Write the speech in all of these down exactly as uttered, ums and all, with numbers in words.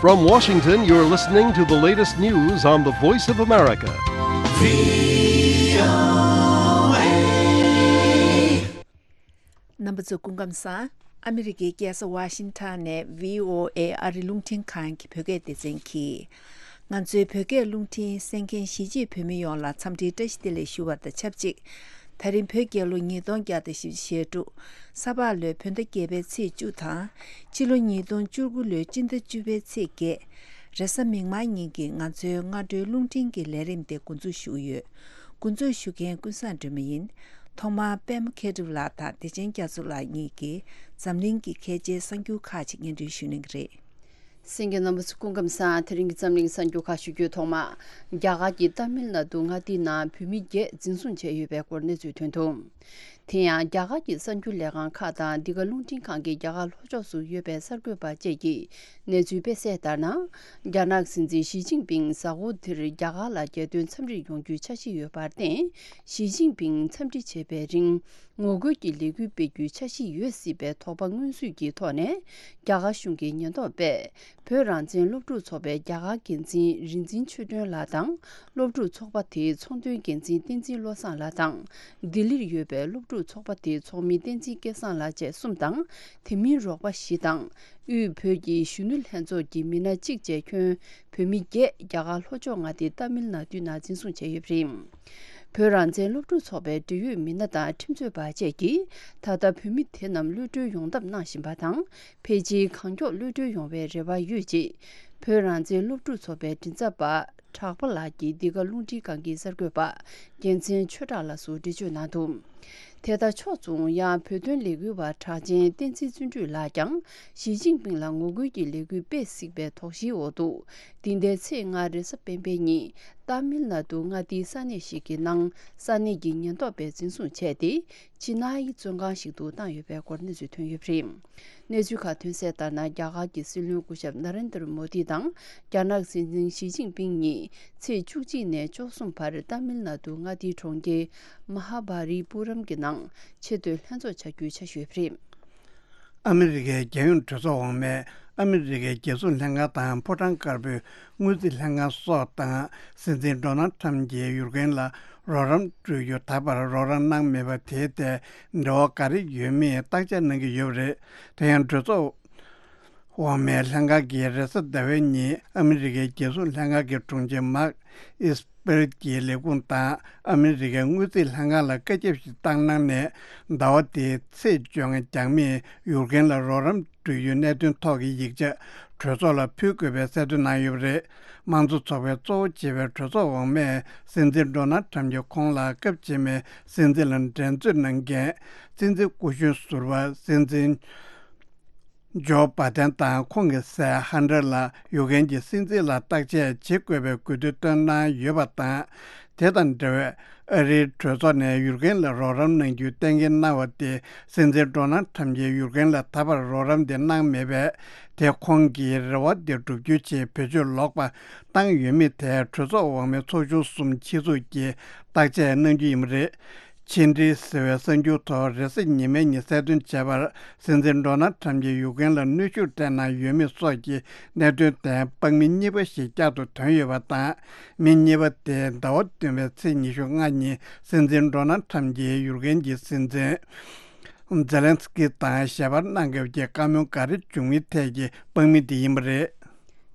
From Washington, you're listening to the latest news on the Voice of America. རྣམ་པ་ཚོ་སྐུ་ཁམས་བཟང་། ཨ་མི་རི་ཀའི་རྒྱལ་ས་ཝ་ཤིང་ཊོན་ནས་བྷི་ཨོ་ཨེ་ཨ་རི་རླུང་འཕྲིན་ཁང་གི་བོད་སྐད་སྡེ་ཚན་གྱིས། ང་ཚོའི་བོད་སྐད་རླུང་འཕྲིན་གསན་མཁན་གཞིས་བྱེས་བོད་མི་ཡོངས་ལ་འཚམས་འདྲིའི་བཀྲ་ཤིས་བདེ་ལེགས་ཞུ་བ་དང་ཆབས་ཅིག་ད་རིང་བོད་རྒྱལ་ལོ་ཉིས་སྟོང་བརྒྱ་དང་བཞི་བཅུ་ཞེ་དྲུག་ས་ཕག་ལོའི་བོད་ཟླ་བརྒྱད་པའི་ཚེས་བཅུ་དང་། ཕྱི་ལོ་ཉིས་སྟོང་བཅུ་དགུ་ལོའི་སྤྱི་ཟླ་བཅུ་པའི་ཚེས་བརྒྱད། རེས་གཟའ་མིག་དམར་ཉིན་གྱི་ང་ཚོའི་སྔ་དྲོའི་རླུང་འཕྲིན་གྱི་ལས་རིམ་དེ་འགོ་འཛུགས་ཞུ་གི་ཡོད། འགོ་འཛུགས་ཞུ་མཁན་ཀུན་བཟང་སྒྲོལ་མ་ཡིན། ཐོག་མར་པད་མ་མཁས་གྲུབ་ལགས་དང་བདེ་ཆེན་རྒྱ་མཚོ་ལགས་གཉིས་ཀྱིས་འཛམ་གླིང་གི་གལ་ཆེའི་གསར་འགྱུར་ཁག་ཅིག་སྙན་སྒྲོན་ཞུ་གནང་གི་རེད། གསན་མཁན་རྣམ་པ་ཚོ་སྐུ་ཁམས་བཟང་། དེ་རིང་གི་འཛམ་གླིང་གསར་འགྱུར་ཁག་ཞུ་རྒྱུའི་ཐོག་མ། རྒྱ་གར་གྱི་ཏཱ་མིལ་ནཱ་ཌུ་མངའ་སྡེའི་ནང་བོད་མི་བརྒྱད་འཛིན་བཟུང་བྱས་ཡོད་པའི་སྐོར་གནས་ཚུལ་ཐོན་འདུག་དེ་ཡང་རྒྱ་གར་གྱི་གསར་འགྱུར་ལས་ཁང་ཁག་དང་འདི་ག་རླུང་འཕྲིན་ཁང་གི་རྒྱ་གར་ལྷོ་ཕྱོགས་སུ་ཡོད་པའི་གསར་འགོད་པ་བཅས་ཀྱིས་གནས་ཚུལ་སྤེལ་གསལ་ལྟར་ན། རྒྱ་ནག་སྲིད་འཛིན་ཞི་ཅིན་ཕིང་གཟའ་འཁོར་འདིར་རྒྱ་གར་ལ་རྒྱལ་དོན་འཚམས་འདྲིར་ཡོང་རྒྱུའི་འཆར་གཞི་ཡོད་པར་བརྟེན། ཞི་ཅིན་ཕིང་འཚམས་འདྲི་བྱེད་པའི་རིང་ངོ་རྒོལ་གྱི་ལས་འགུལ་སྤེལ་རྒྱུའི་འཆར་གཞི་ཡོད་སྲིད་པའི་དོགས་པ་མངོན་གསལ་གྱི་ཐོག་ནས། རྒྱ་གར་གཞུང་གི་ཉེན་རྟོག་པས་བོད་རང་བཙན་སློབ་ཕྲུག་ཚོགས་པའི་རྒྱ་གར་འགན་འཛིན་རིག་འཛིན་ཆོས་སྒྲོན་ལགས་དང་། སློབ་ཕྲུག་ཚོགས་པ་དེའི་ཚོགས་འདུའི་འགན་འཛིན་བསྟན་འཛིན་བློ་བཟང་ལགས་དང་། ལྡི་ལིར་ཡོད་པའི་སློབ་ཕྲུག་ཚོགས་པ་དེའི་ཚོགས་མི་བསྟན་འཛིན་སྐལ་བཟང་ལགས་བཅས་གསུམ་དང་། དེ་མིན་རོགས་པ་བཞི་དང་། དབུས་བོད་ཀྱི་གཞོན་ནུ་ལྷན་ཚོགས་ཀྱི་མི་སྣ་གཅིག་བཅས་ཁྱོན་བོད་མི་བརྒྱད་རྒྱ་གར་ལྷོ་ཕྱོགས་མངའ་སྡེ་ཏཱ་མིལ་ནཱ་ཌུའི་ནང་འཛིན་བཟུང་བྱས་ཡོད་པ་རེད། བོད་རང་བཙན་སློབ་ཕྲུག་ཚོགས་པའི་འབྲེལ་ཡོད་མི་སྣ་དང་ཁྲིམས་རྩོད་པ་བཅས་ཀྱིས་ད་ལྟ་བོད་མི་དེ་རྣམས་གློད་གྲོལ་ཡོང་ཐབས་གནང་བཞིན་པ་དང་། ཕལ་ཆེར་གང་མགྱོགས་གློད་གྲོལ་ཡོང་བའི་རེ་བ་ཡོད་ཅེས། བོད་རང་བཙན་སློབ་ཕྲུག་ཚོགས་པའི་མགྲིན་ཚབ་པ་གྲགས་པ་ལགས་ཀྱིས་འདི་ག་རླུང་འཕྲིན་ཁང་གི་གསར་འགོད་པ་རྒྱལ་མཚན་ཆོས་གྲགས་ལགས་སུ་འགྲེལ་བརྗོད་གནང་འདུག་དེ་ལྟར་ཕྱོགས་མཚུངས་ཡང་བོད་དོན་ལས་འགུལ་བ་གྲགས་ཅན་བསྟན་འཛིན་བརྩོན་འགྲུས་ལགས་ཀྱང་ཞི་ཅིན་ཕིང་ལ་ངོ་རྒོལ་གྱི་ལས་འགུལ་སྤེལ་སྲིད་པའི་དོགས་གཞིའི་འོག་ཏུ། འདི་ཟླའི་ཚེས་ལྔ་རེས་གཟའ་སྤེན་པའི་ཉིན་ཏཱ་མིལ་ནཱ་ཌུ་མངའ་སྡེའི་ས་གནས་ཤིག་གི་ནང་ས་གནས་ཀྱི་ཉེན་རྟོག་པས་འཛིན་བཟུང་བྱས་ཏེ། ཕྱི་ནང་གི་བཙོན་ཁང་ཞིག་ཏུ་བཏང་ཡོད་པའི་སྐོར་གནས་ཚུལ་ཐོན་ཡོད་པ་རེད། གནས་ཚུལ་ཁག་ཐོན་གསལ་ལྟར་ན། རྒྱ་གར་གྱི་སྲིད་བློན་སྐུ་ཞབས་ན་རེན་དར་མོ་དི་དང་རྒྱ་ནག་སྲིད་འཛིན་ཞི་ཅིན་ཕིང་གཉིས་ཚེས་བཅུ་གཅིག་ནས་བཅུ་གསུམ་བར་ཏཱ་མིལ་ནཱ་ཌུ་མངའ་སྡེའི་གྲོང་ཁྱེར་མ་ཧཱ་བྷ་རི་པུ་རམ་གྱི་ནང་ཆེས་མཐོའི་ལྷན་ཚོགས་བྱ་རྒྱུའི་འཆར་གཞི་ཡོད་པ་རེད། ཨ་མི་རི་ཀའི་རྒྱལ་ཡོངས་གྲོས་ཚོགས་འོག་མས་ཨ་མི་རི་ཀའི་རྒྱལ་སྲུང་ལྷན་ཁང་དང་ཕོ་བྲང་དཀར་པོའི་དངུལ་རྩིས་ལྷན་ཁང་སོགས་དང་སྲིད་འཛིན་ཌོ་ནལ་ཁྲམ་གྱིས་ཡུཀ་རེན་ལ་རོགས་རམ་སྤྲོད་རྒྱུ་ད་བར་རོགས་རམ་གནང་མེད་པ་དེའི་ཐད་འབྲེལ་བ་ག་རེ་ཡོད་མེད་བརྟག་དཔྱད་གནང་གི་ཡོད་པ་རེད། དེ་ཡང་གྲོས་ཚོགས་འོག་མའི་ལྷན་ཁང་གིས་རེས་གཟའ་ཟླ་བའི་ཉིན་ཨ་མི་རི་ཀའི་རྒྱལ་སྲུང་ལྷན་ཁང་གི་དྲུང་ཆེ་མཱག་ཨིས་པེར་གྱི་ལས་ཁུངས་དང་ཨ་མི་རི་ཀའི་དངུལ་རྩིས་ལྷན་ཁང་ལ་བཀའ་ཁྱབ་ཞིག་བཏང་གནང་ནས། ཟླ་བ་འདིའི་ཚེས་བཅོ་ལྔ་རྒྱང་མིས་ཡུཀ་རེན་ལ་རོགས་རམ་སྤྲོད་རྒྱུའི་གནད་དོན་ཐོག་གི་ཡིག་ཆ་གྲོས་ཚོགས་ལ་ཕུལ་དགོས་པའི་གསལ་སྟོན་གནང་ཡོད་པ་རེད། དམངས་གཙོ་ཚོགས་པའི་གཙོ་བོ་བྱེད་པའི་གྲོས་ཚོགས་འོག་མས་སྲིད་འཛིན་ཌོ་ནལ་ཁྲམ་གྱིས་ཁོང་ལ་སྐབས་རྗེས་མའི་སྲིད་འཛིན་ལ་འགྲན་རྩོད་གནང་མཁན་སྲིད་འཛིན་སྐུ་གཞོན་ཟུར་པ་སྲིད་འཛིན་ཇོ་བྷ་དན་དང་ཁོང་གི་སྲས་ཧན་ཏར་ལ་ཡུཀ་རེན་གྱི་སྲིད་འཛིན་ལ་བརྟག་དཔྱད་བྱེད་དགོས་པའི་དགོས་འདུན་བཏོན་གནང་ཡོད་པ་དང་། དེ་དང་འབྲེལ་བའི་ཨ་རིའི་གྲོས་ཚོགས་ནས་ཡུཀ་རེན་ལ་རོགས་རམ་གནང་རྒྱུའི་གཏན་འཁེལ་གནང་བ་དེ་སྲིད་འཛིན་ཌོ་ནལ་ཁྲམ་གྱིས་ཡུཀ་རེན་ལ་ད་བར་རོགས་རམ་དེ་གནང་མེད་པས། དེ་ཁོང་གི་རེ་བ་དེ་བསྒྲུབ་རྒྱུའི་ཆེད་བེད་སྤྱོད་ལོག་པ་བཏང་ཡོད་མེད་ཐད་གྲོས་ཚོགས་འོག་མའི་ཚོགས་ཆུང་གསུམ་ཆེད་འཛུགས་ཀྱིས་བརྟག་དཔྱད་གནང་རྒྱུ་ཡིན་པ་རེད། ཕྱི་འབྲེལ་ཟེར་བའི་གསར་འགྱུར་ཐོག་རེས་གཟའ་ཉི་མའི་ཉིན་གསལ་སྟོན་བྱས་པར། སྲིད་འཛིན་ཌོ་ནལ་ཁྲམ་གྱིས་ཡུཀ་རེན་ལ་གནོན་ཤུགས་སྤྲད་གནང་ཡོད་མེད་སོགས་ཀྱི་གནད་དོན་ཐད་དཔང་མི་གཉིས་པ་ཞིག་བསྐྱར་དུ་ཐོན་ཡོད་པ་དང་། མི་གཉིས་པ་དེ་ཟླ་བ་བདུན་པའི་ཚེས་ཉི་ཤུ་ལྔ་ཉིན་སྲིད་འཛིན་ཌོ་ནལ་ཁྲམ་གྱིས་ཡུཀ་རེན་གྱི་སྲིད་འཛིན་ཛེ་ལན་སི་ཀི་དང་ཞལ་པར་གནང་སྐབས་ཀྱི་བཀའ་མོལ་ག་རེ་བྱུང་མིན་ཐད་ཀྱི་དཔང་མི་དེ་ཡིན་པ་རེད།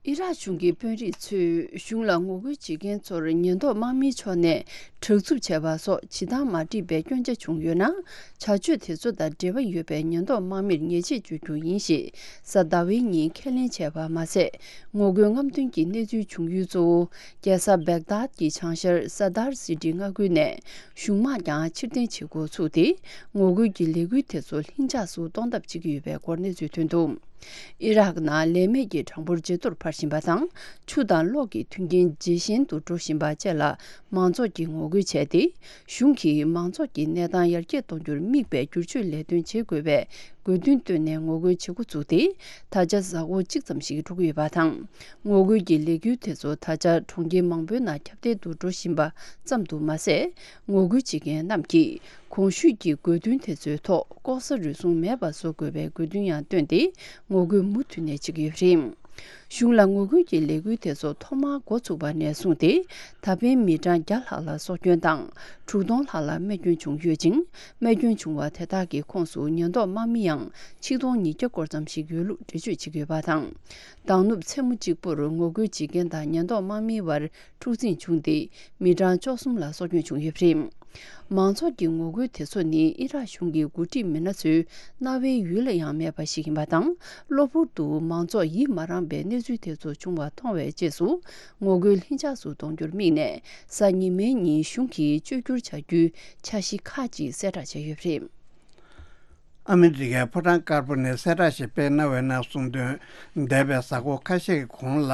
ཨི་རག་གཞུང་གི་དཔོན་རིགས་ཚོས་གཞུང་ལ་ངོ་རྒོལ་བྱེད་མཁན་ཚོར་ཉེན་རྟོག་དམག་མིའི་ཕྱོགས་ནས་དྲག་རྩུབ་བྱས་པ་སོགས་བྱེད་སྟངས་མ་འགྲིག་པའི་སྐྱོན་ཆ་བྱུང་ཡོད་ན། བྱ་སྤྱོད་དེ་ཚོ་དང་འབྲེལ་བ་ཡོད་པའི་ཉེན་རྟོག་དམག་མིར་ཉེས་ཆད་གཅོད་རྒྱུ་ཡིན་ཞེས་གཟའ་ཟླ་བའི་ཉིན་ཁས་ལེན་བྱས་པ་མ་ཟད། ངོ་རྒོལ་རྔམ་སྟོན་གྱི་གནས་ཚུལ་བྱུང་ཡུལ་གཙོ་བོ་རྒྱལ་ས་བེག་དཱད་ཀྱི་བྱང་ཤར་སར་དར་སི་ཏི་མངའ་ཁུལ་ནས་གཞུང་དམག་ཀྱང་ཕྱིར་འཐེན་བྱེད་འགོ་ཚུགས་ཏེ། ངོ་རྒོལ་གྱི་ལས་འགུལ་དེ་ཚོ་ལྷིང་འཇགས་སུ་གཏོང་ཐབས་བྱེད་ཀྱི་ཡོད་པའི་སྐོར་གནས་ཚུལ་ཐོན་འདུག་ཨི་རག་ནང་ལས་མེད་ཀྱི་གྲངས་འབོར་ཇེ་མཐོར་འཕར་བཞིན་པ་དང་། ཆུ་དང་གློག་གི་མཐུན་རྐྱེན་ཇེ་ཞན་དུ་འགྲོ་བཞིན་པ་བཅས་ལ་མང་ཚོགས་ཀྱིས་ངོ་རྒོལ་བྱས་ཏེ། གཞུང་གིས་མང་ཚོགས་ཀྱི་གནས་སྟངས་ཡར་རྒྱས་གཏོང་རྒྱུར་དམིགས་པའི་བསྒྱུར་བཅོས་ལས་དོན་བྱེད་དགོས་པའི་དགོས་འདུན་བཏོན་ནས་ངོ་རྒོལ་བྱེད་འགོ་བཙུགས་ཏེ། ད་ཆ་གཟའ་འཁོར་གཅིག་ཙམ་ཞིག་འགྲོ་གི་ཡོད་པ་དང་། ངོ་རྒོལ་གྱི་ལས་འགུལ་དེ་ཚོ་ད་ཆ་གྲོང་ཁྱེར་མང་པོའི་ནང་ཁྱབ་གདལ་དུ་འགྲོ་བཞིན་པ་ཙམ་དུ་མ་ཟད། ངོ་རྒོལ་བྱེད་མཁན་རྣམས་ཀྱིས་གོང་ཞུས་ཀྱི་དགོས་འདུན་དེ་ཚོའི་ཐོག་ལྐོག་ཟ་རུལ་སུངས་མེད་པ་བཟོ་དགོས་པའི་དགོས་འདུན་ཡང་བཏོན་ཏེ། ངོ་རྒོལ་མུ་མཐུད་ནས་བྱེད་ཀྱི་ཡོད་པ་རེད། གཞུང་ལ་ངོ་རྒོལ་གྱི་ལས་འགུལ་དེ་ཚོ་ཐོག་མར་འགོ་ཚུགས་པ་ནས་བཟུང་སྟེ། ད་ཕན་མི་གྲངས་བརྒྱ་ལྷག་ལ་སྲོག་སྐྱོན་དང་། དྲུག་སྟོང་ལྷག་ལ་རྨས་སྐྱོན་བྱུང་ཡོད་ཅིང་། རྨས་སྐྱོན་བྱུང་བ་དེ་དག་གི་ཁོངས་སུ་ཉེན་རྟོག་དམག་མི་ཡང་ཆིག་སྟོང་ཉིས་བརྒྱ་སྐོར་ཙམ་ཞིག་ཡོད་ལུགས་འགྲེལ་བརྗོད་བྱེད་ཀྱི་ཡོད་པ་དང་། མདང་ནུབ་མཚན་མོ་གཅིག་པུར་ངོ་རྒོལ་བྱེད་མཁན་དང་ཉེན་རྟོག་དམག་མིའི་བར་འཁྲུག་འཛིང་བྱུང་སྟེ། མི་གྲངས་བཅུ་གསུམ་ལ་སྲོག་སྐྱོན་བྱུང་ཡོད་པ་རེད། མང་ཚོགས་ཀྱི་ངོ་རྒོལ་དེ་ཚོ་ནི་ཨི་རག་གཞུང་གི་འགོ་ཁྲིད་མི་སྣ་ཚོའི་རྣ་བའི་ཡུལ་ལ་ཡང་མེད་པ་ཞིག་ཡིན་པ་དང་། གློ་བུར་དུ་མང་ཚོགས་ཡིད་མ་རངས་པའི་གནས་ཚུལ་དེ་ཚོ་བྱུང་བ་མཐོང་བའི་རྗེས་སུ། ངོ་རྒོལ་ལྷིང་འཇགས་སུ་གཏོང་རྒྱུར་དམིགས་ནས། གཟའ་ཉི་མའི་ཉིན་གཞུང་གིས་བཅོས་བསྒྱུར་བྱ་རྒྱུའི་འཆར་གཞི་ཁག་ཅིག་གསལ་བསྒྲགས་བྱས་ཡོད་པ་རེད། ཨ་མི་རི་ཀའི་ཕོ་བྲང་དཀར་པོ་ནས་གསལ་བསྒྲགས་ཤིག་སྤེལ་གནང་བའི་ནང་གསུངས་དོན། འདས་པའི་གཟའ་འཁོར་ཁ་ཤས་ཀྱི་གོང་ལ།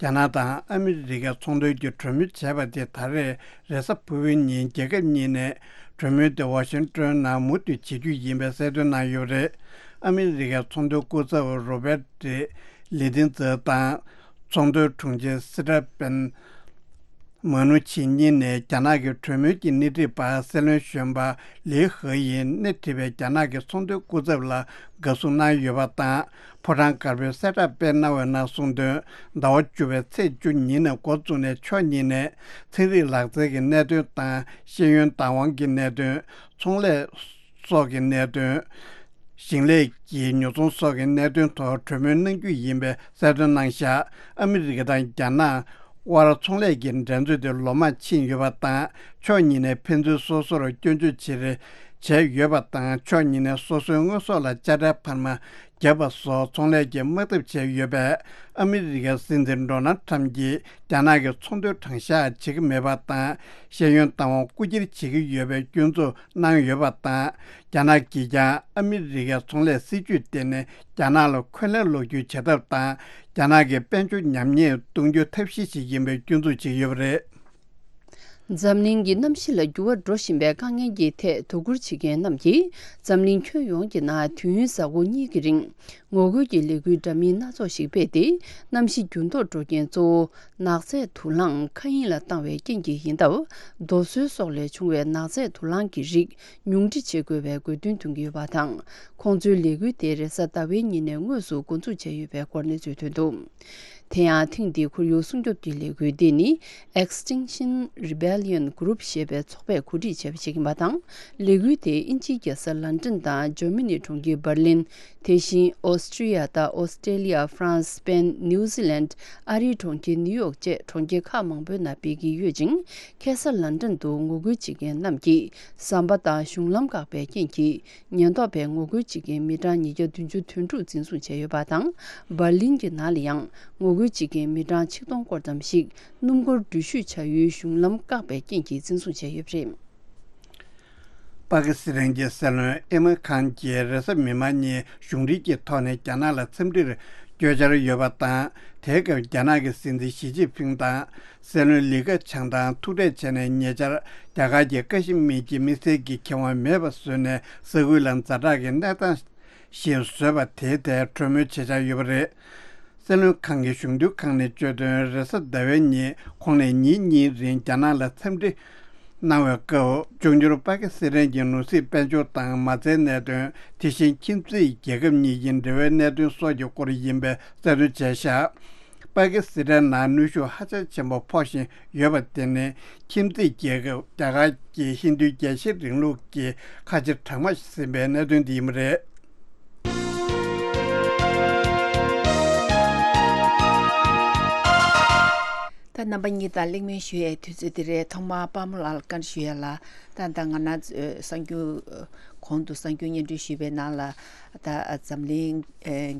རྒྱ་ནག་དང་ཨ་མི་རི་ཀའི་ཚོང་དོན་གྱི་གྲོས་མོལ་བྱས་པ་དེ་ད་རེས་རེས་གཟའ་ཕུར་བུའི་ཉིན་རྒྱལ་ཁབ་གཉིས་ནས་གྲོས་མོལ་དེ་ཝ་ཤིང་ཏོན་ནང་མུ་མཐུད་བྱེད་རྒྱུ་ཡིན་པའི་གསལ་སྟོན་གནང་ཡོད་པ་རེད། ཨ་མི་རི་ཀའི་ཚོང་དོན་སྐུ་ཚབ་རོ་བེར་ཏི་ལི་ཏིན་ཙེ་དང་། ཚོང་དོན་དྲུང་ཆེ་སི་ཏྲ་པེན། མ་ནུ་ཆི་གཉིས་ནས་རྒྱ་ནག་གི་གྲོས་མོལ་གྱི་སྣེ་ཁྲིད་པ་སྲིད་བློན་གཞོན་པ་ལི་ཧེ་ཡིས་སྣེ་ཁྲིད་པའི་རྒྱ་ནག་གི་ཚོང་དོན་སྐུ་ཚབ་ལ་དགའ་བསུ་གནང་ཡོད་པ་དང་། ཕོ་བྲང་དཀར་པོས་གསལ་བསྒྲགས་སྤེལ་གནང་བའི་ནང་གསུངས་དོན། ཟླ་བ་བཅུ་པའི་ཚེས་བཅུ་ཉིན་ནས་འགོ་བཙུགས་ནས་ཕྱོགས་གཉིས་ནས་ཚན་རིག་ལག་རྩལ་གྱི་གནད་དོན་དང་ཤེས་ཡོན་བདག་དབང་གི་གནད་དོན། ཚོང་ལས་སོགས་ཀྱི་གནད་དོན། ཞིང་ལས་ཀྱི་ཉོ་ཚོང་སོགས་ཀྱི་གནད་དོན་ཐོག་གྲོས་མོལ་གནང་རྒྱུ་ཡིན་པའི་གསལ་སྟོན་གནང་བཞག་ཨ་མི་རི་ཀ་དང་རྒྱ་ནག་དབར་ཚོང་ལས་ཀྱི་འགྲན་རྩོད་དེ་ལོ་མང་ཕྱིན་ཡོད་པ་དང་། ཕྱོགས་གཉིས་ནས་ཕན་ཚུན་སོ་སོར་སྐྱོན་བརྗོད་བྱེད་རེས་བྱས་ཡོད་པ་དང་། ཕྱོགས་གཉིས་ནས་སོ་སོའི་དངོས་ཟོག་ལ་དཔྱ་ཁྲལ་འཕར་མ་བརྒྱབ་པ་སོགས་ཚོང་ལས་ཀྱི་དམག་འཐབ་བྱས་ཡོད་པས། ཨ་མི་རི་ཀའི་སྲིད་འཛིན་ཌོ་ནལ་ཁྲམ་གྱིས་རྒྱ་ནག་གི་ཚོང་དོན་དྲང་གཞག་བྱེད་ཀྱི་མེད་པ་དང་། ཤེས་ཡོན་བདག་དབང་རྐུ་འཁྱེར་བྱེད་ཀྱི་ཡོད་པའི་སྐྱོན་འཛུགས་གནང་ཡོད་པ་དང་། རྒྱ་ནག་གིས་ཀྱང་ཨ་མི་རི་ཀའི་ཚོང་ལས་སྲིད་ཇུས་སྟེང་ནས་རྒྱ་ནག་ལ་འཁོན་ལན་སློག་རྒྱུའི་བྱེད་ཐབས་དང་། རྒྱ་ནག་གི་དཔལ་འབྱོར་ཉམས་ཉེས་གཏོང་རྒྱུའི་ཐབས་ཤེས་ཤིག་ཡིན་པའི་སྐྱོན་འཛུགས་བྱེད་ཀྱི་ཡོད་པ་རེད། འཛམ་གླིང་གི་གནམ་གཤིས་ལ་འགྱུར་བ་འགྲོ་བཞིན་པའི་དཀའ་ངལ་གྱི་ཐད་དོ་ཁུར་བྱེད་མཁན་རྣམས་ཀྱིས། འཛམ་གླིང་ཁྱོན་ཡོངས་ཀྱི་ནང་དུས་ཡུན་གཟའ་འཁོར་གཉིས་ཀྱི་རིང་། ངོ་རྒོལ་གྱི་ལས་འགུལ་འདྲ་མིན་སྣ་ཚོགས་ཤིག་སྤེལ་ཏེ། གནམ་གཤིས་འགྱུར་ལྡོག་འགྲོ་རྐྱེན་གཙོ་བོ། ནགས་ཚལ་དུག་རླངས་མཁའ་དབྱིངས་ལ་བཏང་བའི་རྐྱེན་གྱིས་ཡིན་སྟབས། རྡོ་སོལ་སོགས་ལས་བྱུང་བའི་ནགས་ཚལ་དུག་རླངས་ཀྱི་རིགས་ཉུང་འཕྲི་བྱེད་དགོས་པའི་དགོས་འདུན་འདོན་གྱི་ཡོད་པ་དང་། ཁོང་ཚོའི་ལས་འགུལ་དེ་རེས་གཟའ་ཟླ་བའི་ཉིན་ནས་དངོས་སུ་འགོ་འཛུགས་བྱས་ཡོད་པའི་སྐོར་གནས་ཚུལ་ཐོན་འདུག་དེ་ཡང་ཐེངས་འདིའི་ཁོར་ཡུག་སྲུང་སྐྱོབ་ཀྱི་ལས་འགུལ་འདི་ནི། Extinction Rebellion Group ཞེས་པའི་ཚོགས་པས་གོ་སྒྲིག་བྱས་པ་ཞིག་ཡིན་པ་དང་། ལས་འགུལ་དེ་དབྱིན་ཇིའི་རྒྱལ་ས་ལན་ཀྲན་དང་ཇར་མ་ནིའི་གྲོང་ཁྱེར་འབར་ལིན། དེ་བཞིན་ཨོ་སི་ཀྲི་ཡ་དང་ཨོ་སི་ཀྲེ་ལི་ཡ། ཧྥ་རན་སི། སི་པེན། ནིའུ་ཛི་ལན། ཨ་རིའི་གྲོང་ཁྱེར་ནིའུ་ཡོག་བཅས་གྲོང་ཁྱེར་ཁག་མང་པོའི་ནང་སྤེལ་གྱི་ཡོད་ཅིང་། ཁ་སང་ལན་ཀྲན་དུ་ངོ་རྒོལ་བྱེད་མཁན་རྣམས་ཀྱིས་ཟམ་པ་དང་གཞུང་ལམ་བཀག་པའི་རྐྱེན་གྱིས། ཉེན་རྟོག་པས་ངོ་རྒོལ་བྱེད་མཁན་མི་གྲངས་ཉིས་བརྒྱ་བདུན་ཅུ་དོན་དྲུག་འཛིན་བཟུང་བྱས་ཡོད་པ་དང་། འབར་ལིན་གྱི་ནང་ལ་ཡང་ངོ་རྒོལ་བྱེད་མཁན་མི་གྲངས་ཆིག་སྟོང་སྐོར་ཙམ་ཞིག་སྣུམ་འཁོར་འགྲུལ་བཞུད་བྱ་ཡུལ་གཞུང་ལམ་བཀག་པའི་རྐྱེན་གྱིས་འཛིན་བཟུང་བྱས་ཡོད་པ་རེད། པ་ཀི་སི་ཐན་གྱི་སྲིད་བློན་ཨི་མན་ཁཱན་གྱིས་རེས་གཟའ་མིག་དམར་ཉིན་གཞུང་འབྲེལ་གྱི་ཐོག་ནས་རྒྱ་ནག་ལ་འཚམས་འདྲིར་བསྐྱོད་འཆར་ཡོད་པ་དང་། དེའི་སྐབས་རྒྱ་ནག་གི་སྲིད་འཛིན་ཞི་ཅིན་ཕིང་དང་། སྲིད་བློན་ལི་ཁེ་ཆང་དང་ཐུག་འཕྲད་བྱས་ནས། ཉེ་ཆར་རྒྱ་གར་གྱི་ཀ་ཤི་མིར་གྱི་དམིགས་བསལ་གྱི་ཁེ་དབང་མེད་པ་བཟོས་ནས། ས་ཁུལ་ལ་ཛ་དྲག་གི་གནས་སྟངས་ཤིག་བཟོས་པ་དེའི་ཐད་གྲོས་མོལ་བྱེད་འཆར་ཡོད་པ་རེད། སྲིད་བློན་ཁང་གི་གཞུང་དོན་ཁང་ནས་བརྗོད་དོན། རེས་གཟའ་ཟླ་བའི་ཉིན་ཁོང་ནས་ཉིན་གཉིས་རིང་རྒྱ་ནག་ལ་འཚམས་འདྲི་གནང་བའི་སྐབས། བཙོན་འཇུག་པ་ཀི་སི་ཐན་གྱི་ནོར་སྲིད་དཔལ་འབྱོར་དང་མ་རྩའི་གནད་དོན། དེ་བཞིན་ཁྱིམ་མཚེས་རྒྱལ་ཁབ་གཉིས་ཀྱི་འབྲེལ་བའི་གནད་དོན་སོགས་ཀྱི་སྐོར་ཡིན་པའི་གསལ་སྟོན་བྱས་བཞག་པ་ཀི་སི་ཐན་ནང་གནོན་ཤུགས་ཧ་ཅང་ཆེན་པོ་ཕོག་བཞིན་ཡོད་པ་དེ་ནི། ཁྱིམ་མཚེས་རྒྱལ་ཁབ་རྒྱ་གར་གྱི་ཧིན་རྡུའི་རྒྱལ་ཞེན་རིང་ལུགས་ཀྱི་ཁ་ཆེ་གྲངས་མང་ཟིན་པའི་གནད་དོན་དེ་ཡིན་པ་རེད། ད་རྣམ་པ་གཉིས་དང་གླེང་མོལ་ཞུ་ཡའི་དུས་ཚོད་འདི་རེད། ཐོག་མར་དཔའ་མོ་ལགས་ལ་བཀའ་འདྲི་ཞུ་ཡ་ལ། ད་ད་ང་རང་ཚོའི་གསར་འགྱུར། གོང་དུ་གསར་འགྱུར་སྙན་སྒྲོན་ཞུས་པའི་ནང་ལ། ད་འཛམ་གླིང་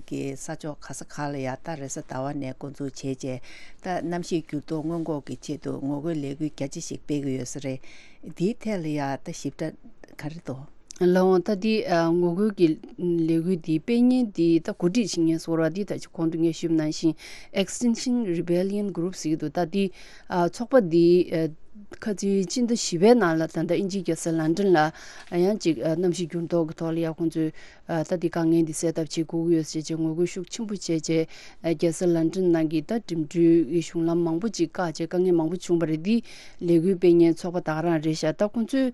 གི་ས་ཕྱོགས་ག་ས་ག་ལ་ཡ་ད་རེས་གཟའ་ཟླ་བ་ནས་འགོ་འཛུགས་བྱས་རྗེས། ད་གནམ་གཤིས་འགྱུར་ལྡོག་སྔོན་འགོག་གི་ཆེད་དུ་ངོ་རྒོལ་ལས་འགུལ་རྒྱ་ཆེ་ཞིག་སྤེལ་གྱི་ཡོད་ས་རེད། འདིའི་ཐད་ལ་ཡ་ད་ཞིབ་ཕྲ་ག་རེ་འདུག་ལགས་འོང་། ད་འདི་ཨ་ངོ་རྒོལ་གྱི་ལས་འགུལ་འདི་སྤེལ་མཁན་འདི་ད་གོ་སྒྲིག་བྱེད་མཁན་ཟེར་བ་འདི་ད་ཅི་གོང་དུ་ངས་ཞུས་པ་ནང་བཞིན་Extinction Rebellion Group ཟེར་གྱི་འདུག་ད་འདི་ཨ་ཚོགས་པ་འདི་ཨ་ ཁ་ཚིག་སྤྱི་ཟླ་བཞི་པའི་ནང་ལ་ད་ལྟ་དབྱིན་ཇིའི་རྒྱལ་ས་ལན་ཀྲན་ལ་ཡང་ཅིག་གནམ་གཤིས་འགྱུར་ལྡོག་གི་ཐོག་ལ་ཡང་ཁོང་ཚོས་ད་འདི་དཀའ་ངལ་འདི་སེལ་ཐབས་བྱེད་དགོས་ཀྱི་ཡོད་ཟེར་བྱས་ངོ་རྒོལ་ཤུགས་ཆེན་པོ་བྱས་བྱས་རྒྱལ་ས་ལན་ཀྲན་ནང་གི་ད་འགྲིམ་འགྲུལ་གྱི་གཞུང་ལམ་མང་པོ་ཅིག་བཀག་བྱས་དཀའ་ངལ་མང་པོ་བྱུང་བ་རེད། འདི་ལས་འགུལ་སྤེལ་མཁན་ཚོགས་པ་ད་ག་རང་རེད་ཤག་ད་ཁོང་ཚོས་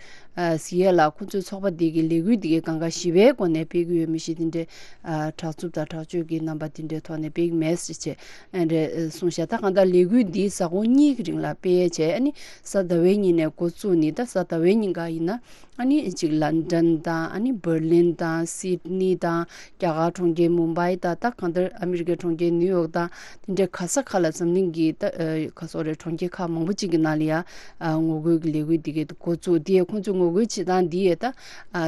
ཟེར་ཡས་ལ་ཁོང་ཚོའི་ཚོགས་པ་འདི་གི་ལས་འགུལ་འདི་གའི་སྒང་ག་ཞི་བའི་སྒོ་ནས་སྤེལ་གྱི་ཡོད་མི་ཤེས། དེ་འདྲའི་དྲག་རྩུབ་དང་དྲག་སྤྱོད་ཀྱི་རྣམ་པ་དེ་འདྲའི་ཐོག་ནས་སྤེལ་གྱི་མེད་ཟེར་བྱས་ཨ་འདྲ་གསུངས་ཤག་ད་གང་ལྟར་ལས་འགུལ་འདི་གཟའ་འཁོར་གཉིས་ཀྱི་རིང་ལ་སྤེལ་ཡས་བྱས། ཨ་ནི་གཟའ་ཟླ་བའི་ཉིན་ནས་འགོ་བཙུགས་ནས་ད་གཟའ་ཟླ་བའི་ཉིན་ག་ཡིན་ན་ཨ་ནི་གཅིག་ལན་ཀྲན་དང་ཨ་ནི་འབར་ལིན་དང་སིད་ནི་དང་རྒྱ་གར་གྲོང་ཁྱེར་མུམ་བྷའི་དང་ད་གང་ལྟར་ཨ་མི་རི་ཀའི་གྲོང་ཁྱེར་ནིའུ་ཡོག་དང་དེ་འདྲའི་ག་ས་ག་ལ་འཛམ་གླིང་གི་ད་ག་སོག་རེད། གྲོང་ཁྱེར་ཁག་མང་པོ་ཅིག་གི་ནང་ལ་ཡ་ངོ་རྒོལ་གྱི་ལས་འགུལ་འདི་གའི་འགོ་བཙུགས། དེ་ཡས་ཁོང་ཚོའི་ངོ་རྒོལ་བྱེད་སྟངས་འདི་ཡས་ད་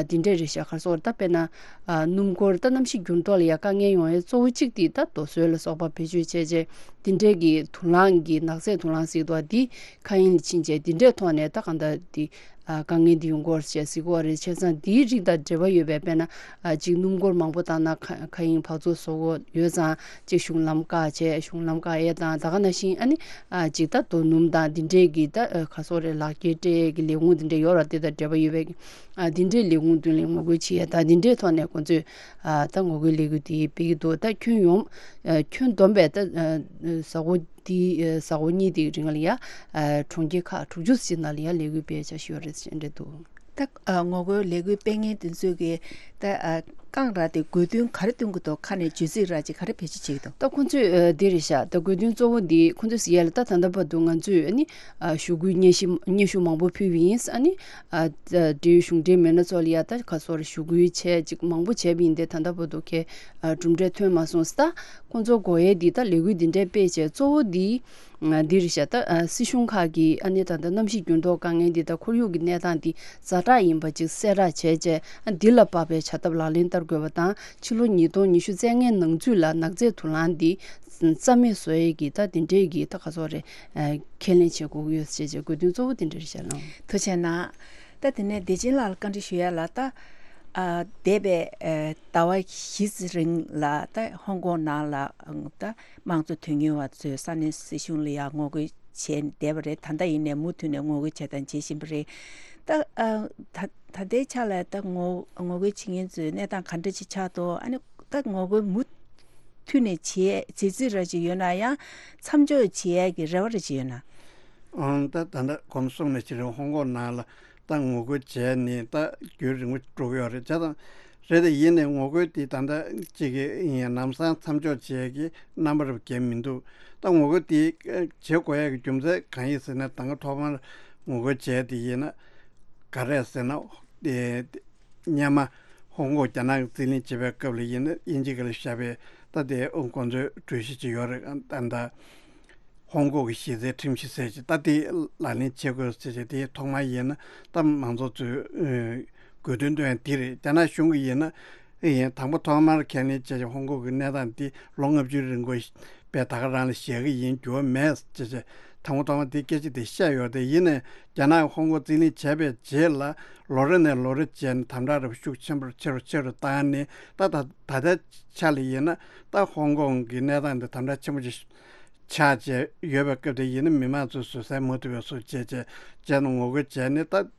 འདི་འདྲ་རེད་ཤག་ག་སོག་རེད། ད་དཔེར་ན། ཨ་སྣུམ་འཁོར་ད་གནམ་གཤིས་འགྱུར་ལྡོག་ལ་ཡ་དཀའ་ངལ་ཡོང་ཡས་གཙོ་བོ་གཅིག་དེ་ད་རྡོ་སོལ་ལ་སོགས་པ་བེད་སྤྱོད་བྱས་རྗེས་དེ་འདྲས་ཀྱི་དུག་རླངས་ཀྱི་ནག་རྫས་དུག་རླངས་ཟེར་གྱི་འདུག་བ། འདི་མཁའ་དབྱིངས་ལ་ཕྱིན་རྗེས་དེ་འདྲས་ཐོག་ནས་ད་གང་ལྟར་དེ་ཨ་དཀའ་ངལ་འདི་ཡོང་གི་ཡོད་རེད་ཅེས་ཟེར་གྱི་ཡོད་རེད། བྱས་ཙང་འདིའི་རིགས་དང་འབྲེལ་བ་ཡོད་པའི་དཔེར་ན་ཨ་གཅིག་སྣུམ་འཁོར་མང་པོ་བཏང་ན་མཁའ་མཁའ་དབྱིངས་འབག་བཙོག་བཟོ་གི་ཡོད་ཙང་གཅིག་གཞུང་ལམ་བཀག་བྱས། གཞུང་ལམ་བཀག་ཡས་དང་ད་ག་ནང་བཞིན་ཨ་ནི་ཨ་གཅིག་ད་རྡོ་སྣུམ་དང་འདི་འདྲས་ཀྱི་ད་ཨ་ག་སོག་རེད། ལག་འཁྱེར་སྤྲད་ཡས་ཀྱི་ལས་ཁུངས་འདི་འདྲས་ཡོད་རེད། དེ་དང་འབྲེལ་བ་ཡོད་པའི། ཨ་འདི་འདྲའི་ལས་ཁུངས་མདུན་ལ་ངོ་རྒོལ་བྱེད་ཡ་དང་འདི་འདྲའི་ཐོག་ནས་ཁོང་ཚོས་ཨ་ད་ངོ་རྒོལ་ལས་འགུལ་འདི་སྤེལ་གྱི་འདུག་ད་ཁྱོན་ཡོངས་ཨ་ཁྱོན་བསྡོམས་པས་ད་ཨ་གཟའ་འཁོར་འདི་ཨ་གཟའ་འཁོར་གཉིས་དེའི་རིང་ལ་ཡ་ཨ་གྲོང་ཁྱེར་ཁག་དྲུག་ཅུ་ཙམ་ནང་ལ་ཡ་ལས་འགུལ་སྤེལ་འཆར་གཞི་ཡོད་རེད་ཟེར་འདྲ་འདུག་ད་ཨ་ངོ་རྒོལ་ལས་འགུལ་སྤེལ་མཁན་དེ་ཚོས་ཀྱི་ད་ཨ་རྐང་ར་དེ་དགོས་འདུན་ག་རེ་བཏོན་གྱི་འདུག་ཁ་ནས་བརྗོད་ཚིག་ར་ཅིག་ག་རེ་བེད་སྤྱོད་བྱེད་ཀྱི་འདུག་ད་ཁོང་ཚོས་ཨ་འདི་རེད་ཤག་ད་དགོས་འདུན་གཙོ་བོ་འདི་ཁོང་ཚོས་ཟེར་ཡ་ལ་ད་ད་ལྟ་བར་དུ་ང་ཚོས་ཨ་ནི་ཨ་ཞུ་སྐུལ་སྙན་ཞུ་སྙན་ཞུ་མང་པོ་ཕུལ་བ་ཡིན། ཨ་ནི་ཨ་འབྲེལ་ཡོད་གཞུང་འབྲེལ་མི་སྣ་ཚོ་ལ་ཡ་ད་ག་སོར་ཞུ་སྐུལ་བྱས་ཅིག་མང་པོ་བྱས་པ་ཡིན་ཏེ་ད་ལྟ་བར་དུ་ཁྱེད་ཨ་གྲུབ་འབྲས་ཐོན་མ་སོང་། ད་ཁོང་ཚོ་དགོས་ཡས་འདི་ད་ལས་འགུལ་འདི་འདྲའི་སྤེལ་བྱས་གཙོ་བོ་འདི་ཨ་འདི་རེད་ཤག་ད་ཨ་སྲིད་གཞུང་ཁག་གིས་ཨ་ནི་ད་ལྟ་གནམ་གཤིས་འགྱུར་ལྡོག་དཀའ་ངལ་འདི་དང་ཁོར་ཡུག་གི་གནས་སྟངས་འདི་ཛ་དྲག་ཡིན་པ་ཅིག་གསལ་བསྒྲགས་བྱས་རྗེས་ཨ་འདི་ལ་དཔག་པའི་བྱ་ཐབས་ལག་ལེན་བསྟར་དགོས་པ་དང་ཕྱི་ལོ་ཉིས་སྟོང་ཉི་ཤུ་རྩ་ལྔའི་ནང་ཚུད་ལ་ནག་རྫས་དུག་རླངས་འདི་རྩ་མེད་བཟོ་ཡས་ཀྱི་ད་དེ་འདྲའི་གི་ད་ག་ཚོད་རེད། ཨ་ཁས་ལེན་བྱེད་དགོས་ཀྱི་ཡོད་ཅེས་བྱས་དགོས་འདུན་གཙོ་བོ་དེ་འདྲ་རེད་ཤག་ལགས། ཐུགས་རྗེ་གནང་། ད་དེ་ནས་བདེ་ཆེན་ལགས་ལ་བཀའ་འདྲི་ཞུ་ཡ་ལ་ད་ཨ་འདས་པའི་ཨ་ཟླ་བ་བཞི་ཙམ་རིང་ལ་ད་ཧོང་ཀོང་ནང་ལ་ཨང་ད་དམངས་གཙོ་དོན་གཉེར་བ་ཚོས་ས་གནས་སྲིད་གཞུང་ལ་ཡ་ངོ་རྒོལ་བྱས་བསྡད་པ་རེད། ད་ལྟ་ཡིན་ནའི་མུ་མཐུད་ནས་ངོ་རྒོལ་བྱས་དང་བྱེད་བཞིན་པ་རེད། ད་ཨ་ད་ད་ལྟའི་ཆ་ལ་ད་ངོ་ངོ་རྒོལ་བྱེད་མཁན་ཚོའི་གནས་སྟངས་ག་འདྲ་ཅིག་ཆགས་འདུག་ཨ་ནི་ད་ངོ་རྒོལ་མུ་མཐུད་ནས་བྱེད་བྱེད་རྩིས་ར་ཅིག་ཡོད་ན་ཡང་མཚམས་འཇོག་བྱེད་ཡས་ཀྱི་རེ་བ་ར་ཅིག་ཡོད་ན། ཨང་། ད་ད་ལྟ་གོང་གསུངས་ནས་ཕྱི་རེ་ཧོང་ཀོང་ནང་ལ་ད་ངོ་རྒོལ་བྱས་ནས་ད་རྒྱུན་རིང་པོ་འགྲོ་གི་ཡོད་རེད། བྱས་ཙང་རེད་དེ་ཡིན་ནའི་ངོ་རྒོལ་དེ་ད་ལྟ་གཅིག་གི་ཡིན་ལམ་སང་མཚམས་འཇོག་བྱས་ཀྱི་རྣམ་པ་རབ་རྒྱས་མི་འདུག་ད་ངོ་རྒོལ་དེ་བྱེད་དགོས་ཡས་ཀྱི་རྒྱུ་མཚན་གང་ཡིན་ཟེར་ན་ད་སྔ་ཐོག་མར་ངོ་རྒོལ་བྱས་དེ་ཡིན་ན་ག་རེ་ཟེར་ན་དེ། སྔོན་མ་ཧོང་ཀོང་རྒྱ་ནག་གིས་རྩིས་ལེན་བྱེད་པའི་སྐབས་ལ་ཡིན་ན་དབྱིན་ཇི་ག་ལ་བཞག་པའི་ད་དེ་ཁོང་ཚོའི་གྲོས་གཞི་ཅིག་ཡོད་རེད། ད་ད་ཧོང་ཀོང་གི་གཞི་རྩའི་ཁྲིམས་གཞི་ཟེར་ཅིག་ད་དེ་ལག་ལེན་བྱེད་དགོས་ཟེར་ཅིག་དེ་ཐོག་མ་ཡིན་ན་ད་མང་ཚོགས་ཚོས་དགོས་འདུན་བཏོན་ཡ་དེ་རེད། རྒྱ་ནག་གཞུང་གིས་ཡིན་ན་ཡིན་དང་པོ་ཐོག་མར་ཁས་ལེན་བྱས་ཀྱི་ཧོང་ཀོང་གི་གནས་སྟངས་འདི་ལོ་ལྔ་བཅུའི་རིང་གོ་པས་ད་ག་རང་ལ་བཞག་གི་ཡིན། འགྱུར་བ་མེད་ཅེས་བྱས་དང་པོ་ཐོག་མ་དེ་སྐད་ཆ་དེ་བཤད་ཡོད་དེ། ཡིན་ནའི་རྒྱ་ནག་ཧོང་ཀོང་རྩིས་ལེན་བྱས་པའི་རྗེས་ལ་ལོ་རེ་ནས་ལོ་རེ་བྱས་ནས་དམ་དྲག་རབ་ཤུགས་ཆེན་པོར་ཆེ་རུ་ཆེ་རུ་བཏང་ནས་ད་ད་ད་ལྟའི་ཆ་ལ་ཡིན་ན་ད་ཧོང་ཀོང་གི་གནས་སྟངས་དེ་དམ་དྲག་ཆེན་པོ་ཞིག་ཆགས་བྱས་ཡོད་པའི་སྐབས་དེ་ཡིན་ན་མི་མང་ཚོས་བཟོད་བསྲན་མ་ཐུབ་པའི་བཟོ་བྱས་བྱས་བྱས་ནས་ངོ་རྒོལ་བྱས་ནས་ད།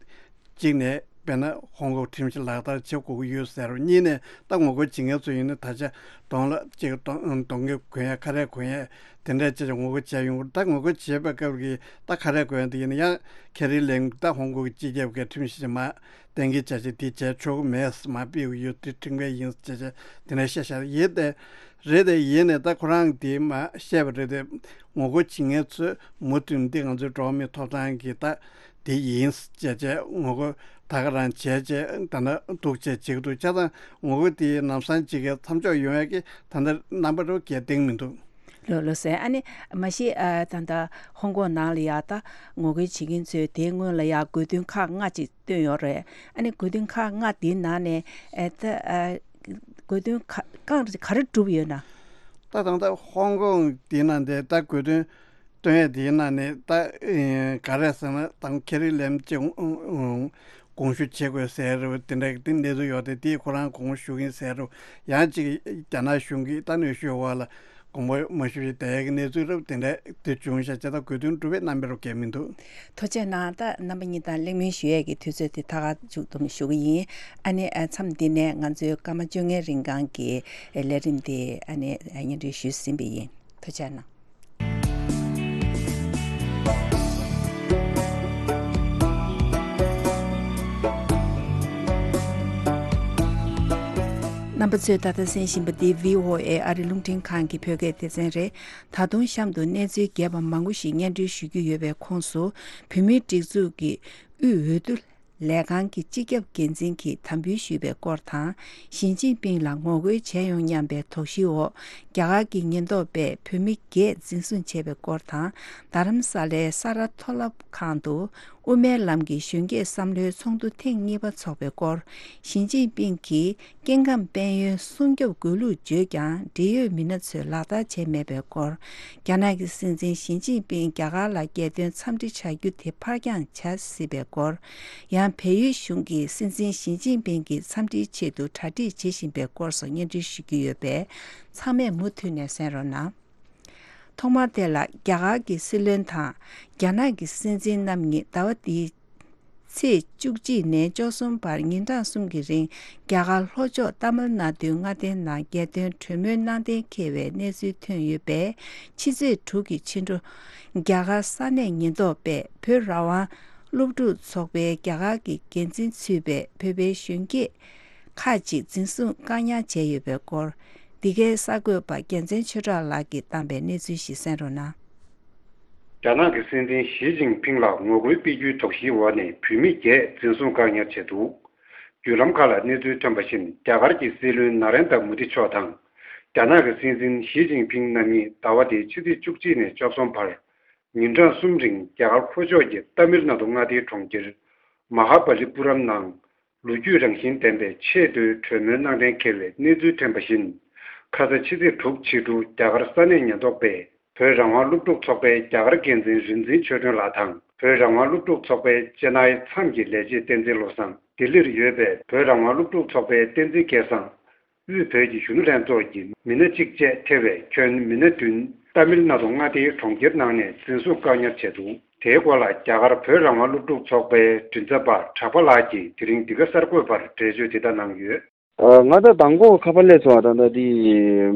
གཅིག་ནས་དཔེར་ན་ཧོང་ཀོང་ཁྲིམས་གཞི་ལག་བསྟར་བྱེད་དགོས་ཀྱི་ཡོད་ཟེར་རོ། གཉིས་ནས་ད་ངོ་རྒོལ་བྱེད་མཁན་ཚོ་ཡིན་ན་ད་ཆ་གདོང་ལ་གཅིག་གདོང་གདོང་གི་གོན་ཡ་ཁ་རས་གོན་ཡ་དེ་འདྲ་བྱས་ཀྱང་ངོ་རྒོལ་བྱས་ཡོང་གི་རེད། ད་ངོ་རྒོལ་བྱེད་པའི་སྐབས་ཀྱི་ད་ཁ་རས་གོན་ཡ་དེ་ཡིན་ན་ཡང་ཁེ་རི་ལེམ་ད་ཧོང་ཀོང་གི་སྤྱི་ཁྱབ་ཀྱི་ཁྲིམས་གཞི་མ་གཏན་འཁེལ་བྱ་བྱེད་དེ་བྱས་ཆོག་གི་མེད། མ་ཕུད་ཀྱི་ཡོད་དེ་ཁྲིམས་འགལ་ཡིན་ཟེར་བྱས་བྱས་དེ་འདྲ་བཤད་བཞག་ཡིན་ཏེ། རེད་དེ་ཡིན་ནས་ད་ཁོ་རང་དེ་མ་བཤད་པ་རེད་དེ། ངོ་རྒོལ་བྱེད་མཁན་ཚོས་མུ་མཐུད་འདི་ང་ཚོའི་འགྲོ་བ་མིའི་ཐོབ་ཐང་གི་ད་དེ་ཡིན་ཟེར་བྱས་ངོ་རྒོལ་ད་ག་རང་བྱས་བྱས་ད་ནི་འདུག་བྱས་བྱེད་ཀྱི་འདུག་བྱས་ཙང་ངོ་རྒོལ་དེ་ལམ་སང་ཅིག་གི་མཚམས་འཇོག་ཡོང་ཡ་གི་ད་ལྟ་རྣམ་པ་རུ་གལ་གཏིང་མི་འདུག་ལགས་ལགས་སོ། ཨ་ནི་མ་གཞི་ཨ་ད་ལྟ་ཧོང་ཀོང་ནང་ལ་ཡ་ད་ངོ་རྒོལ་བྱེད་མཁན་ཚོས་དེའི་སྔོན་ལ་ཡ་དགོས་འདུན་ཁག་ལྔ་ཅིག་བཏོན་ཡོད་རེད། ཨ་ནི་དགོས་འདུན་ཁག་ལྔ་དེའི་ནང་ནས་ཨེ་ད་ཨ་དགོས་འདུན་ཁག་གང་ག་རེ་བསྒྲུབས་ཡོད་ན། ད་ད་ལྟ་ཧོང་ཀོང་དེའི་ནང་དེ་ད་དགོས་འདུན་བཏོན་ཡས་དེའི་ནང་ནས་ད་ཨེ་ག་རེ་ཟེར་ན་ད་ཁེ་རི་ལེམ་གྱི་དགོངས་ཞུ་བྱེད་དགོས་ཟེར་རེད་དེ་འདྲ་གི་དེ་གནས་ཚུལ་ཡོད་དེ། དེས་ཁོ་རང་དགོངས་ཞུ་གིན་ཟེར་རེད། ཡང་ཅིག་རྒྱ་ནག་གཞུང་གིས་ད་གནོན་ཤུགས་འོག་ལ། དགོངས་པ་མ་ཞུ་ཞིག་དེ་ཡག་གི་གནས་ཚུལ་རབ་དེ་འདྲ་དེ་བྱུང་ཤག་ཅེས་དང་གོ་དོན་སྒྲུབ་པའི་རྣམ་པའི་རོགས་གལ་མི་འདུག་ཐུགས་རྗེ་གནང་། ད་རྣམ་པ་གཉིས་དང་གླེང་མོལ་ཞུ་ཡས་ཀྱི་དུས་ཚོད་དེ་ད་ག་མཇུག་བསྡོམས་ཞུ་གི་ཡིན། ཨ་ནི་ཨ་མཚམས་འདི་ནས་ང་ཚོའི་སྐར་མ་བཅོ་ལྔའི་རིང་གང་གི་ལས་རིམ་དེ་ཨ་ནི་སྙན་སྒྲོན་ཞུས་ཟིན་པ་ཡིན། ཐུགས་རྗེ་གནང་། རྣམ་པ་ཚོས་ད་ལྟ་གསན་བཞིན་པ་འདི་བྷི་ཨོ་ཨེ་ཨ་རི་རླུང་འཕྲིན་ཁང་གི་བོད་སྐད་སྡེ་ཚན་རེད། ད་དུང་གཤམ་དུ་གནས་ཚུལ་རྒྱས་པ་མང་པོ་ཞིག་སྙན་སྒྲོན་ཞུ་རྒྱུ་ཡོད་པའི་ཁོངས་སུ། བོད་མིའི་སྒྲིག་འཛུགས་ཀྱི་དབུས་འོས་བསྡུ་ལས་ཁང་གི་སྤྱི་ཁྱབ་འགན་འཛིན་གྱིས་དམ་འབུལ་ཞུས་པའི་སྐོར་དང་། ཞི་ཅིན་ཕིང་ལ་ངོ་རྒོལ་བྱས་ཡོང་སྙམ་པའི་དོགས་གཞིའི་འོག་རྒྱ་གར་གྱི་ཉེན་རྟོག་པས་བོད་མི་བརྒྱད་འཛིན་བཟུང་བྱས་པའི་སྐོར་དང་། རྡ་རམ་ས་ལའི་ས་རཱ་མཐོ་སློབ་ཁང་དུ་དབུ་མའི་ལམ་གྱི་གཞོན་སྐྱེས་བསམ་བློའི་ཚོགས་འདུ་ཐེངས་གཉིས་པ་འཚོགས་པའི་སྐོར། ཞི་ཅིན་ཕིང་གིས་སྐྱེ་ཁམས་དཔལ་ཡོན་སྲུང་སྐྱོབ་དགོས་ལུགས་བརྗོད་ཀྱང་འབྲེལ་ཡོད་མི་སྣ་ཚོས་ལག་བསྟར་བྱས་མེད་པའི་སྐོར། རྒྱ་ནག་གི་སྲིད་འཛིན་ཞི་ཅིན་ཕིང་རྒྱ་གར་ལ་རྒྱལ་དོན་འཚམས་འདྲི་བྱ་རྒྱུ་དེ་ཕར་འགྱངས་བྱ་སྲིད་པའི་སྐོར། ཡང་བལ་ཡུལ་གཞུང་གིས་སྲིད་འཛིན་ཞི་ཅིན་ཕིང་གི་འཚམས་འདྲིའི་ཆེད་དུ་གྲ་སྒྲིག་བྱེད་བཞིན་པའི་སྐོར་སོགས་སྙན་སྒྲོན་ཞུ་རྒྱུ་ཡོད་པས། ཚང་མས་མུ་མཐུད་ནས་གསན་རོགས་གནང་། ཐོག་མར་དེ་ལ་རྒྱ་གར་གྱི་སྲིད་བློན་དང་རྒྱ་ནག་གི་སྲིད་འཛིན་རྣམ་གཉིས་ཟླ་བ་འདིའི་ཚེས་བཅུ་གཅིག་ནས་བཅུ་གསུམ་བར་ཉིན་གྲངས་གསུམ་གྱི་རིང་རྒྱ་གར་ལྷོ་ཕྱོགས་ཏཱ་མིལ་ནཱ་ཏུའི་མངའ་སྡེའི་ནང་རྒྱལ་དོན་གྲོས་མོལ་གནང་གཏན་འཁེལ་བའི་གནས་ཚུལ་ཐོན་ཡོད་པས། ཕྱི་ཚེས་དྲུག་གི་ཕྱི་དྲོ་རྒྱ་གར་ས་གནས་ཉེན་རྟོག་པས་བོད་རང་དབང་སློབ་ཕྲུག་ཚོགས་པའི་རྒྱ་གར་གྱི་འགན་འཛིན་ཚུད་པའི་བོད་པའི་གཞོན་སྐྱེས་ཁག་ཅིག་འཛིན་བཟུང་བཀག་ཉར་བྱས་ཡོད་པའི་སྐོར། འདི་གའི་གསར་འགོད་པ་རྒྱལ་མཚན་ཆོས་གྲགས་ལགས་ཀྱིས་བཏང་པའི་གནས་ཚུལ་ཞིག་གསན་རོགས་གནང་། རྒྱ་ནག་གི་སྲིད་འཛིན་ཞི་ཅིན་ཕིང་ལ་ངོ་རྒོལ་སྤེལ་རྒྱུའི་དོགས་གཞིའི་འོག་ནས་བོད་མི་བརྒྱད་འཛིན་བཟུང་བཀག་ཉར་བྱས་འདུག་བརྒྱུད་ལམ་ཁག་ལ་གནས་ཚུལ་ཐོན་པ་བཞིན། རྒྱ་གར་གྱི་སྲིད་བློན་ན་རེན་དྲ་མོ་དི་མཆོག་དང་། རྒྱ་ནག་གི་སྲིད་འཛིན་ཞི་ཅིན་ཕིང་རྣམ་གཉིས་ཟླ་བ་འདིའི་ཕྱི་ཚེས་བཅུ་གཅིག་ནས་བཅུ་གསུམ་བར། ཉིན་གྲངས་གསུམ་རིང་རྒྱ་གར་ལྷོ་ཕྱོགས་ཀྱི་ཏཱ་མིལ་ནཱ་ཏུ་མངའ་སྡེའི་གྲོང་ཁྱེར་མ་ཧཱ་པ་ལི་པུ་རམ་ནང་། ལོ་རྒྱུས་རང་བཞིན་ལྡན་པའི་ཆེས་མཐོའི་གྲོས་མོལ་གནང་གཏན་འཁེལ་བའི་གནས་ཚུལ་ཐོན་པ་བཞིན། ཁ་ས་ཕྱི་ཚེས་དྲུག་ཕྱི་དྲོ་རྒྱ་གར་ས་གནས་ཉེན་རྟོག་པས་བོད་རང་དབང་སློབ་ཕྲུག་ཚོགས་པའི་རྒྱ་གར་འགན་འཛིན་རིག་འཛིན་ཆོས་སྒྲོན་ལགས་དང་། བོད་རང་དབང་སློབ་ཕྲུག་ཚོགས་པའི་ཅེ་ནའི་མཚམས་ཀྱི་ལས་བྱེད་བསྟན་འཛིན་བློ་བཟང་། ལྡི་ལིར་ཡོད་པའི་བོད་རང་དབང་སློབ་ཕྲུག་ཚོགས་པའི་བསྟན་འཛིན་སྐལ་བཟང་། དབུས་བོད་ཀྱི་གཞོན་ནུ་ལྷན་ཚོགས་ཀྱི་མི་སྣ་གཅིག་བཅས་ཐེ་བའི་ཁྱོན་མི་སྣ་བདུན་ཏཱ་མིལ་ནཱ་ཏུ་མངའ་སྡེའི་གྲོང་ཁྱེར་ནང་ནས་འཛིན་བཟུང་བཀག་ཉར་བྱས་འདུག་དེའི་སྐོར་ལ་རྒྱ་གར་བོད་རང་དབང་སློབ་ཕྲུག་ཚོགས་པའི་མགྲིན་ཚབ་པ་གྲགས་པ་ལགས་ཀྱིས་དེ་རིང་འདི་ག་གསར་འགོད་པར་འགྲེལ་བརྗོད་འདི་ལྟར་གནང་ཡོད། ཨ། ང་ད་དང་པོ་ཁ་པར་སླེབས་སོང་། ད་ད་དེ་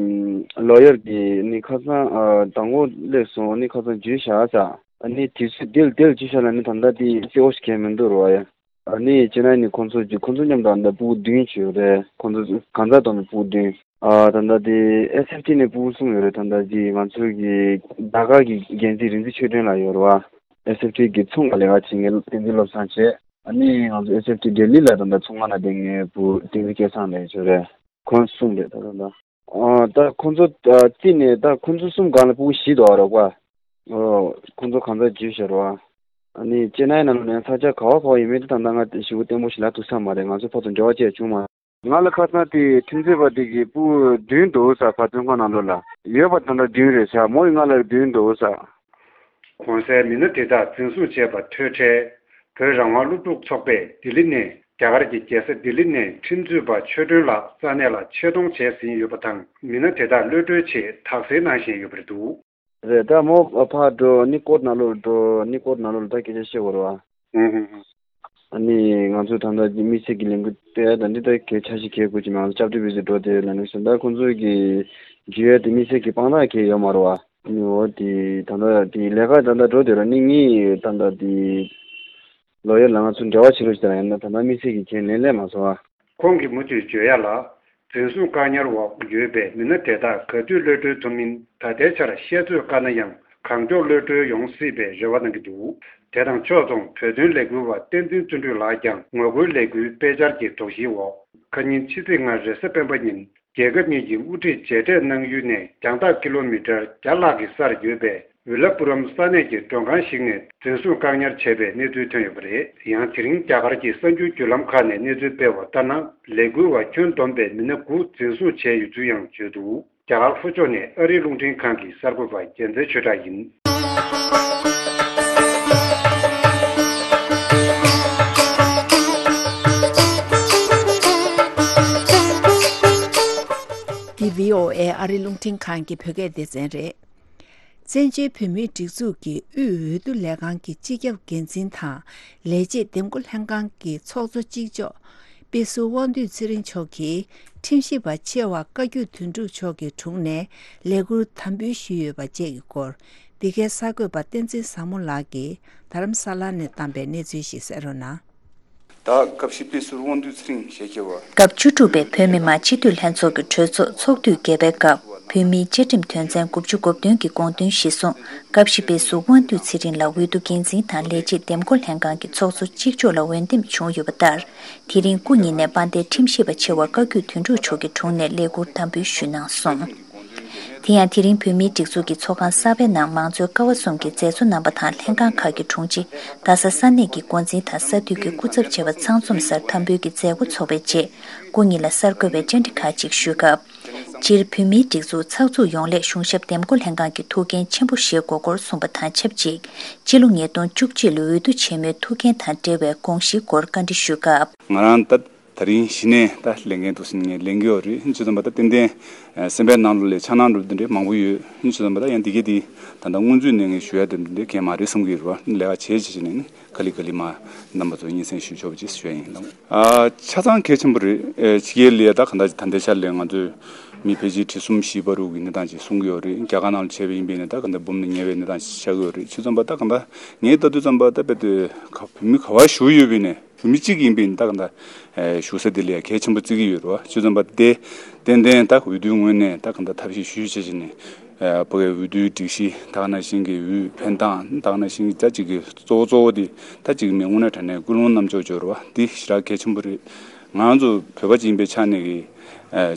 ལོ་ཡར་གྱི་ནི་ཁ་སང་། ཨ། དང་པོ་སླེབས་སོང་། ནི་ཁ་སང་བརྗོད་བཞག་ས། ཨ་ནི་དུས་ཚོད་དེ་ལ་དེ་ལ་བརྗོད་བཞག་ན་ནི་ད་ད་དེ་སེ་འོ་ཞིག་གས་མི་འདུག་རོ་ཡ། ཨ་ནི་ཅེ་ནའི་ནས་ཁོང་ཚོ་ཅིག་ཁོང་ཚོ་མཉམ་དུ་ཨ་ནི་ཕྲུ་གུ་བདུན་ཅིག་ཡོད་རེད། ཁོང་ཚོ་གང་ཟག་བསྡོམས་ནས་ཕྲུ་གུ་བདུན། ཨ། ད་ལྟ་དེ་ཨེས་ཨེཕ་ཊི་ནས་ཕྲུ་གུ་གསུམ་ཡོད་རེད། ད་ལྟ་དེ་ང་ཚོ་གི་ལྡི་ལི་གི་འགན་འཛིན་རིག་འཛིན་ཆོས་སྒྲོན་ལགས་ཡོད་རེད་བ། ཨེས་ཨེཕ་ཊི་གི་ཚོང་ལ་ལས་ཀ་བྱེད་མཁན་བསྟན་འཛིན་བློ་བཟང་བྱས། ཨ་ནི་ང་ཚོ་ཨེས་ཨེཕ་ཊི་ལྡི་ལི་ལ་ད་ལྟ་ཚོང་ཁང་ནང་བསྡད་མཁན་ཕྲུ་གུ་བསྟན་འཛིན་སྐལ་བཟང་ལགས་ཡོད་རེད། ཁོང་གསུམ་རེད་ད་ལྟ། ཨ། ད་ཁོང་ཚོ་ཨ་རྩིས་ནས་ད་ཁོང་ཚོ་གསུམ་སྒང་ལ་ཕྲུ་གུ་བཞི་འདུག་རོགས་པ། ཨོ། ཁོང་ཚོ་གང་ཟག་བརྗོད་བཞག་རོགས། ཨ་ནི་ཅེ་ནའི་ནང་ལོགས་ནས་ས་ཆ་ག་བ་ག་བ་ཡིན་མིན་དེ་ད་ལྟ་ང་ཞེ་པོ་བརྟན་པོ་ཞིག་ལབ་ཐུབ་ས་མ་རེད། ང་ཚོ་ཕར་ཚུར་འབྲེལ་བ་བཅས་བྱུང་མ། ང་ལ་ཁ་སང་དེ་ཁྲིམས་རྩོད་པ་དེ་གི་ཕྲུ་གུ་བདུན་འདུག་ས་ཕར་ཚོང་ཁང་ནང་ལོགས་ལ་ཡོད་པ་ད་ལྟ་བདུན་རེད་ས། མོ་ཡི་ང་ལ་བདུན་འདུག་ས། གོང་གསལ་མི་སྣ་དེ་དག་འཛིན་བཟུང་བྱས་པ་ཐོས་འཕྲལ། བོད་རང་དབང་སློབ་ཕྲུག་ཚོགས་པས་ལྡི་ལི་ནས་རྒྱ་གར་གྱི་རྒྱལ་ས་ལྡི་ལི་ནས་ཁྲིམས་རྩོད་པ་ཆོས་སྒྲོན་ལགས་ས་གནས་ལ་ཆེད་གཏོང་བྱས་ཟིན་ཡོད་པ་དང་། མི་སྣ་དེ་དག་གློད་གྲོལ་ཆེད་དག་སེལ་གནང་བཞིན་ཡོད་པ་རེད་འདུག་རེད། ད་མོ་ཕར་འགྲོ་ནི་ཀོར་ནང་ལོགས་འགྲོ་ནི་ཀོར་ནང་ལོགས་ལ་ད་སྐད་ཆ་བཤད་དགོས་རེད་བ། ཨ་ནི་ང་ཚོ་ད་ལྟ་དམིགས་བསལ་གྱི་ལས་འགུལ་སྤེལ་ཡ་ད་འདི་ད་གལ་ཆ་ཞིག་གལ་དགོས་ཀྱི་མ་རེད། སྐྱབས་བཅོལ་བའི་ཚོ་འགྲོ་དེ་ལ་ནི་སོང་ད་ཁོང་ཚོ་གི་རྒྱུ་ཡ་དེ་དམིགས་བསལ་གྱི་དཔང་རྟགས་གལ་ཡོད་མ་རེད་བ། ཨ་ནི་འོ་དེ་ད་ལྟ་དེ་ལས་ཀ་ད་ལྟ་འགྲོ་དེ་ར་ནི་ངའི་ད་ལྟ་དེ་ལོ་ཡར་ལ་ང་ཚོ་འབྲེལ་བ་བྱེད་རོགས་ཞེས་ད་ཡིན་ན་ད་ལྟ་དམིགས་བསལ་གྱི་གལ་ལན་སླེབས་མ་སོང་བ། ཁོང་གིས་མུ་མཐུད་བརྗོད་ཡ་ལ། འཛིན་བཟུང་བཀག་ཉར་འོག་ཡོད་པའི་མི་སྣ་དེ་དག་ག་དུས་གློད་གྲོལ་ཐུབ་མིན་ད་ལྟའི་ཆར་བཤད་ཚོད་དཀའ་ན་ཡང་། གང་མགྱོགས་གློད་གྲོལ་ཡོང་སྲིད་པའི་རེ་བ་གནང་གི་འདུག་དེ་དང་ཕྱོགས་མཚུངས་བོད་དོན་ལས་འགུལ་བ་བསྟན་འཛིན་བརྩོན་འགྲུས་ལགས་ཀྱང་ངོ་རྒོལ་ལས་འགུལ་སྤེལ་འཆར་གྱི་དོགས་གཞིའི་འོག་ཁ་ཉིན་ཕྱི་ཚེས་ལྔ་རེས་གཟའ་སྤེན་པ་ཉིན། རྒྱལ་ཁབ་གཉིས་ཀྱི་དབུ་ཁྲིད་མཇལ་འཕྲད་གནང་ཡུལ་ནས་རྒྱང་ཐག་ཀི་ལོ་མི་ཊར་བརྒྱ་ལྷག་གི་སར་ཡོད་པའི་ཝི་ལ་པུ་རམ་ས་གནས་ཀྱི་མགྲོན་ཁང་ཞིག་ནས་འཛིན་བཟུང་བཀག་ཉར་བྱས་པའི་གནས་ཚུལ་ཐོན་ཡོད་པ་རེད། ཡང་དེ་རིང་རྒྱ་གར་གྱི་གསར་འགྱུར་བརྒྱུད་ལམ་ཁག་ནས་གནས་ཚུལ་སྤེལ་བ་ལྟར་ན། ལས་འགུལ་བ་ཁྱོན་བསྡོམས་པའི་མི་སྣ་དགུ་འཛིན་བཟུང་བྱས་ཡོད་ཚུལ་ཡང་བརྗོད་འདུག་རྒྱ་གར་ལྷོ་ཕྱོགས་ནས་ཨ་རིའི་རླུང་འཕྲིན་ཁང་གི་གསར་འགོད་པ་རྒྱལ་མཚན་ཆོས་གྲགས་ཡིན། འདི་བྷི་ཨོ་ཨེ་ཨ་རིའི་རླུང་འཕྲིན་ཁང་གི་བོད་སྐད་སྡེ་ཚན་རེད། བཙན་བྱོལ་བོད་མིའི་སྒྲིག་འཛུགས་ཀྱི་དབུས་འོས་བསྡུ་ལས་ཁང་གི་སྤྱི་ཁྱབ་འགན་འཛིན་དང་ལས་བྱེད་འདེམས་བསྐོ་ལྷན་ཁང་གི་ཚོགས་གཙོ་གཅིག་ལྕོགས་དཔེ་ཟུར་དབང་འདུས་ཚེ་རིང་མཆོག་གིས་ཁྲིམས་ཞིབ་པ་ཆེ་བ་བཀའ་བརྒྱུད་དོན་གྲུབ་མཆོག་གི་དྲུང་ནས་ལས་ཁུར་དམ་འབུལ་ཞུས་ཡོད་པ་བཅས་ཀྱི་སྐོར། འདི་གའི་གསར་འགོད་པ་བསྟན་འཛིན་བཟང་མོ་ལགས་ཀྱིས་རྡ་རམ་ས་ལ་ནས་བཏང་པའི་གནས་ཚུལ་ཞིག་གསན་རོགས་གནང་། ད་སྐབས་ཤིག་དཔེ་ཟུར་དབང་འདུས་ཚེ་རིང་ཞལ་ཁྱེར་བ། སྐབས་བཅུ་དྲུག་པའི་བོད་མི་མང་སྤྱི་འཐུས་ལྷན་ཚོགས་ཀྱི་གྲོས་ཚོགས་ཚོགས་དུས་བརྒྱད་པའི་སྐབས། བོད་མིའི་བཅའ་ཁྲིམས་དོན་ཚན་དགུ་བཅུ་གོ་བདུན་གྱི་དགོངས་དོན་གཞིར་བཟུང་། སྐབས་ཤིག་དཔེ་ཟུར་དབང་འདུས་ཚེ་རིང་ལ་འོས་བསྡུ་འགན་འཛིན་དང་ལས་བྱེད་འདེམས་བསྐོ་ལྷན་ཁང་གི་ཚོགས་གཙོ་གཅིག་ལྕོགས་ལ་འོས་འདེམས་བྱུང་ཡོད་པ་ལྟར། དེ་རིང་སྐུ་ཉིད་ནས་དཔལ་ལྡན་ཁྲིམས་ཞིབ་པ་ཆེ་བ་བཀའ་བརྒྱུད་དོན་གྲུབ་མཆོག་གི་དྲུང་ནས་ལས་ཁུར་དམ་འབུལ་ཞུས་གནང་སོང་། དེ་ཡང་དེ་རིང་བོད་མིའི་སྒྲིག་འཛུགས་ཀྱི་ཚོགས་ཁང་གསར་པའི་ནང་མང་གཙོའི་ཀ་བ་གསུམ་གྱི་མཛད་གཙོ་རྣམ་པ་དང་ལྷན་ཁང་ཁག་གི་དྲུང་ཆེ། རྡ་ས་ས་གནས་ཀྱི་འགོ་འཛིན་དང་ས་འཐུས་ཀྱི་སྐུ་ཚབ་བཅས་པ་ཚང་འཛོམས་སར་དམ་འབུལ་གྱི་མཛད་སྒོ་འཚོགས་པའི་རྗེས། སྐུ་ཉིད་ལ་གསར་འགོད་པས་བཅར་འདྲི་ཁག་ཅིག་ཞུས་སྐབས། སྤྱིར་བོད་མིའི་སྒྲིག་འཛུགས་ཚགས་ཚུད་ཡོང་སླད་གཞུང་ཞབས་འདེམས་བསྐོ་ལྷན་ཁང་གི་ཐུགས་འགན་ཆེན་པོ་བཞེས་དགོས་སྐོར་གསུངས་པ་དང་ཆབས་ཅིག་སྤྱི་ལོ་ཉིས་སྟོང་བཅུ་གཅིག་ལོའི་འོས་བསྡུ་ཆེན་མོའི་ཐུགས་འགན་དང་འབྲེལ་བའི་དགོངས་གཞིའི་སྐོར་བཀའ་འདྲི་ཞུས་སྐབས། ང་རང་ད། ད་རིང་གཞི་ནས་ད་ལས་འགན་འདུག་ཟེར་ནས་ངས་ལེན་གྱི་ཡོད་རེད། ཅི་ཙམ་པ་ད་ཏན་ཏན་སེམས་པའི་ནང་ལོགས་ལ་འཆར་སྣང་འགྲོ་དེ་འདྲ་མང་པོ་ཡོད། ཅི་ཙམ་པ་ད་ཡང་འདི་གས་འདི་ད་ལྟ་སྔོན་ཚུད་ནས་ངས་ཞུ་ཡ་དེ་འདྲ་གས་མ་རེད་བསམ་གྱི་ཡོད་རེད་བ། ལས་ཀ་བྱས་བྱས་བྱས་ནས་ནི་ག་ལེ་ག་ལེ་མ་རྣམ་པ་ཚོ་སྙན་སེང་ཞུ་ཆོག་པ་ཅིག་ཞུ་ཡ་ཡིན་ལགས། ཨ་ཆ་ཚང་གལ་ཆེན་པོ་རེད། ཨེ་ཕྱི་རྒྱལ་ལ་ཡ་ད་ག་འདྲ་ཅིག་ད་ལྟའི་ཆར་ལ་ང་ཚོས་མི་ཕལ་ཆེར་ཁྲི་གསུམ་བཞི་བར་དུ་གི་གནས་སྟངས་ཅིག་གསུང་གི་ཡོད་རེད། རྒྱ་གར་ནང་ལ་བྱས་པ་ཡིན་པས་ནི་ད་ག་འདྲ་འབུམ་ནས་ཉེ་བའི་གནས་སྟངས་ཤིག་ཆགས་ཀྱི་ཡོད་རེད། ཅི་ཙམ་པ་ད་ག་འདྲ་ངས་ལྟ་དུས་ཙམ་པ་ད་དཔེ་དེ་ག་བོད་མི་ག་བ་བཞུགས་ཡོད་པས་ནས། བོད་མི་གཅིག་ཡིན་པའི་ད་ག་འདྲ་བཞུགས་ས་དེ་ལ་ཡང་གལ་ཆེན་པོ་བརྩི་གི་ཡོད་རེད་བ། ཅི་ཙམ་པ་དེ་ཏན་ཏན་ད་འོས་བསྡུའི་ངོས་ནས་ད་ག་འདྲ་ཐབས་ཤེས་ཞུས་བྱས་བྱས་ནས་ཕ་གིའི་འོས་བསྡུའི་སྒྲིག་གཞི་ད་ག་ནང་བཞིན་གྱི་འོས་འཕེན་སྟངས་ད་ག་ནང་བཞིན་གྱི་ད་ཅིག་གི་གཙོ་བོ་གཙོ་བོ་དེ་ད་ཅིག་མི་དངོས་གནས་དྲང་གནས་ཀུན་སློང་རྣམ་ཅོག་འབྱོར་བ་འདི་ཞེ་དྲག་གལ་ཆེན་པོ་རེད། ང་རང་ཚོ་བོད་པ་ཅིག་ཡིན་པའི་ཆ་ནས་ཀྱི་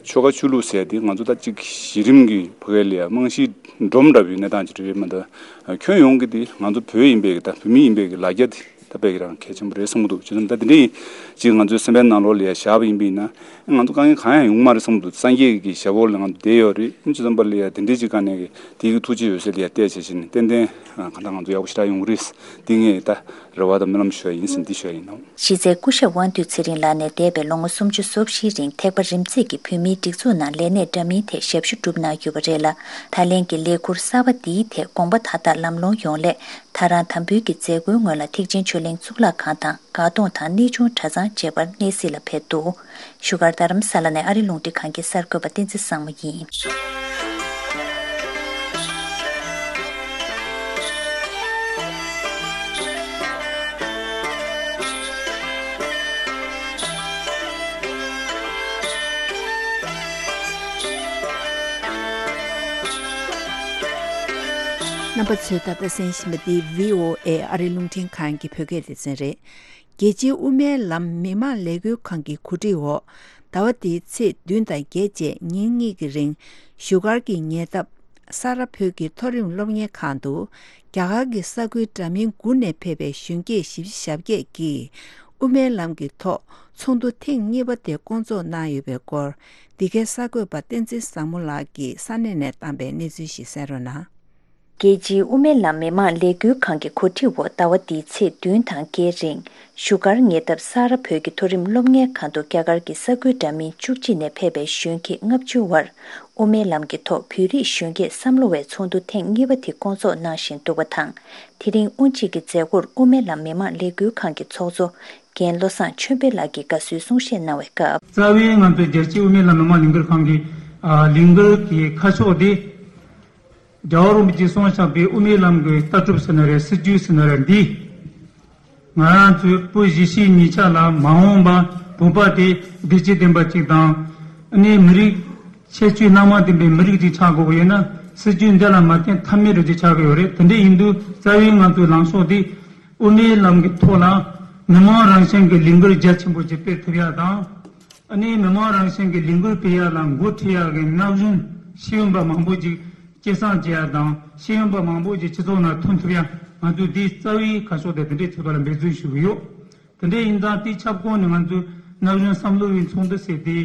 ཆོལ་ཁ་ཆོས་ལུགས་ཟེར་ཡ་དེ་ང་ཚོ་ད་ཅིག་གཞི་རིམ་གྱི་ཕ་གིའི་ལ་ཡ་རྨང་གཞི་སྒྲོམ་འདྲ་བོའི་གནས་སྟངས་ཅིག་རེད་མ་གཏོགས་ཁྱོན་ཡོངས་ཀྱི་དེ་ང་ཚོ་བོད་ཡིན་པའི་གི་ད་བོད་མི་ཡིན་པའི་གི་ལ་རྒྱ་དེ། ད་དཔེ་གི་རང་གལ་ཆེན་པོ་རེད་བསམ་གྱི་འདུག་ཅི་ཙམ་ད་དེ་འདྲ་ཡིན་ཅིག་ང་ཚོའི་སེམས་པའི་ནང་ལོགས་ལ་ཡ་བཞག་པ་ཡིན་པ་ཡིན་ན་ང་ཚོ་དཀའ་ངལ་གང་ཡང་ཡོང་གི་མ་རེད་བསམ་གྱི་འདུག་སངས་རྒྱས་ཀྱི་ཞབས་འོག་ལ་ང་ཚོ་བསྡད་ཡོད་རེད། ཅི་ཙམ་པ་ལ་ཡ་དེ་འདྲའི་ཅིག་དཀའ་གནད་གི་དེ་གི་ཐུགས་རྗེ་འོད་ཟེར་ལ་ཡ་བལྟས་བྱས་བྱས་ནས་ཏན་ཏན་གང་ལྟར་ང་ཚོ་ཡག་པོ་ཞེ་དྲག་ཡོང་གི་རེད། འདི་ངས་ད་རེ་བ་དང་སྨོན་ལམ་ཞུ་ཡ་ཡིན་ཟེར་འདི་ཞུ་ཡ་ཡིན་ནོ། གཞི་རྩའི་སྐུ་ཞབས་དབང་འདུས་ཚེ་རིང་ལགས་ནས་འདས་པའི་ལོ་ངོ་སུམ་ཅུ་སོ་བཞིའི་རིང་ཐེག་པ་རིམ་འཛེགས་ཀྱིས་བོད་མིའི་སྒྲིག་འཛུགས་ནང་ལས་གནས་འདྲ་མིན་ཐད་ཞབས་ཞུ་བསྒྲུབས་གནང་ཡོད་པ་རེད་ལ། ད་ལན་གྱི་ལས་ཁུར་གསར་པ་འདིའི་ཐད་དགོངས་པ་མཐའ་དག་ལམ་ལྷོང་ཡོང་སླད། ད་རང་དམ་འབུལ་གྱི་མཛད་སྒོའི་སྔོན་ལ་ཐེག་ཆེན་ཆོས་གླིང་གཙུག་ལག་ཁང་དང་དགའ་གདོང་དང་གནས་ཆུང་གྲྭ་ཚང་བཅས་པར་གནས་གཟིགས་ལ་ཕེབས་འདུག་བཞུགས་སྒར་རྡ་རམ་ས་ལ་ནས་ཨ་རི་རླུང་འཕྲིན་ཁང་གི་གསར་འགོད་པ་བསྟན་འཛིན་བཟང་མོ་ཡིན། རྣམ་པ་ཚོས་ད་ལྟ་གསན་བཞིན་པ་འདི་བྷི་ཨོ་ཨེ་ཨ་རི་རླུང་འཕྲིན་ཁང་གི་བོད་སྐད་སྡེ་ཚན་རེད། རྒྱལ་སྤྱིའི་དབུ་མའི་ལམ་མི་དམངས་ལས་འགུལ་ཁང་གི་གོ་སྒྲིག་འོག་ཟླ་བ་འདིའི་ཚེས་བདུན་དང་བརྒྱད་བཅས་ཉིན་གཉིས་ཀྱི་རིང་བཞུགས་སྒར་གྱི་ཉེ་འདབས་ས་རཱ་བོད་ཀྱི་མཐོ་རིམ་སློབ་གཉེར་ཁང་དུ་རྒྱ་གར་གྱི་ས་ཁུལ་འདྲ་མིན་དགུ་ནས་ཕེབས་པའི་གཞོན་སྐྱེས་བཞི་བཅུ་ཞེ་བརྒྱད་ཀྱིས་དབུ་མའི་ལམ་གྱི་ཐོག་ཚོགས་འདུ་ཐེངས་གཉིས་པ་དེ་བསྐོང་ཚོགས་གནང་ཡོད་པའི་སྐོར། འདི་གའི་གསར་འགོད་པ་བསྟན་འཛིན་བཟང་མོ་ལགས་ཀྱིས་ས་གནས་ནས་བཏང་པའི་གནས་ཚུལ་ཞིག་གསན་རོགས་གནང་། རྒྱལ་སྤྱིའི་དབུ་མའི་ལམ་མི་དམངས་ལས་འགུལ་ཁང་གི་གོ་སྒྲིག་འོག་ཟླ་བ་འདིའི་ཚེས་བདུན་དང་བརྒྱད་རིང་བཞུགས་སྒར་ཉེ་འདབས་ས་རཱ་བོད་ཀྱི་མཐོ་རིམ་སློབ་གཉེར་ཁང་དུ་རྒྱ་གར་གྱི་ས་ཁུལ་འདྲ་མིན་བཅུ་གཅིག་ནས་ཕེབས་པའི་གཞོན་སྐྱེས་ལྔ་བཅུ་བར་དབུ་མའི་ལམ་གྱི་ཐོག་བོད་རིགས་གཞོན་སྐྱེས་བསམ་བློ་བའི་ཚོགས་འདུ་ཐེངས་གཉིས་པ་དེ་བསྐོང་ཚོགས་གནང་བཞིན་འདུག་པ་དང་། དེ་རིང་དབུ་འབྱེད་ཀྱི་མཛད་སྒོར་དབུ་མའི་ལམ་མི་དམངས་ལས་འགུལ་ཁང་གི་ཚོགས་གཙོ་རྒན་བློ་བཟང་ཆོས་འཕེལ་ལགས་ཀྱིས་དགའ་བསུའི་གསུང་བཤད་གནང་བའི་སྐབས། རྩ་བའི་ང་ཚོའི་རྒྱལ་སྤྱིའི་དབུ་མའི་ལམ་མི་དམངས་ལས་འགུལ་ཁང་གི་ལས་འགུལ་གྱི་ཁ་ཕྱོགས་དེ། རྒྱལ་བ་རིན་པོ་ཆེས་གསུངས་བཞག་པའི་དབུ་མའི་ལམ་གྱི་ལྟ་གྲུབ་ཟེར་ན་རེད། སྲིད་ཇུས་ཟེར་ན་རེད། འདི་ང་རང་ཚོའི་བོད་གཞིས་བྱེས་གཉིས་ཆ་ལ་མ་འོངས་པ་བོད་པ་དེ་བདེ་སྐྱིད་ལྡན་པ་ཅིག་དང་། ཨ་ནི་མི་རིགས་ཁྱད་ཆོས་སྣ་མང་ལྡན་པའི་མི་རིགས་ཅིག་ཆགས་དགོས་པ་ཡིན་ན། སྲིད་ཇུས་འདི་ལ་མ་བརྟེན་ཐབས་མེད་རེད་ཅེས་ཆགས་ཀྱི་ཡོད་རེད། དེ་འདྲ་ཡིན་དུས་རྩ་བའི་ང་ཚོའི་ལངས་ཕྱོགས་དེ་དབུ་མའི་ལམ་གྱི་ཐོག་ལ་མི་མང་རང་བཞིན་གྱི་ལས་འགུལ་རྒྱ་ཆེན་པོ་ཅིག་སྤེལ་ཐུབ་ཡ་དང་། ཨ་ནི་མི་མང་རང་བཞིན་གྱི་ལས་འགུལ་སྤེལ་ཡ་ལ་འགོ་ཁྲིད་ཡ་གི་ན་གཞོན་ཤེས་ཡོན་པ་མང་པོ་ཅིག་སྐྱེད་སྲིང་བྱེད་ཡ་དང་། ཤེས་ཡོན་པ་མང་པོ་ཅིག་སྤྱི་ཚོགས་ནང་ཐོན་ཐུབ་ཡ། ང་ཚོས་འདིའི་རྩ་བའི་ཁ་ཕྱོགས་དེ་དེ་འདྲའི་ཐོག་ལ་འབད་བརྩོན་ཞུ་གི་ཡོད། དེ་འདྲ་ཡིན་ཙང་དེའི་ཁྱབ་ཁོངས་ནས་ང་ཚོས་ན་གཞོན་བསམ་བློ་བའི་ཚོགས་འདུ་ཟེར་ཏེ།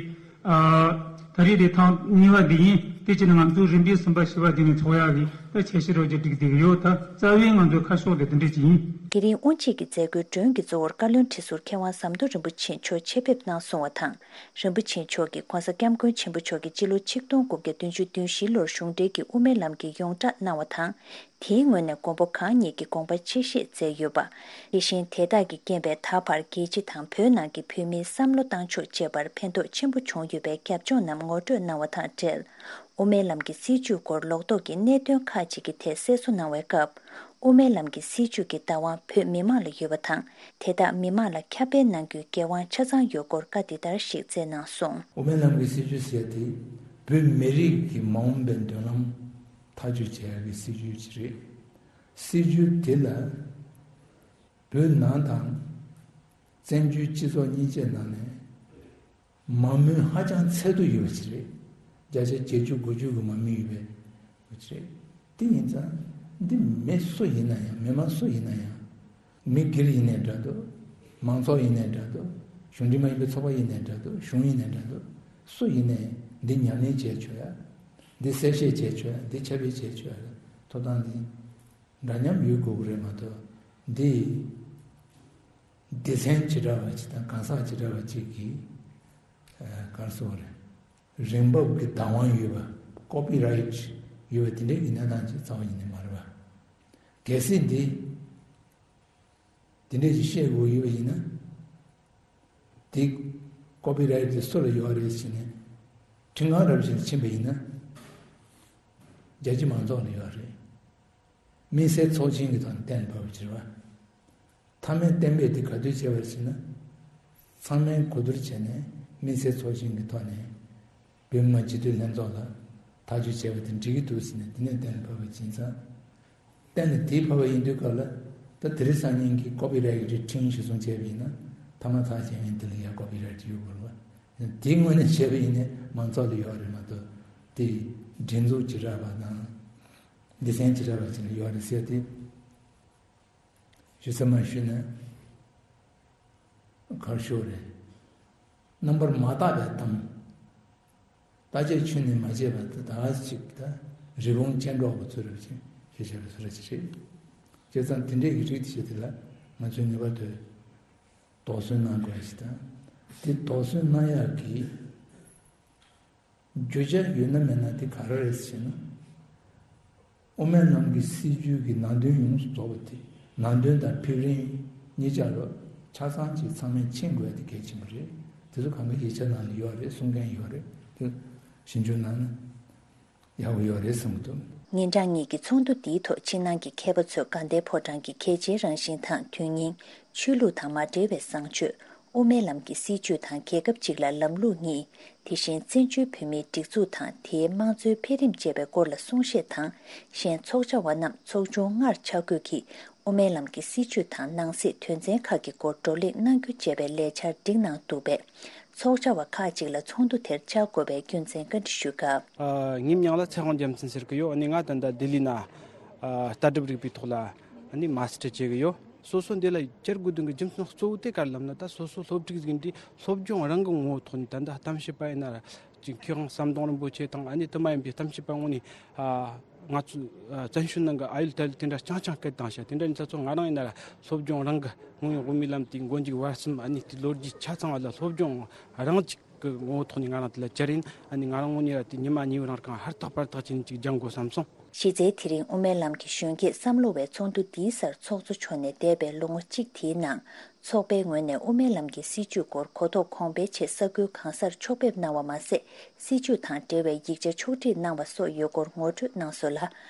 ཨ། ད་རེས་དེ་ཐེངས་གཉིས་པ་དེ་ཡིན། དེ་བྱས་ནས་ང་ཚོས་རིམ་པས་གསུམ་པ་བཞི་པ་དེ་ནས་ཚོགས་ཡ་གི་ ཆེ་ཤོས་རོགས་ཀྱིས་སྒྲིག་བསྡད་ཀྱི་ཡོད། ད་རྩ་བའི་ང་ཚོའི་ཁ་ཕྱོགས་དེ་དེ་འདྲ་ཅིག་ཡིན། དེ་རིང་དབུ་འབྱེད་ཀྱི་མཛད་སྒོའི་མགྲོན་གྱི་གཙོ་བོར་བཀའ་བློན་ཁྲི་ཟུར་མཁས་དབང་ཟམ་གདོང་རིན་པོ་ཆེ་མཆོག་ཆེད་ཕེབས་གནང་སོང་བ་དང་། རིན་པོ་ཆེ་མཆོག་གིས་༧གོང་ས་༧སྐྱབས་མགོན་ཆེན་པོ་མཆོག་གིས་སྤྱི་ལོ་ཆིག་སྟོང་དགུ་བརྒྱ་བདུན་ཅུ་དོན་བཞི་ལོར་གཞུང་འབྲེལ་གྱི་དབུ་མའི་ལམ་གྱི་ཡོངས་བསྒྲགས་གནང་བ་དང་། དེའི་ངོས་ནས་མགོན་པོ་གང་ཉིད་ཀྱིས་དགོངས་པ་ཆེ་བཞེས་མཛད་ཡོད་པ། དེ་བཞིན་དེ་དག་གི་རྐྱེན་པས་ད་བར་རྒྱལ་སྤྱི་དང་བོད་ནང་གི་བོད་མིའི་བསམ་བློ་བཏང་ཕྱོགས་བཅས་པར་ཕན་ཐོགས་ཆེན་པོ་བྱུང་ཡོད་པའི་རྒྱབ་ལྗོངས་རྣམས་ངོ་སྤྲོད་གནང་བ་དང་འབྲེལ། དབུ་མའི་ལམ་གྱི་སྲིད་བྱུས་སྐོར་ལོག་རྟོག་གི་གནད་དོན་ཁག་ཅིག་གི་ཐད་གསལ་བཟོ་གནང་བའི་སྐབས། དབུ་མའི་ལམ་གྱི་སྲིད་བྱུས་ཀྱི་བདག་དབང་བོད་མི་མང་ལ་ཡོད་པ་དང་། དེ་དག་མི་མང་ལ་ཁྱབ་སྤེལ་གནང་རྒྱུའི་འགན་དབང་ཆ་ཚང་ཡོད་སྐོར་བཀའ་འདི་ལྟར་ཞིག་སྩལ་གནང་སོང་། དབུ་མའི་ལམ་གྱི་སྲིད་བྱུས་ཟེར་དེ་བོད་མི་རིགས་ཀྱི་མ་འོངས་པའི་མདུན་ལམ་ཐག་གཅོད་བྱེད་ཡག་གི་སྲིད་བྱུས་ཅིག་རེད། སྲིད་བྱུས་དེ་ལ་བོད་ནང་དང་བཙན་བྱོལ་སྤྱི་ཚོགས་གཉིས་ཆའི་ནང་ནས་མ་མོས་ཧ་ཅང་ཚད་དུ་ཡོད་པ་ཅིག་རེད། བརྒྱ་ཆ་བརྒྱད་ཅུ་དགུ་བཅུ་གི་མ་མོས་ཡོད་པའི་བ་ཅིག་རེད། དེ་ཡིན་ཙང་འདི་མི་སུ་ཡིན་ན་ཡང་མི་མང་སུ་ཡིན་ན་ཡང་། མི་སྒེར་ཡིན་ནའི་འདྲ་འདུག་མང་ཚོགས་ཡིན་ནའི་འདྲ་འདུག་གཞུང་འབྲེལ་མ་ཡིན་པའི་ཚོགས་པ་ཡིན་ནའི་འདྲ་འདུག་གཞུང་ཡིན་ནའི་འདྲ་འདུག་སུ་ཡིན་ནའི་འདི་ཉམས་ལེན་བྱས་ཆོག་ཡ། འདི་གསལ་བཤད་བྱས་ཆོག་ཡ། འདི་ཁྱབ་སྤེལ་བྱས་ཆོག་ཡ། ཐོབ་ཐང་འདི་འདྲ་མཉམ་ཡོད་དགོས་ཀྱི་རེད་མ་གཏོགས། འདི་སྡེ་ཚན་བྱེ་བྲག་པ་ཅིག་དང་གང་ཟག་བྱེ་བྲག་པ་ཅིག་གིས་ག་རེ་ཟེར་དགོས་རེད། རང་འབབ་ཀྱི་བདག་དབང་ཡོད་པ། ཀོ་པི་རའིཊ་ཡོད་པ་དེ་འདྲའི་གི་གནས་སྟངས་ཅིག་རྩ་བ་ཉིད་ནས་མ་རེད་པ། གལ་སྲིད་འདི་དེ་འདྲའི་ཅིག་བཤད་དགོས་ཡོད་པ་ཡིན་ན། དེ་ཀོ་པི་རའིཊ་དེ་སུ་ལ་ཡོད་རེད་ཟེར་ནས་ཁྲིམས་ཁང་རབ་ཞིག་ལ་ཕྱིན་པ་ཡིན་ན། རྒྱལ་སྤྱི་མང་ཚོགས་ལ་ཡོད་རེད། དམིགས་བསལ་ཚོགས་ཆེན་གྱི་ཐོག་ནས་གཏན་ཕབ་པ་བྱེད་པ། མཐའ་མའི་གཏན་འབེབས་དེ་ག་དུས་བྱས་པ་ཟེར་ན། ཚང་མས་གོ་བསྡུར་བྱས་ནས་དམིགས་བསལ་ཚོགས་ཆེན་གྱི་ཐོག་ནས་བོད་མི་མང་སྤྱི་འཐུས་ལྷན་ཚོགས་ལ་ཐག་གཅོད་བྱས་པ་དེ་འགྲིག་གི་འདུག་ཟེར་ནས་དེ་ནས་གཏན་ཕབ་པ་ཡིན་ཙང་། གཏན་ལ་དེ་ཕབ་པ་ཡིན་དུས་སྐབས་ལ་ད་དེ་རིང་སང་ཉིན་གྱི་ཀོ་པི་རའིཊ་ཁྲིམས་གཞི་བཟུང་བྱས་པ་ཡིན་ན་མཐའ་མ་ཚར་བྱས་ཡིན་དེ་ལ་ཡང་ཀོ་པི་རའིཊ་ཡོད་དགོས་རེད་པ། དེའི་ངོས་ནས་བྱས་པ་ཡིན་ནའི་མང་ཚོགས་ལ་ཡོད་རེད་མ་གཏོགས་དེ་སྒྲིག་འཛུགས་བྱེ་བྲག་པ་དང་སྡེ་ཚན་བྱེ་བྲག་པ་ཅིག་ལ་ཡོད་རེད་ཟེར་ཏེ། ཞུ་ཚད་མ་ཞུས་ན་གར་ཤོར་རེད། རྣམ་པར་མ་བརྟགས་པའི་གཏམ། བརྟག་དཔྱད་ཁྱོན་ནས་མ་བྱས་པ་དེ་ད་ག་ཅིག་ད་རི་བོང་ཅལ་འདྲོགས་པ་ཚོ་རེད་ཅེས་ཞེས་བྱ་བའི་བཟོ་འདྲ་ཅིག་རེད། བྱས་ཙང་དེ་འདྲའི་གི་རིགས་དེ་ཞིག་དེ་ལ་ང་ཚོས་ངེས་པར་དུ་དོགས་ཟོན་གནང་དགོས་ཞིག་དང་། དེ་དོགས་ཟོན་གནང་ཡག་གི་རྒྱུ་ཆ་ཡོད་ན་མེད་ན་དེ་ག་རེ་རེད་ཟེར་ན། དབུ་མའི་ལམ་གྱི་སྲིད་བྱུས་ཀྱི་ནང་དོན་ཡོངས་སུ་རྫོགས་པ་དེ་ནང་དོན་དང་ཕེབས་རིམ་གཉིས་ཆ་ལ་ཆ་ཚང་ཅིག་ཚང་མས་མཁྱེན་དགོས་ཡ་དེ་གལ་ཆེན་པོ་རེད། དེ་ཚོ་གང་ག་ཡིག་ཆ་ནང་ལ་ཡོད་རེད། གསུང་མཁན་ཡོད་རེད། དེ་ཞིབ་འཇུག་གནང་ན་ཡག་པོ་ཡོད་རེད་བསམ་གྱི་འདུག། ཉིན་གྲངས་གཉིས་ཀྱི་ཚོགས་འདུ་འདིའི་ཐོག་ཕྱི་ནང་གི་མཁས་པ་ཚོས་དགའ་ལྡན་ཕོ་བྲང་གི་གལ་ཆེའི་རང་བཞིན་དང་དོན་སྙིང་། ཆོས་ལུགས་དང་མ་འབྲེལ་བའི་བཟང་སྤྱོད། དབུ་མའི་ལམ་གྱི་སྲིད་བྱུས་དང་རྒྱལ་ཁབ་གཅིག་ལ་ལམ་ལུགས་གཉིས། དེ་བཞིན་བཙན་བྱོལ་བོད་མིའི་སྒྲིག་འཛུགས་དང་དེའི་དམངས་གཙོའི་འཕེལ་རིམ་བཅས་པའི་སྐོར་ལ་གསུང་བཤད་དང་། གཞན་ཚོགས་བཅར་བ་རྣམས་ཚོགས་ཆུང་ལྔར་ཆ་བགོས་ཀྱིས་དབུ་མའི་ལམ་གྱི་སྲིད་བྱུས་དང་ནང་གསེས་དོན་ཚན་ཁག་གི་སྐོར་བགྲོ་གླེང་གནང་རྒྱུ་བཅས་པའི་ལས་འཆར་བསྒྲིགས་གནང་འདུག་པས། ཚོགས་བཅར་བ་ཁག་ཅིག་ལ་ཚོགས་འདུ་དེར་བཅར་དགོས་པའི་རྒྱུ་མཚན་བཀའ་འདྲི་ཞུས་སྐབས། ཨ། ངའི་མིང་ལ་ཚེ་དབང་རྒྱལ་མཚན་ཟེར་གི་ཡོད། ཨ་ནི་ང་ད་ལྟ་ལྡི་ལི་ན་ཨ་ལྟ་གྲུབ་རིག་པའི་ཐོག་ལ་ཨ་ནི་མ་སི་ཊར་བྱེད་གི་ཡོད། སོ་སོ་འདི་ལ་བཅར་དགོས་དོན་གྱི་རྒྱུ་མཚན་གཙོ་བོ་དེ་ག་རེ་ལབ་ན། ད་སོ་སོ་སློབ་ཕྲུག་ཟིག་འདི་སློབ་སྦྱོང་རང་གི་ངོ་བོ་ཐོག་ནས། ད་ལྟ་གཏམ་བཤད་པ་ཡིན་ན་ར་ཅིག་མཁས་དབང་ཟམ་གདོང་རིན་པོ་ཆེ་དང་། ཨ་ནི་དེ་མ་ཡིན་པའི་གཏམ་བཤད་པ་ངོ་ནས་ཨ་ང་ཚོ་ཨ་བཙན་བྱོལ་ནང་གི་ཨ་ཡུལ་ད་ཡུལ་དེ་འདྲ་རྐྱང་རྐྱང་སྐད་བཏང་བྱ། དེ་འདྲ་ཡིན་ཙང་ང་རང་ཡིན་ན་ར་སློབ་སྦྱོང་རང་གི་ངོ་བོའི་དབུ་མའི་ལམ་དེའི་མགོ་མཇུག་བར་གསུམ། ཨ་ནི་དེ་ལོ་རྒྱུས་ཆ་ཚང་བ་ལ་སློབ་སྦྱོང་རང་ཅིག་གི་ངོ་བོ་ཐོག་ནས་ང་རང་དེ་ལ་བཅར་ཡིན། ཨ་ནི་ང་རང་ངོས་ནས་ར་དེ་ཉི་མ་གཉིས་པོ་རང་རྐང་ཧུར་ཐག་པར་ཐག་བྱས་ནས་ཅིག་སྦྱང་དགོས་བསམ་སོང་། གཞི་རྩའི་དེ་རིང་དབུ་མའི་ལམ་གྱི་གཞོན་སྐྱེས་བསམ་བློ་བའི་ཚོགས་འདུ་འདིའི་སར་ཚོགས་གཙོ་མཆོག་ནས་འདས་པའི་ལོ་ངོ་གཅིག་དེའི་ནང་ཚོགས་པའི་ངོས་ནས་དབུ་མའི་ལམ་གྱི་སྲིད་བྱུས་སྐོར་གོ་རྟོགས་གོང་འཕེལ་ཆེད་ས་ཁུལ་གང་སར་ཕྱོགས་ཕེབས་གནང་བ་མ་ཟད། སྲིད་བྱུས་དང་འབྲེལ་བའི་ཡིག་ཆ་ཕྱོགས་སྒྲིག་གནང་བ་སོགས་ཡོད་སྐོར་ངོ་སྤྲོད་གནང་སོང་ལ།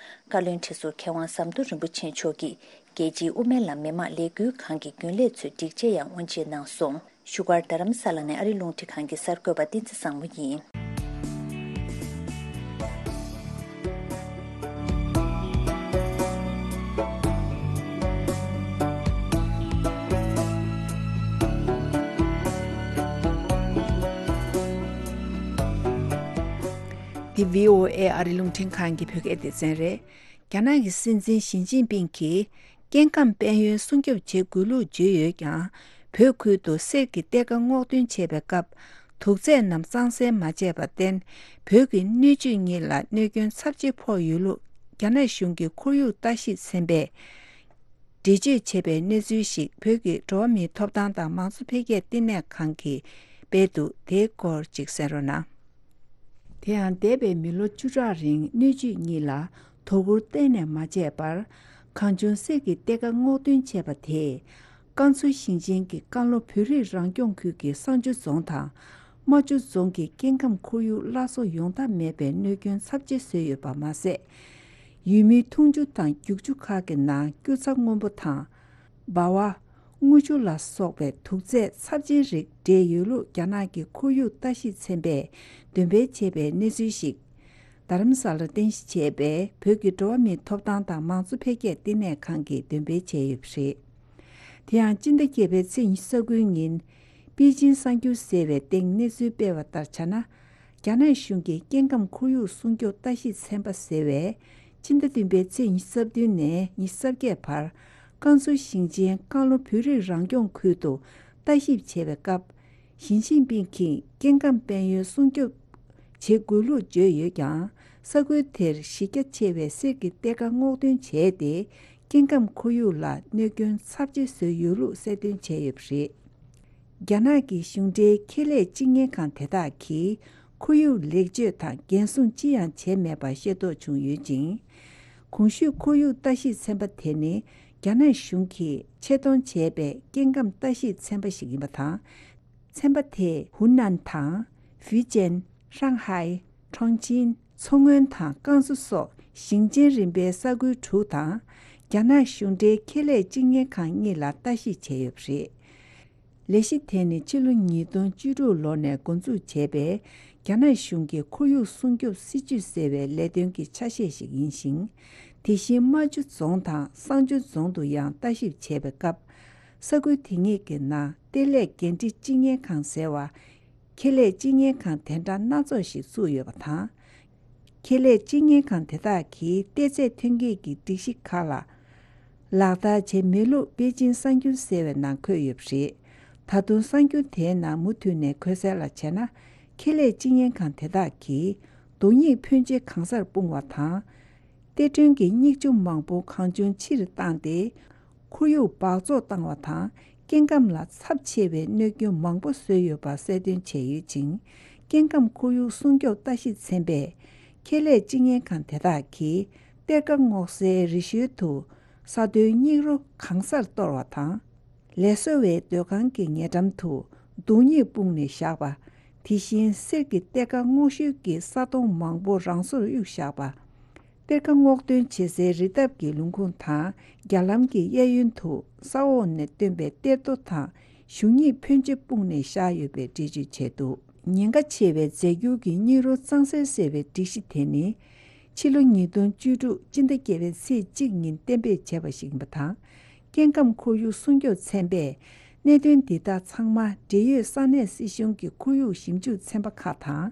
བཀའ་བློན་ཁྲི་ཟུར་མཁས་དབང་ཟམ་གདོང་རིན་པོ་ཆེ་མཆོག་གིས་རྒྱལ་སྤྱིའི་དབུ་མའི་ལམ་མི་མང་ལས་འགུལ་ཁང་གི་རྒྱུན་ལས་ཚོའི་སྒྲིག་ཆས་ཡང་དབུ་འབྱེད་གནང་སོང་། བཞུགས་སྒར་རྡ་རམ་ས་ལ་ནས་ཨ་རི་རླུང་འཕྲིན་ཁང་གི་གསར་འགོད་པ་བསྟན་འཛིན་བཟང་མོ་ཡིན། འདི་བྷི་ཨོ་ཨེ་ཨ་རི་རླུང་འཕྲིན་ཁང་གི་བོད་སྐད་སྡེ་ཚན་རེད། རྒྱ་ནག་གི་སྲིད་འཛིན་ཞི་ཅིན་ཕིང་གིས་སྐྱེ་ཁམས་དཔལ་ཡོན་སྲུང་སྐྱོབ་བྱེད་དགོས་ལུགས་བརྗོད་ཡོད་ཀྱང་། བོད་ཁུལ་དུ་གསེར་གྱི་གཏེར་ཁ་སྔོག་འདོན་བྱེད་པའི་སྐབས། དུག་རྫས་རྣམས་གཙང་སེལ་མ་བྱས་པར་བརྟེན། བོད་ཀྱི་སྣོད་བཅུད་གཉིས་ལ་གནོད་སྐྱོན་ཚབས་ཆེ་ཕོག་ཡོད་ལུགས་ རྒྱ་ནག་གཞུང་གི་ཁོར་ཡུག་ལྟ་ཞིབ་ཚན་པས་འགྲེལ་བརྗོད་བྱས་པའི་གནས་ཚུལ་ཞིག་བོད་ཀྱི་འགྲོ་བ་མིའི་ཐོབ་ཐང་དང་མང་གཙོ་འཕེལ་རྒྱས་བསྟི་གནས་ཁང་གིས་སྤེལ་འདུག་དེའི་སྐོར་ཅིག་གསན་རོགས་གནང་། དེ་ཡང་འདས་པའི་མི་ལོ་བཅུ་ཕྲག་རིང་སྣོད་བཅུད་གཉིས་ལ་དོ་ཁུར་གཏན་ནས་མ་བྱས་པར། གངས་ལྗོངས་གསེར་གྱི་གཏེར་ཁ་སྔོག་འདོན་བྱས་པ་དེས། ཀན་སུའུ་ཞིང་ཆེན་གྱི་ཀན་ལྷོ་བོད་རིགས་རང་སྐྱོང་ཁུལ་གྱི་བསང་ཆུ་རྫོང་དང་། རྨ་ཆུ་རྫོང་གི་སྐྱེ་ཁམས་ཁོར་ཡུག་སླར་གསོ་ཡོང་ཐབས་མེད་པའི་གནོད་སྐྱོན་ཚབས་ཆེ་བཟོས་ཡོད་པ་མ་ཟད། ཡུལ་མིའི་འཐུང་ཆུ་དང་རྒྱུག་ཆུ་ཁག་གི་ནང་སྐྱུར་ཚྭ་སྔོན་པོ་དང་། སྦ་བ། དངུལ་ཆུ་ལ་སོགས་པའི་དུག་རྫས་ཚབས་ཆེན་རིགས་འདྲེས་ཡོད་ལུགས་རྒྱ་ནག་གི་ཁོར་ཡུག་ལྟ་ཞིབ་ཚན་པས་འདོན་སྤེལ་བྱས་པའི་གནས་ཚུལ་ཞིག་རྡ་རམ་ས་ལར་རྟེན་གཞི་བྱས་པའི་བོད་ཀྱི་འགྲོ་བ་མིའི་ཐོབ་ཐང་དང་མང་གཙོ་འཕེལ་རྒྱས་བསྟི་གནས་ཁང་གིས་འདོན་སྤེལ་བྱས་ཡོད་པ་རེད། དེ་ཡང་སྤྱི་ཟླ་བརྒྱད་པའི་ཚེས་ཉི་ཤུ་རྩ་དགུའི་ཉིན། པེ་ཅིན་གསར་འགྱུར་ཟེར་བའི་སྟེང་གནས་ཚུལ་སྤེལ་བ་ལྟར་བྱས་ན། རྒྱ་ནག་གཞུང་གི་སྐྱེ་ཁམས་ཁོར་ཡུག་སྲུང་སྐྱོབ་ལྟ་ཞིབ་ཚན་པ་ཟེར་བས། ཕྱི་ཟླ་བདུན་པའི་ཚེས་ཉི་ཤུ་རྩ་བདུན་ནས་ཉི་ཤུ་རྩ་བརྒྱད་བར། ཀན་སུའུ་ཞིང་ཆེན་ཀན་ལྷོ་བོད་རིགས་རང་སྐྱོང་ཁུལ་དུ་ལྟ་ཞིབ་བྱས་པའི་སྐབས། ཞི་ཅིན་ཕིང་གིས་སྐྱེ་ཁམས་དཔལ་ཡོན་སྲུང་སྐྱོབ་བྱེད་དགོས་ལུགས་བརྗོད་ཡོད་ཀྱང་། ས་ཁུལ་དེར་གཞི་རྒྱ་ཆེ་བའི་གསེར་གྱི་གཏེར་ཁ་སྔོག་འདོན་བྱས་ཏེ། སྐྱེ་ཁམས་ཁོར་ཡུག་ལ་གནོད་སྐྱོན་ཚབས་ཆེ་བཟོས་ཡོད་ལུགས་གསལ་སྟོན་བྱས་ཡོད་པ་རེད། རྒྱ་ནག་གི་གཞུང་འབྲེལ་ཁེ་ལས་སྤྱི་གཉེར་ཁང་དེ་དག་གིས་ཁོར་ཡུག་ལེགས་བཅོས་དང་འགན་སྲུང་ཅི་ཡང་བྱས་མེད་པ་ཤེས་རྟོགས་བྱུང་ཡོད་ཅིང་། གོང་ཞུས་ཁོར་ཡུག་ལྟ་ཞིབ་ཚན་པ་དེ་ནི་རྒྱ་ནག་གཞུང་གིས་ཆེད་གཏོང་བྱས་པའི་སྐྱེ་ཁམས་ལྟ་ཞིབ་ཚན་པ་ཞིག་ཡིན་པ་དང་། ཚན་པ་དེས་ཧུའུ་ནན་དང་། ཧྥུའུ་ཅན། ཧྲང་ཧའེ། ཁྲོང་ཆིན། མཚོ་སྔོན་དང་ཀན་སུའུ་སོགས་ཞིང་ཆེན་རིམ་པའི་ས་ཁུལ་དྲུག་དང་། རྒྱ་ནག་གཞུང་འབྲེལ་ཁེ་ལས་སྤྱི་གཉེར་ཁང་གཉིས་ལ་ལྟ་ཞིབ་བྱས་ཡོད་པ་རེད། ལས་གཞི་དེ་ནི་ཕྱི་ལོ་ཉིས་སྟོང་བཅུ་དྲུག་ལོ་ནས་འགོ་འཛུགས་བྱས་པའི་རྒྱ་ནག་གཞུང་གི་ཁོར་ཡུག་སྲུང་སྐྱོབ་སྲིད་ཇུས་ཟེར་བའི་ལས་དོན་གྱི་ཆ་ཤས་ཤིག་ཡིན་ཞིང་། དེ་བཞིན་རྨ་ཆུ་རྫོང་དང་བསང་ཆུ་རྫོང་དུ་ཡང་ལྟ་ཞིབ་བྱས་པའི་སྐབས། ས་ཁུལ་དེ་གཉིས་ཀྱི་ནང་གཏེར་ལས་འགན་འཁྲི་སྤྱི་གཉེར་ཁང་ཟེར་བ། ཁེ་ལས་སྤྱི་གཉེར་ཁང་དེ་འདྲ་སྣ་ཚོགས་ཤིག་བཙུགས་ཡོད་པ་དང་། ཁེ་ལས་སྤྱི་གཉེར་ཁང་དེ་དག་གིས་གཏེར་རྫས་ཐོན་སྐྱེད་ཀྱི་སྒྲིག་གཞི་ཁག་ལ་ལག་བསྟར་བྱས་མེད་ལུགས་པེ་ཅིན་གསར་འགྱུར་ཟེར་བའི་ནང་འཁོད་ཡོད་པ་རེད། ད་དུང་གསར་འགྱུར་དེའི་ནང་མུ་མཐུད་ནས་འཁོད་གསལ་ལ་བྱས་ན། ཁེ་ལས་སྤྱི་གཉེར་ཁང་དེ་དག་གིས་རྡོ་སྙིགས་ཕོན་ཆེ་གང་སར་སྤུངས་པ་དང་། གཏེར་ཁྲོན་གྱི་སྙིགས་ཆུ་མང་པོ་གང་བྱུང་ཕྱིར་བཏང་སྟེ། ཁོར་ཡུག་འབག་བཙོག་བཏང་བ་དང་། སྐྱེ་ཁམས་ལ་ཚབས་ཆེ་བའི་གནོད་སྐྱོན་མང་པོ་བཟོས་ཡོད་པ་གསལ་སྟོན་བྱས་ཡོད་ཅིང་། སྐྱེ་ཁམས་ཁོར་ཡུག་སྲུང་སྐྱོབ་ལྟ་ཞིབ་ཚན་པས། ཁེ་ལས་སྤྱི་གཉེར་ཁང་དེ་དག་གིས་གཏེར་ཁ་སྔོག་སའི་རི་ཤུལ་དུ་ས་རྡོའི་སྙིགས་རོ་གང་སར་གཏོར་བ་དང་། ལས་བཟོ་བའི་སྡོད་ཁང་གི་ཉེ་འགྲམ་དུ་རྡོ་སྙིགས་སྤུངས་ནས་བཞག་པ། དེ་བཞིན་གསེར་གྱི་གཏེར་ཁ་སྔོག་ཤུལ་གྱི་ས་དོང་མང་པོ་རང་སོར་གཡུགས་བཞག་པ། གཏེར་ཁ་སྔོག་འདོན་བྱེད་སའི་རི་འདབས་ཀྱི་ལུང་ཁུངས་དང་རྒྱ་ལམ་གྱི་གཡས་གཡོན་དུ་ས་འོག་ནས་བཏོན་པའི་གཏེར་རྡོ་དང་གཞུང་སྙིགས་ཕོན་ཆེ་སྤུངས་ནས་བཞག་ཡོད་པའི་འགྲེལ་བརྗོད་བྱས་འདུག་ཉེན་ཁ་ཆེ་བའི་རྫས་འགྱུར་གྱི་སྙིགས་རོ་གཙང་སེལ་ཟེར་བའི་སྒྲིག་གཞི་དེ་ནི། ཕྱི་ལོ་ཉིས་སྟོང་བཅུ་དྲུག་སྤྱི་ཟླ་བརྒྱད་པའི་ཚེས་གཅིག་ཉིན་གཏན་འབེབས་བྱས་པ་ཞིག་ཡིན་པ་དང་། སྐྱེ་ཁམས་ཁོར་ཡུག་སྲུང་སྐྱོབ་ཚན་པས། གནད་དོན་འདི་དག་ཚང་མ་འབྲེལ་ཡོད་ས་གནས་སྲིད་གཞུང་གི་ཁོར་ཡུག་ཞིབ་འཇུག་ཚན་པ་ཁག་དང་།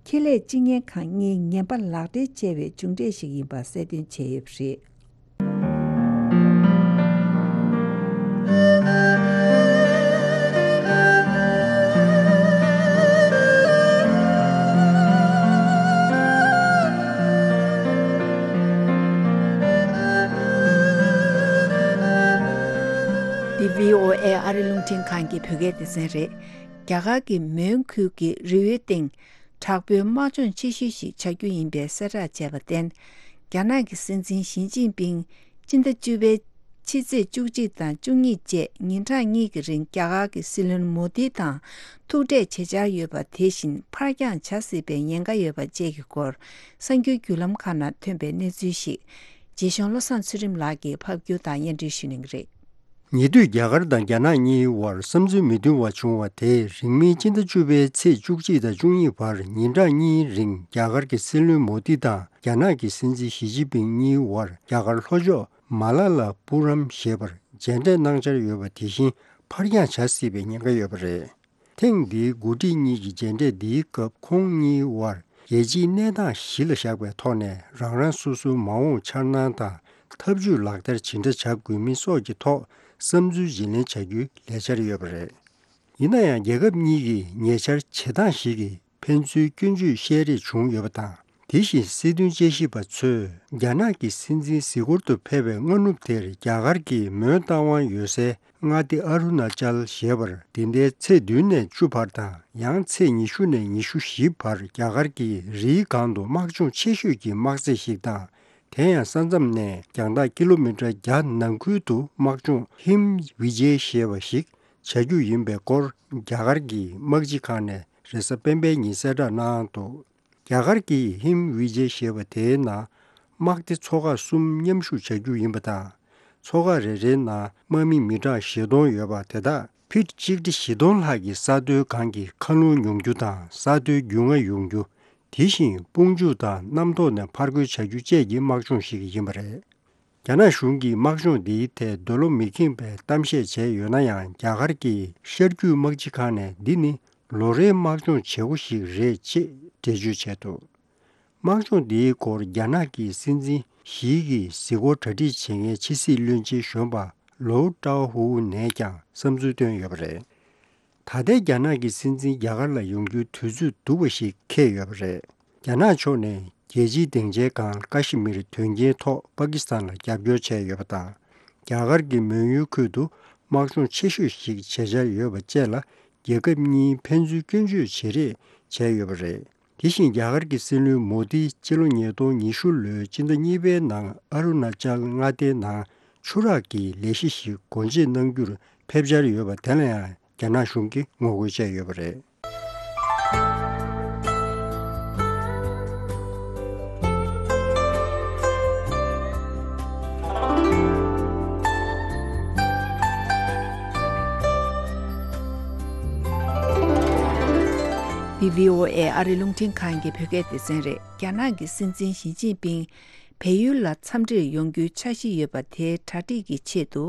ཁེ་ལས་སྤྱི་གཉེར་ཁང་གཉིས་ངན་པ་ལག་སྦྲེལ་བྱས་པའི་མཇུག་འབྲས་ཤིག་ཡིན་པ་གསལ་སྟོན་བྱས་ཡོད་པ་རེད། འདི་བྷི་ཨོ་ཨེ་ཨ་རི་རླུང་འཕྲིན་ཁང་གི་བོད་སྐད་སྡེ་ཚན་རེད། རྒྱ་གར་གྱི་མོན་ཁུལ་གྱི་རི་བོའི་སྟེང་དྲག་པོའི་དམག་སྦྱོང་ཆེ་ཤོས་ཤིག་བྱ་རྒྱུ་ཡིན་པའི་གསལ་བསྒྲགས་བྱས་པར་བརྟེན། རྒྱ་ནག་གི་སྲིད་འཛིན་ཞི་ཅིན་ཕིང་སྤྱི་ཟླ་བཅུ་པའི་ཕྱི་ཚེས་བཅུ་གཅིག་དང་བཅུ་གཉིས་བཅས་ཉིན་གྲངས་གཉིས་ཀྱི་རིང་རྒྱ་གར་གྱི་སྲིད་བློན་མོ་དི་དང་ཐུག་འཕྲད་བྱེད་འཆར་ཡོད་པ་དེ་བཞིན་ཕར་འགྱངས་བྱ་སྲིད་པའི་ཉེན་ཁ་ཡོད་པ་བཅས་ཀྱི་སྐོར་གསར་འགྱུར་བརྒྱུད་ལམ་ཁག་ནང་ཐོན་པའི་གནས་ཚུལ་ཞིག་རྗེ་གཞུང་བློ་བཟང་ཚུལ་ཁྲིམས་ལགས་ཀྱིས་ཕབ་སྒྱུར་དང་སྙན་སྒྲོན་ཞུ་གནང་གི་རེད། ཉེ་དུས་རྒྱ་གར་དང་རྒྱ་ནག་གཉིས་བར་བསམ་ཚུལ་མི་མཐུན་པ་བྱུང་བ་དེས་རིང་མིན་སྤྱི་ཟླ་བཅུ་པའི་ཚེས་བཅུ་གཅིག་དང་བཅུ་གཉིས་བར་ཉིན་གྲངས་གཉིས་རིང་རྒྱ་གར་གྱི་སྲིད་བློན་མོ་དི་དང་རྒྱ་ནག་གི་སྲིད་འཛིན་ཞི་ཅིན་ཕིང་གཉིས་བར་རྒྱ་གར་ལྷོ་ཕྱོགས་མ་ལ་ལ་པུ་རམ་ཞེས་པར་མཇལ་འཕྲད་གནང་འཆར་ཡོད་པ་དེ་བཞིན་ཕར་འགྱངས་བྱ་སྲིད་པའི་ཉེན་ཁ་ཡོད་པ་རེད། ཐེངས་འདིའི་འགོ་ཁྲིད་གཉིས་ཀྱི་མཇལ་འཕྲད་འདིའི་སྐབས་ཁོང་གཉིས་བར་རྒྱལ་སྤྱིའི་གནས་སྟངས་གཞི་ལ་བཞག་པའི་ཐོག་ནས་རང་རང་སོ་སོའི་མ་འོངས་འཆར་སྣང་དང་ཐབས་ཇུས་ལག་བསྟར་ཇི་འདྲ་བྱ་དགོས་མིན་སོགས་ཀྱི་ཐོག་བསམ་ཚུལ་བརྗེ་ལེན་བྱ་རྒྱུའི་ལས་འཆར་ཡོད་པ་རེད། ཡིན་ན་ཡང་རྒྱལ་ཁབ་གཉིས་ཀྱི་ཉེ་ཆར་བྱེད་སྟངས་ཤིག་གིས་ཕན་ཚུན་སྐྱོན་བརྗོད་བཤད་རེས་བྱུང་ཡོད་པ་དང་ དེ་བཞིན་སྲིད་དོན་དཔྱད་ཞིབ་པ་ཚོས་རྒྱ་ནག་གི་སྲིད་འཛིན་གཟིགས་སྐོར་དུ་ཕེབས་པའི་སྔ་ནུབ་དེར་རྒྱ་གར་གྱིས་མོན་རྟ་དབང་ཡོད་སའི་མངའ་སྡེ་ཨ་རུ་ན་ཅལ་ཞེས་པར་འདི་ཟླའི་ཚེས་བདུན་ནས་བཅུ་བར་དང་ཡང་ཚེས་ཉི་ཤུ་ནས་ཉི་ཤུ་བཞི་བར་རྒྱ་གར་གྱི་རིའི་སྒང་དུ་དམག་སྦྱོང་ཆེ་ཤོས་ཀྱི་དམག་རྩེ་ཞིག་དང་། དེ་ཡང་ས་མཚམས་ནས་རྒྱང་ཐག་ཀི་ལོ་མི་ཊར་བརྒྱ་ནང་ཁུལ་དུ་དམག་སྦྱོང་ཧིམ་བི་ཇེ་ཞེས་པ་ཞིག་བྱ་རྒྱུ་ཡིན་པའི་སྐོར་རྒྱ་གར་གྱི་དམག་སྤྱི་ཁང་ནས་རེས་གཟའ་སྤེན་པའི་ཉིན་གསལ་བསྒྲགས་གནང་འདུག་རྒྱ་གར་གྱིས་ཧིམ་བི་ཇེ་ཞེས་པ་དེའི་ནང་དམག་སྡེ་ཚོ་ཁག་གསུམ་མཉམ་ཞུགས་བྱ་རྒྱུ་ཡིན་པ་དང་། ཚོ་ཁག་རེ་རེའི་ནང་དམག་མི་མི་གྲངས་བཞི་སྟོང་ཡོད་པ་དེ་དག་ཕིཊ་གཅིག་ཁྲི་བཞི་སྟོང་ལྷག་གི་ས་མཐོའི་སྒང་གི་མཁའ་རླུང་ཡོང་རྒྱུ་དང་ས་མཐོའི་རྒྱུས་མངའ་ཡོང་རྒྱུ། དེ་བཞིན་དཔུང་འཇུག་དང་གནམ་ཐོག་ནས་ཕར་རྒོལ་བྱ་རྒྱུ་བཅས་ཀྱི་དམག་སྦྱོང་ཞིག་ཡིན་པ་རེད། རྒྱ་ནག་གཞུང་གིས་དམག་སྦྱོང་འདིའི་ཐད་འདོད་བློ་མི་ཁེངས་པའི་གཏམ་བཤད་བྱས་ཡོད་ན་ཡང་། རྒྱ་གར་གྱི་ཤར་རྒྱུད་དམག་སྤྱི་ཁང་ནས་འདི་ནི་ལོ་རེའི་དམག་སྦྱོང་བྱེད་སྒོ་ཞིག་རེད་ཅེས་འགྲེལ་བརྗོད་བྱས་འདུག་དམག་སྦྱོང་འདིའི་སྐོར་རྒྱ་ནག་གི་སྲིད་འཛིན་ཞི་གིས་གཟིགས་སྐོར་གྲ་སྒྲིག་བྱེད་མཁན་ཕྱི་སྲིད་བློན་ཆེན་གཞོན་པ་ལོའུ་ཀྲའོ་ཧུའུ་ནས་ཀྱང་བསམ་ཚུལ་བཏོན་ཡོད་པ་རེད། ད་ལྟའི་རྒྱ་ནག་གི་སྲིད་འཛིན་རྒྱ་གར་ལ་ཡོང་རྒྱུའི་དུས་ཚོད་སྡུག་པ་ཞིག་འཁེལ་ཡོད་པ་རེད། རྒྱ་ནག་ཕྱོགས་ནས་རྒྱལ་སྤྱིའི་སྡིངས་ཆའི་སྒང་ཀ་ཤི་མིར་དོན་རྐྱེན་ཐོག་པ་ཀི་སི་ཐན་ལ་རྒྱབ་སྐྱོར་བྱས་ཡོད་པ་དང་། རྒྱ་གར་གྱི་མོན་ཡུལ་ཁུལ་དུ་དམག་སྦྱོང་ཆེ་ཤོས་ཤིག་བྱེད་འཆར་ཡོད་པ་བཅས་ལ། རྒྱལ་ཁབ་གཉིས་ཕན་ཚུན་སྐྱོན་བརྗོད་བྱེད་རེས་བྱས་ཡོད་པ་རེད། དེ་བཞིན་རྒྱ་གར་གྱི་སྲིད་བློན་མོ་དི་སྤྱི་ལོ་ཉིས་སྟོང་ཉི་ཤུ་ལོའི་སྤྱི་ཟླ་གཉིས་པའི་ནང་ཨ་རུ་ན་ཅལ་མངའ་སྡེའི་ནང་ཆུ་རགས་ཀྱི་ལས་གཞི་ཞིག་སྒོ་འབྱེད་གནང་རྒྱུར་ཕེབས་འཆར་ཡོད་པ་དེ་ལ་ཡང་རྒྱ་ནག་གཞུང་གིས་ངོ་རྒོལ་བྱས་ཡོད་པ་རེད། འདི་བྷི་ཨོ་ཨེ་ཨ་རི་རླུང་འཕྲིན་ཁང་གི་བོད་སྐད་སྡེ་ཚན་རེད། རྒྱ་ནག་གི་སྲིད་འཛིན་ཞི་ཅིན་ཕིང་བལ་ཡུལ་ལ་འཚམས་འདྲིར་ཡོང་རྒྱུའི་འཆར་གཞི་ཡོད་པ་དེའི་གྲ་སྒྲིག་གི་ཆེད་དུ།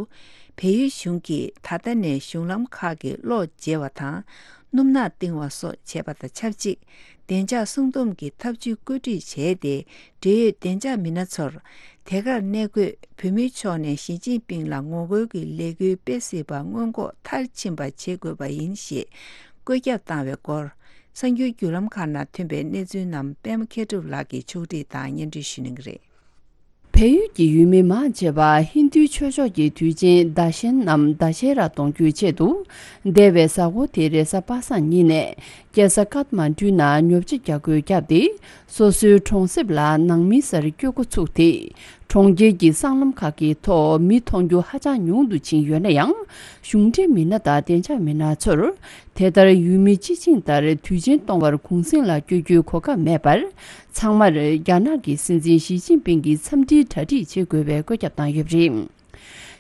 བལ་ཡུལ་གཞུང་གིས་ད་ལྟ་ནས་གཞུང་ལམ་ཁག་གི་གློག་བརྗེ་བ་དང་། སྣུམ་ནག་བཏིང་བ་སོགས་བྱས་པ་དང་ཆབས་ཅིག་བདེ་འཇགས་སྲུང་སྡོམ་གྱི་ཐབས་ཇུས་བཀོད་སྒྲིག་བྱས་ཏེ། འབྲེལ་ཡོད་བདེ་འཇགས་མི་སྣ་ཚོར་དེ་གར་གནས་འཁོད་བོད་མིའི་ཕྱོགས་ནས་ཞི་ཅིན་ཕིང་ལ་ངོ་རྒོལ་གྱི་ལས་འགུལ་སྤེལ་སྲིད་པ་སྔོན་འགོག་མཐར་ཕྱིན་པ་བྱེད་དགོས་པ་ཡིན་ཞེས་བཀོད་ཁྱབ་བཏང་བའི་སྐོར། གསར་འགྱུར་བརྒྱུད་ལམ་ཁག་ནང་ཐོན་པའི་གནས་ཚུལ་རྣམས་པད་མ་མཁས་གྲུབ་ལགས་ཀྱིས་ཕྱོགས་སྒྲིག་དང་སྙན་སྒྲོན་ཞུ་གནང་གི་རེད། བལ་ཡུལ་གྱི་ཡུལ་མི་མང་ཆེ་བ་ཧིན་རྡུའི་ཆོས་ཕྱོགས་ཀྱི་དུས་ཆེན་དཱ་ཤན་ནམ་དཱ་ཤེ་ར་གཏོང་རྒྱུའི་ཆེད་དུ། འདས་པའི་གཟའ་འཁོར་དེ་རེས་གཟའ་པ་སངས་ཉིན་ནས་རྒྱལ་ས་ཀཏ་མན་ཌུ་ནང་ཉོ་ཆ་རྒྱག་སྒོ་བརྒྱབ་སྟེ། སོ་སོའི་གྲོང་གསེབ་ལ་ནང་མིའི་སར་སྐྱོད་འགོ་ཚུགས་ཏེ། གྲོང་ཁྱེར་གྱི་སྲང་ལམ་ཁག་གི་ཐོག་མི་མཐོང་རྒྱུ་ཧ་ཅང་ཉུང་དུ་ཕྱིན་ཡོད་ན་ཡང་། གཞུང་འབྲེལ་མི་སྣ་དང་བདེ་འཇགས་མི་སྣ་ཚོར། དེ་ལྟར་ཡུལ་མི་སྤྱི་བྱིངས་ལྟར་དུས་ཆེན་གཏོང་བར་གུང་གསེང་ལ་བསྐྱོད་རྒྱུའི་གོ་སྐབས་མེད་པར། ཚང་མར་རྒྱ་ནག་གི་སྲིད་འཛིན་ཞི་ཅིན་ཕིང་གི་འཚམས་འདྲིའི་གྲ་སྒྲིག་བྱེད་དགོས་པའི་བཀོད་ཁྱབ་བཏང་ཡོད་པ་རེད།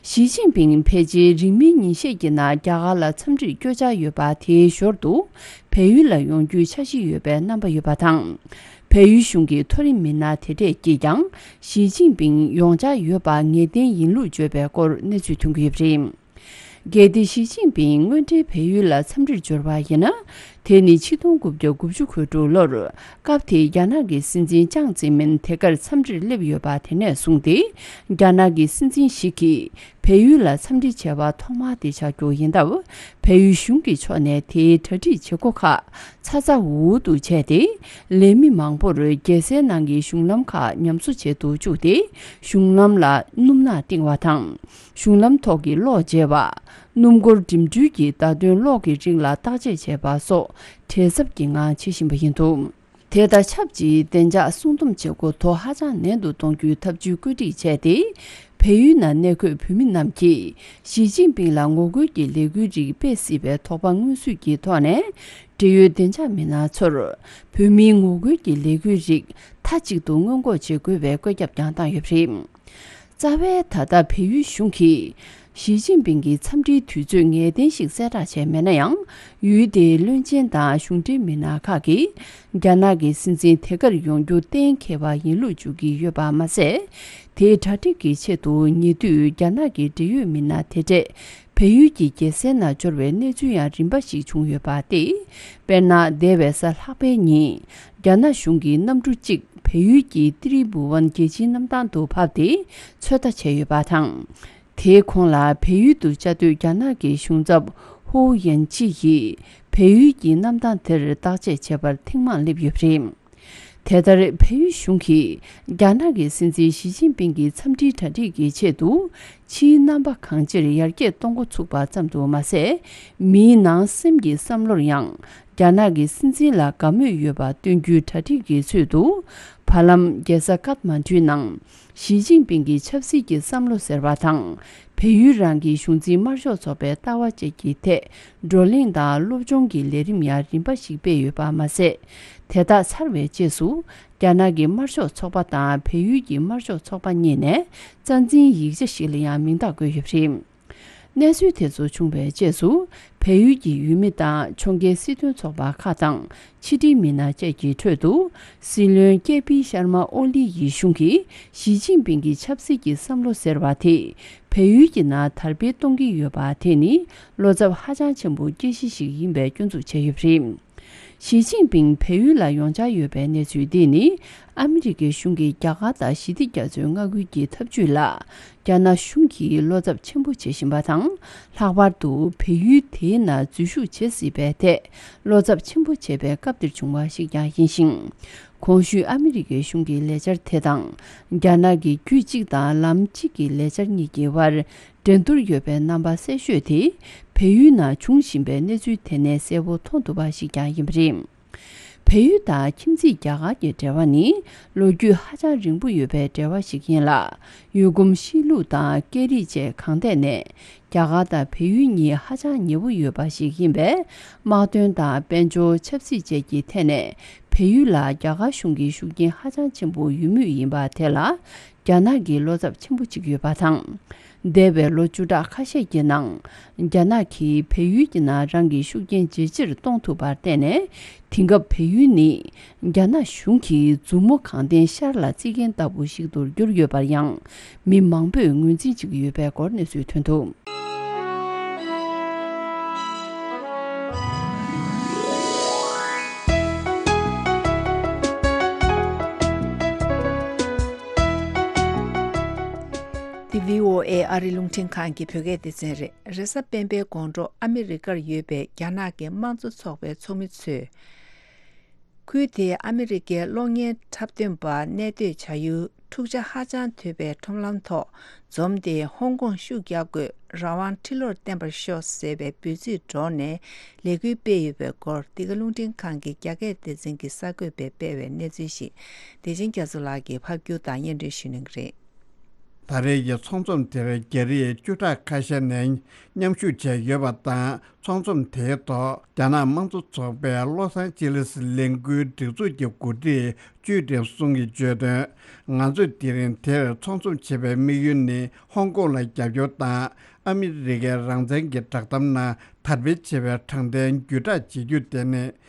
ཞི་ཅིན་ཕིང་ཕལ་ཆེར་རིང་མིན་ཉིན་ཤས་ཀྱི་ནང་རྒྱ་གར་ལ་འཚམས་འདྲིར་བསྐྱོད་འཆར་ཡོད་པ་དེའི་ཞོར་དུ། བལ་ཡུལ་ལ་ཡོང་རྒྱུའི་འཆར་གཞི་ཡོད་པའི་རྣམ་པ་ཡོད་པ་དང་། བལ་ཡུལ་གཞུང་གི་མཐོ་རིམ་མི་སྣ་དེ་གྲས་ཀྱིས་ཀྱང་ཞི་ཅིན་ཕིང་ཡོང་འཆར་ཡོད་པ་ངེས་གཏན་ཡིན་ལུགས་བརྗོད་པའི་སྐོར་གནས་ཚུལ་ཐོན་གྱི་ཡོད་པ་རེད། གལ་ཏེ་ཞི་ཅིན་ཕིང་དངོས་འབྲེལ་བལ་ཡུལ་ལ་འཚམས་འདྲིར་འབྱོར་བ་ཡིན་ན། དེ་ནི་ཆིག་སྟོང་དགུ་བརྒྱ་དགུ་བཅུ་གོ་དྲུག་ལོར་སྐབས་དེའི་རྒྱ་ནག་གི་སྲིད་འཛིན་ཅང་ཙེ་མིན་དེ་གར་འཚམས་འདྲིར་སླེབས་ཡོད་པ་དེ་ནས་བཟུང་སྟེ། རྒྱ་ནག་གི་སྲིད་འཛིན་ཞི་གིས་བལ་ཡུལ་ལ་འཚམས་འདྲི་བྱས་པ་ཐོག་མ་དེ་ཆགས་རྒྱུ་ཡིན་སྟབས། བལ་ཡུལ་གཞུང་གི་ཕྱོགས་ནས་དེའི་གྲ་སྒྲིག་བྱེད་སྒོ་ཁག་ཚ་ཚ་འུར་འུར་དུ་བྱས་ཏེ། ལས་མི་མང་པོར་རྒྱལ་སའི་ནང་གི་གཞུང་ལམ་ཁག་ཉམས་གསོ་བྱེད་དུ་བཅུག་སྟེ། གཞུང་ལམ་ལ་སྣུམ་ནག་བཏིང་བ་དང་། གཞུང་ལམ་ཐོག་གི་གློག་བརྗེ་བ། སྣུམ་འཁོར་འགྲིམ་འགྲུལ་གྱི་བརྡ་དོན་གློག་གི་རིགས་ལ་བརྟག་དཔྱད་བྱས་པ་སོགས་བྲེལ་འཚབ་ཀྱི་ངང་བྱེད་བཞིན་པ་ཡིན་འདུག་དེ་དང་ཆབས་ཅིག་བདེ་འཇགས་སྲུང་སྡོམ་བྱེད་སྒོ་དོ་ཧ་ཅང་ནན་དུ་གཏོང་རྒྱུའི་ཐབས་ཇུས་བཀོད་སྒྲིག་བྱས་ཏེ། བལ་ཡུལ་ནང་གནས་འཁོད་བོད་མི་རྣམས་ཀྱིས་ཞི་ཅིན་ཕིང་ལ་ངོ་རྒོལ་གྱི་ལས་འགུལ་རིགས་སྤེལ་སྲིད་པའི་དོགས་པ་མངོན་གསོས་ཀྱི་ཐོག་ནས། འབྲེལ་ཡོད་བདེ་འཇགས་མི་སྣ་ཚོར་བོད་མིའི་ངོ་རྒོལ་གྱི་ལས་འགུལ་རིགས་མཐའ་གཅིག་ཏུ་སྔོན་འགོག་བྱེད་དགོས་པའི་བཀོད་ཁྱབ་ཀྱང་བཏང་ཡོད་པ་རེད། རྩ་བའི་ད་ལྟ་བལ་ཡུལ་གཞུང་གིས་ཞི་ཅིན་ཕིང་གི་འཚམས་འདྲིའི་དུས་ཚོད་ངེས་གཏན་ཞིག་གསལ་བསྒྲགས་བྱས་མེད་ན་ཡང་། ཡུལ་དེའི་བློན་ཆེན་དང་གཞུང་འབྲེལ་མི་སྣ་ཁག་གིས་རྒྱ་ནག་གི་སྲིད་འཛིན་དེ་གར་ཡོང་རྒྱུ་གཏན་འཁེལ་བ་ཡིན་ལུགས་བརྗོད་ཀྱི་ཡོད་པ་མ་ཟད། དེའི་གྲ་སྒྲིག་གི་ཆེད་དུ་ཉེ་དུས་རྒྱ་ནག་གི་འབྲེལ་ཡོད་མི་སྣ་དེ་གྲས་བལ་ཡུལ་གྱི་རྒྱལ་སའི་ནང་འབྱོར་བའི་གནས་ཚུལ་ཡང་རིམ་པ་ཞིག་བྱུང་ཡོད་པ་སྟེ། དཔེར་ན། འདས་པའི་གཟའ་ལྷག་པའི་ཉིན། རྒྱ་ནག་གཞུང་གི་གནམ་གྲུ་གཅིག་བལ་ཡུལ་གྱི་ཏི་རི་བུ་ཝན་རྒྱལ་སྤྱིའི་གནམ་ཐང་དུ་བབས་ཏེ་ཚོད་ལྟ་བྱས་ཡོད་པ་དང་། དེའི་གོང་ལ་བལ་ཡུལ་དུ་བཅའ་སྡོད་རྒྱ་ནག་གི་གཞུང་ཚབ་ཧོ་ཡན་ཅི་ཡིས་བལ་ཡུལ་གྱི་གནམ་ཐང་དེར་བརྟག་དཔྱད་བྱེད་པར་ཐེངས་མང་སླེབས་ཡོད་པ་རེད། དེ་ལྟར་བལ་ཡུལ་གཞུང་གིས་རྒྱ་ནག་གི་སྲིད་འཛིན་ཞི་ཅིན་ཕིང་གི་འཚམས་འདྲིའི་གྲ་སྒྲིག་གི་ཆེད་དུ། ཕྱིའི་རྣམ་པ་གང་ཅིར་ཡར་རྒྱས་གཏོང་འགོ་ཚུགས་པ་ཙམ་དུ་མ་ཟད། མིའི་ནང་སེམས་ཀྱི་བསམ་བློར་ཡང་རྒྱ་ནག་གི་སྲིད་འཛིན་ལ་དགའ་མོས་ཡོད་པ་སྟོན་རྒྱུའི་གྲ་སྒྲིག་གི་ཚུལ་དུ། བར་ལམ་རྒྱལ་ས་ཀཏ་མན་ཌུའི་ནང་ཞི་ཅིན་ཕིང་གི་ཆབ་སྲིད་ཀྱི་བསམ་བློ་ཟེར་བ་དང་། བལ་ཡུལ་རང་གི་གཞུང་འཛིན་དམར་ཤོག་ཚོགས་པའི་ལྟ་བ་བཅས་ཀྱི་ཐད་བགྲོ་གླེང་དང་སློབ་སྦྱོང་གི་ལས་རིམ་ཡང་རིམ་པ་ཞིག་སྤེལ་ཡོད་པ་མ་ཟད། དེ་དག་ཚར་བའི་རྗེས་སུ། རྒྱ་ནག་གི་དམར་ཤོག་ཚོགས་པ་དང་བལ་ཡུལ་གྱི་དམར་ཤོག་ཚོགས་པ་གཉིས་ནས་རྩ་འཛིན་ཡིག་ཆ་ཞིག་ལ་ཡང་མིང་རྟགས་བཀོད་ཡོད་པ་རེད། གནས་ཚུལ་དེ་ཚོ་བྱུང་བའི་རྗེས་སུ། བལ་ཡུལ་གྱི་ཡུལ་མི་དང་ཕྱོགས་འགལ་སྲིད་དོན་ཚོགས་པ་ཁག་དང་ཕྱི་དྲིལ་མི་སྣ་བཅས་ཀྱི་ཁྲོད་དུ། སྲིད་བློན་ཀེ་པི་ཤར་མ་ཨོ་ལི་ཡི་གཞུང་གིས་ཞི་ཅིན་ཕིང་གི་ཆབ་སྲིད་ཀྱི་བསམ་བློ་ཟེར་བ་དེ། བལ་ཡུལ་གྱི་ནང་དར་སྤེལ་གཏོང་གི་ཡོད་པ་དེ་ནི། བློ་འཚབ་ཧ་ཅང་ཆེན་པོ་སྐྱེ་གཞི་ཞིག་ཡིན་པའི་སྐྱོན་འཛུགས་བྱས་ཡོད་པ་རེད། ཞི་ཅིན་ཕིང་བལ་ཡུལ་ལ་ཡོང་འཆར་ཡོད་པའི་གནས་ཚུལ་འདི་ནི། ཨ་མི་རི་ཀའི་གཞུང་གིས་རྒྱ་གར་དང་ཞི་བདེ་རྒྱ་མཚོའི་མངའ་ཁུལ་གྱི་འཐབ་ཇུས་ལ། རྒྱ་ནག་གཞུང་གིས་བློ་འཚབ་ཆེན་པོ་བྱེད་བཞིན་པ་དང་། ལྷག་པར་དུ་བལ་ཡུལ་དེའི་ནང་འཛུལ་ཞུགས་བྱེད་སྲིད་པའི་ཐད། བློ་འཚབ་ཆེན་པོ་བྱེད་པའི་སྐབས་འདིར་བྱུང་བ་ཞིག་ཀྱང་ཡིན་ཞིང་། གོང་ཞུས་ཨ་མི་རི་ཀའི་གཞུང་གི་ལས་འཆར་དེ་དང་། རྒྱ་ནག་གི་རྒྱུད་གཅིག་དང་ལམ་གཅིག་གི་ལས་འཆར་གཉིས་ཀྱི་བར། འགྲན་བསྡུར་ཡོད་པའི་རྣམ་པ་གསལ་ཤོས་དེ། བལ་ཡུལ་ནང་འབྱུང་བཞིན་པའི་གནས་ཚུལ་དེ་ནས་གསལ་པོ་མཐོང་ཐུབ་པ་ཞིག་ཀྱང་ཡིན་པ་རེད། བལ་ཡུལ་དང་ཁྱིམ་མཚེས་རྒྱ་གར་གྱི་འབྲེལ་བ་ནི། ལོ་རྒྱུས་ཧ་ཅང་རིང་པོ་ཡོད་པའི་འབྲེལ་བ་ཞིག་ཡིན་ལ། ཡུལ་གོམས་གཤིས་ལུགས་དང་སྐད་རིགས་བཅས་གང་ཐད་ནས། རྒྱ་གར་དང་བལ་ཡུལ་གཉིས་ཧ་ཅང་ཉེ་བོ་ཡོད་པ་ཞིག་ཡིན་པས། དམག་དོན་དང་དཔལ་འབྱོར། ཆབ་སྲིད་བཅས་ཀྱི་ཐད་ནས། བལ་ཡུལ་ལ་རྒྱ་གར་གཞུང་གི་ཤུགས་རྐྱེན་ཧ་ཅང་ཆེན་པོ་ཡོད་མུས་ཡིན་པ་དེ་ལ། རྒྱ་ནག་གིས་བློ་འཚབ་ཆེན་པོ་བྱེད་ཀྱི་ཡོད་པ་དང་། འདས་པའི་ལོ་བཅུ་ཕྲག་ཁ་ཤས་ཀྱི་ནང་། རྒྱ་ནག་གིས་བལ་ཡུལ་གྱི་ནང་རང་གི་ཤུགས་རྐྱེན་ཇེ་ཆེར་གཏོང་ཐུབ་པར་བརྟེན་ནས། དེང་སྐབས་བལ་ཡུལ་ནི། རྒྱ་ནག་གཞུང་གིས་མཛུབ་མོ་གང་བསྟན་ཤར་ལ་བཙིར་མཁན་ལྟ་བུ་ཞིག་ཏུ་གྱུར་ཡོད་པར་ཡང་། མི་མང་པོས་ངོས་འཛིན་བྱེད་ཀྱི་ཡོད་པའི་སྐོར་གནས་ཚུལ་ཐོན་འདུག་འདི་བྷི་ཨོ་ཨེ་ཨ་རི་རླུང་འཕྲིན་ཁང་གི་བོད་སྐད་སྡེ་ཚན་རེད། རེས་གཟའ་སྤེན་པའི་དགོང་དྲོ་ཨ་མི་རི་ཀར་ཡོད་པའི་རྒྱ་ནག་གི་དམངས་གཙོ་ཚོགས་པའི་ཚོགས་མི་ཚོས། ཁུལ་དེའི་ཨ་མི་རི་ཀའི་གློག་བརྙན་འཁྲབ་སྟོན་པ་གནས་སྡོད་བྱ་ཡུལ་འཁྲུག་ཆ་ཧ་ཅང་དོད་པའི་ཁྲོམ་ལམ་ཐོག་འཛོམས་ཏེ། ཧོང་ཀོང་ཤུགས་རྒྱག་དགོས། རང་དབང་ཁྲི་ལོར་བརྟན་པར་ཤོག་ཟེར་བའི་འབོད་ཚིག་སྒྲོག་ནས་ལས་འགུལ་སྤེལ་ཡོད་པའི་སྐོར། འདི་ག་རླུང་འཕྲིན་ཁང་གི་རྒྱ་སྐད་སྡེ་ཚན་གྱི་གསར་འགོད་པས་སྤེལ་བའི་གནས་ཚུལ་ཞིག་བདེ་ཆེན་རྒྱ་མཚོ་ལགས་ཀྱིས་ཕབ་སྒྱུར་དང་སྙན་སྒྲོན་ཞུ་གནང་གི་རེད། ད་རེས་ཀྱི་ཚོགས་འཛོམས་དེར་རྒྱ་རིགས་བཅུ་ཕྲག་ཁ་ཤས་ནས་མཉམ་ཞུགས་བྱས་ཡོད་པ་དང་། ཚོགས་འཛོམས་དེའི་ཐོག་རྒྱ་ནག་དམངས་གཙོ་ཚོགས་པའི་ལོ་སང་ཅི་ལིས་ལས་འགུལ་སྒྲིག་འཛུགས་ཀྱི་འགོ་ཁྲིད་ཅུས་ཀྲིན་སུང་གིས་བརྗོད་དོན། ང་ཚོས་དེ་རིང་དེར་ཚོགས་འཛོམས་བྱེད་པའི་དམིགས་ཡུལ་ནི། ཧོང་ཀོང་ལ་རྒྱབ་སྐྱོར་དང་། ཨ་མི་རི་ཀའི་རང་བཙན་གྱི་བསྒྲགས་གཏམ་ནང་དར་སྤེལ་བྱེད་པའི་དྲང་བདེན་བརྒྱུད་བསྒྲགས་བྱེད་རྒྱུ་དེ་ནི།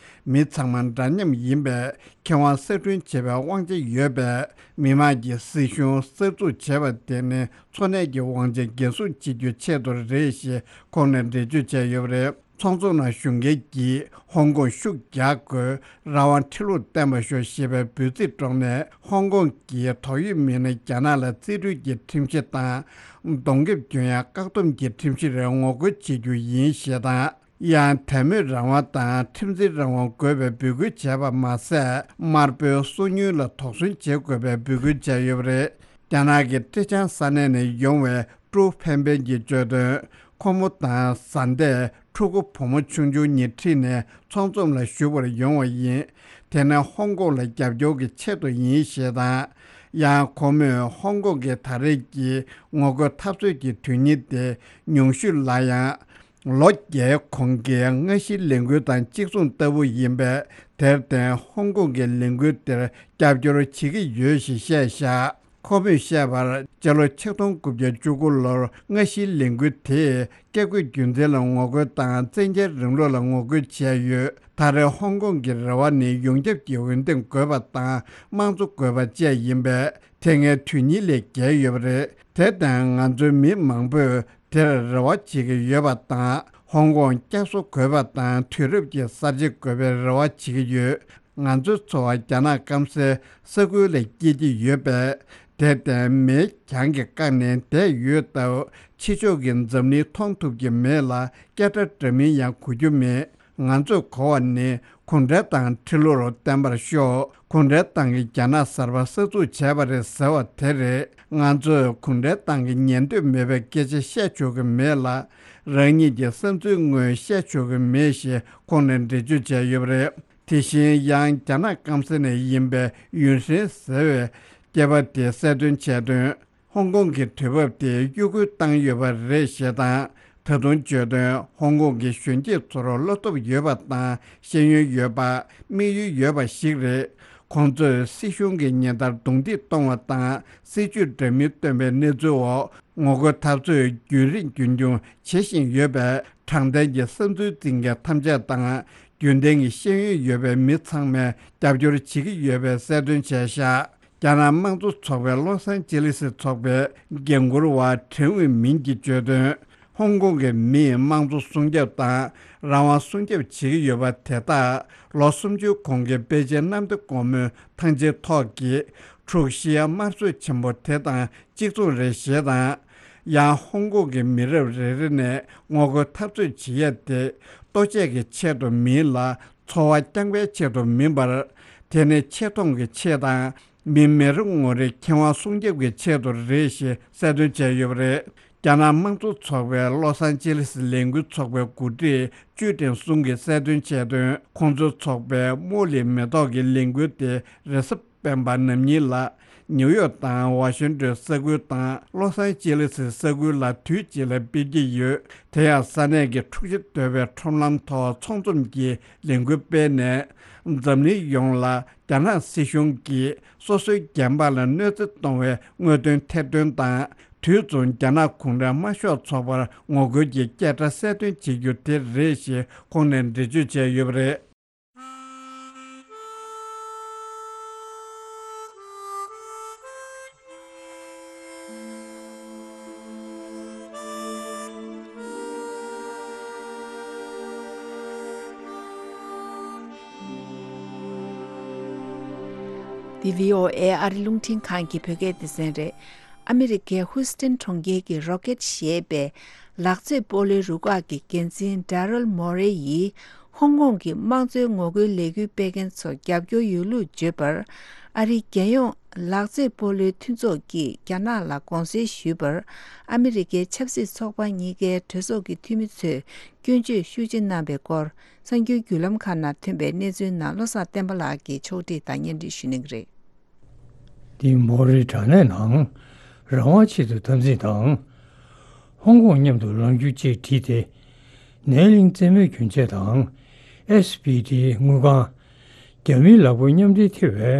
མི་ཚང་མ་འདྲ་མཉམ་ཡིན་པས། ཁེ་དབང་གསར་སྐྲུན་བྱེད་པའི་དབང་ཆ་ཡོད་པས། མི་དམངས་ཀྱི་སྲིད་གཞུང་གསར་འཛུགས་བྱེད་པ་དེ་ནི་འཚོ་གནས་ཀྱི་དབང་ཆ་འགན་སྲུང་བྱེད་རྒྱུའི་ཆེད་དུ་རེད་ཞེས་ཁོང་ནས་འགྲེལ་བརྗོད་བྱས་ཡོད་པ་རེད། ཚོགས་འཛོམས་ནང་ཞུགས་མཁན་གྱིས་ཧོང་ཀོང་ཤུགས་རྒྱག་དགོས། རང་དབང་ཁྲི་ལོར་བརྟན་པར་ཤོག་ཞེས་པའི་འབོད་ཚིག་སྒྲོག་ནས། ཧོང་ཀོང་གི་དོགས་ཡོད་མི་སྣ་རྒྱ་ནག་ལ་རྩིས་སྤྲོད་ཀྱི་ཁྲིམས་གཞི་དང་། གདོང་ཁེབས་གྱོན་ཡ་བཀག་སྡོམ་གྱི་ཁྲིམས་གཞི་རེད། ངོ་རྒོལ་བྱེད་རྒྱུ་ཡིན་ཞེས་དང་། ཡང་དད་མོས་རང་དབང་དང་ཁྲིམས་འཛིན་རང་དབང་དགོས་པའི་འབོད་སྐུལ་བྱས་པ་མ་ཟད། དམར་པོའི་སོ་ཉུལ་ལ་དོགས་ཟོན་བྱེད་དགོས་པའི་འབོད་སྐུལ་བྱས་ཡོད་པ་རེད། རྒྱ་ནག་གི་ཀྲེ་ཅང་ས་གནས་ནས་ཡོང་བའི་ཀྲུའུ་ཕན་ཕན་གྱིས་བརྗོད་དོན། ཁོ་མོ་དང་བཟའ་ཟླས་ཕྲུ་གུ་བུ་མོ་ཆུང་ཆུང་གཉིས་ཁྲིད་ནས་ཚོགས་འཛོམས་ལ་ཞུགས་པར་ཡོང་བ་ཡིན། དེ་ནི་ཧོང་ཀོང་ལ་རྒྱབ་སྐྱོར་གྱི་ཆེད་དུ་ཡིན་ཞེས་དང་། ཡང་ཁོ་མོས་ཧོང་ཀོང་གི་ད་རེས་ཀྱི་ངོ་རྒོལ་འཐབ་རྩོད་ཀྱི་དོན་སྙིང་དེ་ཉུང་ཤོས་ལ་ཡང་། ལོ་བརྒྱའི་གོང་གི་སྔ་ཕྱིའི་ལས་འགུལ་དང་གཅིག་མཚུངས་ལྟ་བུ་ཡིན་པས། དེར་བརྟེན་ཧོང་ཀོང་གི་ལས་འགུལ་དེར་རྒྱབ་སྐྱོར་བྱེད་ཀྱི་ཡོད་ཞེས་བཤད་བཞག་ཁོ་མོས་བཤད་པར། སྤྱི་ལོ་ཆིག་སྟོང་དགུ་བརྒྱ་བཅུ་དགུ་ལོར་སྔ་ཕྱིའི་ལས་འགུལ་དེས་བཀས་བཀོད་རྒྱུད་འཛིན་ལ་ངོ་རྒོལ་དང་། བཙན་རྒྱལ་རིང་ལུགས་ལ་ངོ་རྒོལ་བྱས་ཡོད། ད་རེས་ཧོང་ཀོང་གི་རེ་བ་ནི་ཡོངས་ཁྱབ་ཀྱི་འོས་འདེམས་དགོས་པ་དང་། དམངས་གཙོ་དགོས་པ་བཅས་ཡིན་པས། དེ་སྔའི་དོན་སྙིང་ལས་བརྒལ་ཡོད་པ་རེད། དེར་བརྟེན་ང་ཚོའི་མི་མང་པོས་དེར་རེ་བ་བྱེད་ཀྱི་ཡོད་པ་དང་། ཧོང་ཀོང་བསྐྱར་གསོ་དགོས་པ་དང་། དུས་རབས་ཀྱི་གསར་བརྗེ་དགོས་པའི་རེ་བ་བྱེད་ཀྱི་ཡོད། ང་ཚོའི་འཚོ་བ་རྒྱ་ནག་སྐམ་སའི་ས་ཁུལ་ལ་སྐྱེལ་གྱི་ཡོད་པས། དེར་བརྟེན་མེ་གྱང་གི་བཀའ་ནས་བསྡད་ཡོད་སྟབས། ཕྱི་ཕྱོགས་ཀྱི་འཛམ་གླིང་མཐོང་ཐུབ་ཀྱི་མེད་ལ། སྐད་སྒྲ་འདྲ་མིན་ཡང་གོ་རྒྱུ་མེད། ང་ཚོས་གོ་བ་ནི་གུང་ཁྲན་ཏང་ཁྲི་ལོར་བརྟན་པར་ཤོག་གུང་ཁྲན་ཏང་གིས་རྒྱ་ནག་གསར་པ་གསར་འཛུགས་བྱས་པ་རེད་ཟེར་བ་དེ་རེད། ང་ཚོས་གུང་ཁྲན་ཏང་གི་ཉན་འདོད་མེད་པའི་སྐད་ཆ་བཤད་ཆོག་གི་མེད་ལ། རང་ཉིད་ཀྱི་བསམ་ཚུལ་དངོས་བཤད་ཆོག་གི་མེད་ཞེས་ཁོང་ནས་འགྲེལ་བརྗོད་བྱས་ཡོད་པ་རེད། དེ་བཞིན་ཡང་རྒྱ་ནག་སྐམ་ས་ནས་ཡིན་པའི་ཡུན་ཧྲེང་ཟེར་བའི་སྐྱེས་པ་དེས་གསལ་སྟོན་བྱས་དོན། ཧོང་ཀོང་གི་དུས་བབ་དེ་གཡོ་འགུལ་བཏང་ཡོད་པ་རེད་ཞེས་དང་། ད་དུང་བརྗོད་དོན། ཧོང་ཀོང་གི་གཞོན་སྐྱེས་ཚོར་བློ་སྟོབས་ཡོད་པ་དང་ཤེས་ཡོན་ཡོད་པ། དམིགས་ཡུལ་ཡོད་པ་ཞིག་རེད། ཁོང་ཚོས་སྲིད་གཞུང་གིས་ཉིན་ལྟར་རྡུང་རྡེག་གཏོང་བ་དང་སྲིད་ཇུས་འདྲ་མིན་བཏོན་པའི་གནས་ཚུལ་འོག་ངོ་རྒོལ་འཐབ་རྩོད་རྒྱུན་རིང་རྒྱུན་འཁྱོངས་བྱེད་བཞིན་ཡོད་པས། དྲང་བདེན་གྱི་བསམ་ཚུལ་འཛིན་མཁན་ཐམས་ཅད་དང་། རྒྱུན་ལྡན་གྱི་ཤེས་ཡོན་ཡོད་པའི་མི་ཚང་མས་རྒྱབ་སྐྱོར་བྱེད་ཀྱི་ཡོད་པའི་གསལ་སྟོན་བྱས་བཞག་རྒྱ་ནག་དམངས་གཙོ་ཚོགས་པའི་ལོ་སན་ཅི་ལི་སི་ཚོགས་པའི་འགན་འཁུར་བ་ཁྲེན་ཝུའེ་མིན་གྱིས་བརྗོད་དོན། ཧོང་ཀོང་གི་མིས་དམངས་གཙོ་སྲུང་སྐྱོབ་དང་རང་དབང་སྲུང་སྐྱོབ་བྱེད་ཀྱི་ཡོད་པ་དེ་དག་ལོ་སུམ་ཅུའི་གོང་གི་པེ་ཅིན་གནམ་བདེ་སྒོ་མོའི་ཐང་ཆེན་ཐོག་གི་འཁྲུག་གཞིའི་དམར་གསོད་ཆེན་པོ་དེ་དང་གཅིག་མཚུངས་རེད་ཞེས་དང་། ཡང་ཧོང་ཀོང་གི་མི་རབས་རེ་རེ་ནས་ངོ་རྒོལ་འཐབ་རྩོད་བྱེད་ཡ་དེ་ལྟོ་ཆས་ཀྱི་ཆེད་དུ་མིན་ལ། འཚོ་བ་བསྐྱངས་པའི་ཆེད་དུ་མིན་པར། དེ་ནི་ཆེ་མཐོང་གི་ཆེད་དང་། མི་མི་རེ་ངོ་རེའི་ཁེ་དབང་སྲུང་སྐྱོབ་ཀྱི་ཆེད་དུ་རེད་ཞེས་གསལ་སྟོན་བྱས་ཡོད་པ་རེད། རྒྱ་ནག་དམངས་གཙོ་ཚོགས་པའི་ལོ་སན་ཅི་ལི་སི་ལས་འགུལ་ཚོགས་པའི་འགོ་ཁྲིད་ཅུའུ་ཀྲེང་སུང་གིས་གསལ་སྟོན་བྱས་དོན། ཁོང་ཚོའི་ཚོགས་པའི་རྨོ་ལི་མེ་ཏོག་གི་ལས་འགུལ་དེ་རེས་གཟའ་སྤེན་པ་ནམ་ཉིན་ལ། ནིའུ་ཡོག་དང་ཝ་ཤིང་ཏོན་ས་ཁུལ་དང་ལོ་སན་ཅི་ལི་སི་ས་ཁུལ་ལ་དུས་གཅིག་ལ་སྤེལ་གྱི་ཡོད། དེ་ཡང་ས་གནས་ཀྱི་འཁྲུག་ཆ་དོད་པའི་ཁྲོམ་ལམ་ཐོག་ཚོགས་འཛོམས་ཀྱི་ལས་འགུལ་སྤེལ་ནས། འཛམ་གླིང་ཡོངས་ལ་རྒྱ་ནག་སྲིད་གཞུང་གིས་སོ་སོའི་རྒྱལ་འབངས་ལ་གནོད་འཚེ་གཏོང་བའི་དངོས་དོན་ཐེར་འདོན་དང་། དུས་མཚུངས་རྒྱ་ནག་གུང་ཁྲན་དམར་ཤོག་ཚོགས་པར་ངོ་རྒོལ་གྱི་སྐད་སྒྲ་གསལ་སྟོན་བྱེད་རྒྱུ་དེ་རེད་ཞེས་ཁོང་ནས་འགྲེལ་བརྗོད་བྱས་ཡོད་པ་རེད། འདི་བྷི་ཨོ་ཨེ་ཨ་རི་རླུང་འཕྲིན་ཁང་གི་བོད་སྐད་སྡེ་ཚན་རེད། ཨ་མི་རི་ཀའི་ཧུའུ་སི་ཏན་གྲོང་ཁྱེར་གྱི་རོ་ཀེད་ཞེས་པའི་ལག་རྩེད་སྤོ་ལོའི་རུ་ཁག་གི་འགན་འཛིན་ཌེ་རལ་མོ་རེ་ཡིས་ཧོང་ཀོང་གི་དམངས་གཙོའི་ངོ་རྒོལ་ལས་འགུལ་སྤེལ་མཁན་ཚོར་རྒྱབ་སྐྱོར་ཡོད་ལུགས་བརྗོད་པར། ཨ་རིའི་རྒྱལ་ཡོངས་ལག་རྩེད་སྤོ་ལོའི་མཐུན་ཚོགས་ཀྱིས་རྒྱ་ནག་ལ་དགོངས་སེལ་ཞུས་པར། ཨ་མི་རི་ཀའི་ཆབ་སྲིད་ཚོགས་པ་གཉིས་ཀའི་གྲོས་ཚོགས་ཀྱི་འཐུས་མི་ཚོས་སྐྱོན་བརྗོད་ཤུགས་ཆེ་གནང་བའི་སྐོར། གསར་འགྱུར་བརྒྱུད་ལམ་ཁག་ནང་ཐོན་པའི་གནས་ཚུལ་ནང་བློ་བཟང་བསྟན་པ་ལགས་ཀྱིས་ཕྱོགས་སྒྲིག་དང་སྙན་སྒྲོན་ཞུ་གནང་གི་རེད། འདི་མོ་རེའི་དྲ་གནས་ནང་རང་དབང་ཆེད་དུ་འཐབ་འཛིང་དང་། ཧོང་ཀོང་མཉམ་དུ་ལངས་རྒྱུ་བཅས་བྲིས་ཏེ། ནེའུ་ལིང་རྩེད་མོའི་གྱོན་ཆས་དང་། ཨེས་བི་ཌི་དངུལ་ཁང་། རྒྱ་མིའི་ལག་པ་མཉམ་འབྲེལ་ཐེ་བའི་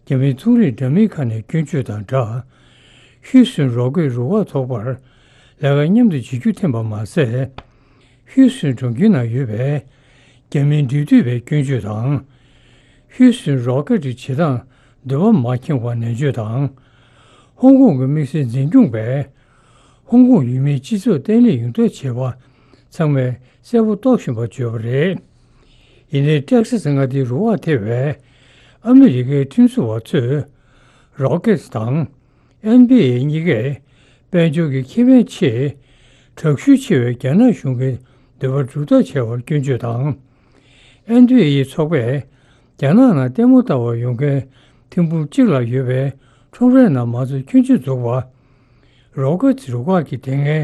རྒྱ་མིའི་ཚོང་རིགས་འདྲ་མིན་ཁག་ནས་སྐྱོན་བརྗོད་དང་སྦྲགས། ཧུས་སུན་རོག་ཀེ་རུ་ཁག་ཚོགས་པར་ལས་ཀ་མཉམ་དུ་བྱེད་རྒྱུ་འཐེན་པ་མ་ཟད། ཧུས་སུན་གྲོང་ཁྱེར་ནང་ཡོད་པའི་རྒྱ་མིའི་འབྲེལ་མཐུད་པའི་སྐྱོན་བརྗོད་དང་། ཧུས་སུན་རོ་ཀེ་ཊི་བྱེད་སྟངས་འདོད་པ་མ་ཁེངས་པར་ནན་བརྗོད་དང་། ཧོང་ཀོང་གི་དམིགས་བསལ་འཛིན་སྐྱོང་པས་ཧོང་ཀོང་ཡུལ་མིའི་སྤྱི་ཚོགས་བརྟན་ལྷིང་ཡོང་ཐབས་བྱེད་པ་ཚང་མས་གསལ་པོ་རྟོགས་བཞིན་པ་བརྗོད་པ་རེད། ཡིན་ནའི་ཏེག་ས་སི་མངའ་སྡེའི་རུ་ཁག་ཐེ་བའི་ཨ་མི་རི་ཀའི་ཁྲིམས་བཟོ་བ་ཚོས་རོ་ཀེ་ཊི་དང་། ཨེན་བྷི་ཨེ་གཉིས་ཀས་དཔལ་འབྱོར་གྱི་ཁེ་ཕན་ཆེད་དྲག་ཤུགས་ཆེ་བའི་རྒྱ་ནག་གཞུང་གི་འདོད་པ་སྒྲུབ་ཐབས་བྱས་པར་སྐྱོན་བརྗོད་དང་། ཨེན་བྷི་ཨེ་ཚོགས་པས་རྒྱ་ནག་ནང་ལྟད་མོ་ལྟ་བར་ཡོང་མཁན་ཐེར་འབུམ་གཅིག་ལྷག་ཡོད་པའི་ཁྲོམ་རའི་ནང་མ་ཚུད་ཁྱོན་ཆུད་འཛུགས་པ། རོ་ཀེ་ཊི་རུ་ཁག་གི་དེ་སྔའི་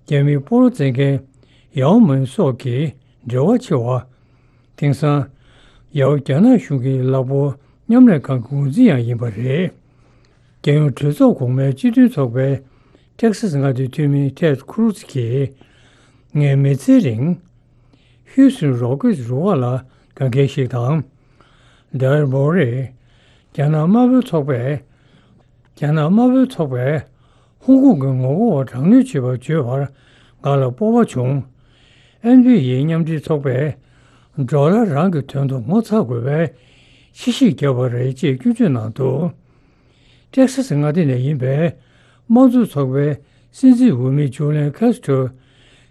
རྒྱ་མིའི་སྤོ་ལོ་རྩེད་མཁན་ཡའོ་མིན་སོགས་ཀྱི་འབྲེལ་བ་ཆེ་བ། དེང་སང་ཡའོ་རྒྱ་ནག་གཞུང་གི་ལག་འབོར་མཉམ་ལས་ཁང་གི་འགོ་འཛིན་ཡང་ཡིན་པ་རེད། རྒྱལ་ཡོངས་གྲོས་ཚོགས་གོང་མའི་སྤྱི་མཐུན་ཚོགས་པའི་ཏེག་ས་སི་མངའ་སྡེའི་འཐུས་མི་ཊེཌ་ཁུ་རུ་ཛི་གིས། ངས་མི་ཚེའི་རིང་ཧུས་སུན་རོ་ཀེ་ཊི་རུ་ཁག་ལ་དགའ་མཁན་ཞིག་དང་། ཌེ་རལ་མོ་རེ་རྒྱ་ནག་དམར་པོའི་ཚོགས་པས། རྒྱ་ནག་དམར་པོའི་ཚོགས་པས་ཧོང་ཀོང་གི་ངོ་རྒོལ་བ་དྲག་གནོན་བྱེད་པར་བརྗོད་པར་ང་ལ་སྤོབས་པ་བྱུང་། ཨེན་བྷི་ཨེ་མཉམ་འབྲེལ་ཚོགས་པས་ཌོ་ལར་རང་གི་དོན་དུ་ངོ་ཚ་དགོས་པའི་ཕྱི་བཤིག་བརྒྱབ་པ་རེད་ཅེས་སྐྱོན་བརྗོད་གནང་འདུག་ཏེག་ས་སི་མངའ་སྡེ་ནས་ཡིན་པའི་དམངས་གཙོ་ཚོགས་པའི་སྲིད་འཛིན་འོས་མི་ཇུ་ལན་ཁ་སི་ཏྲོའི་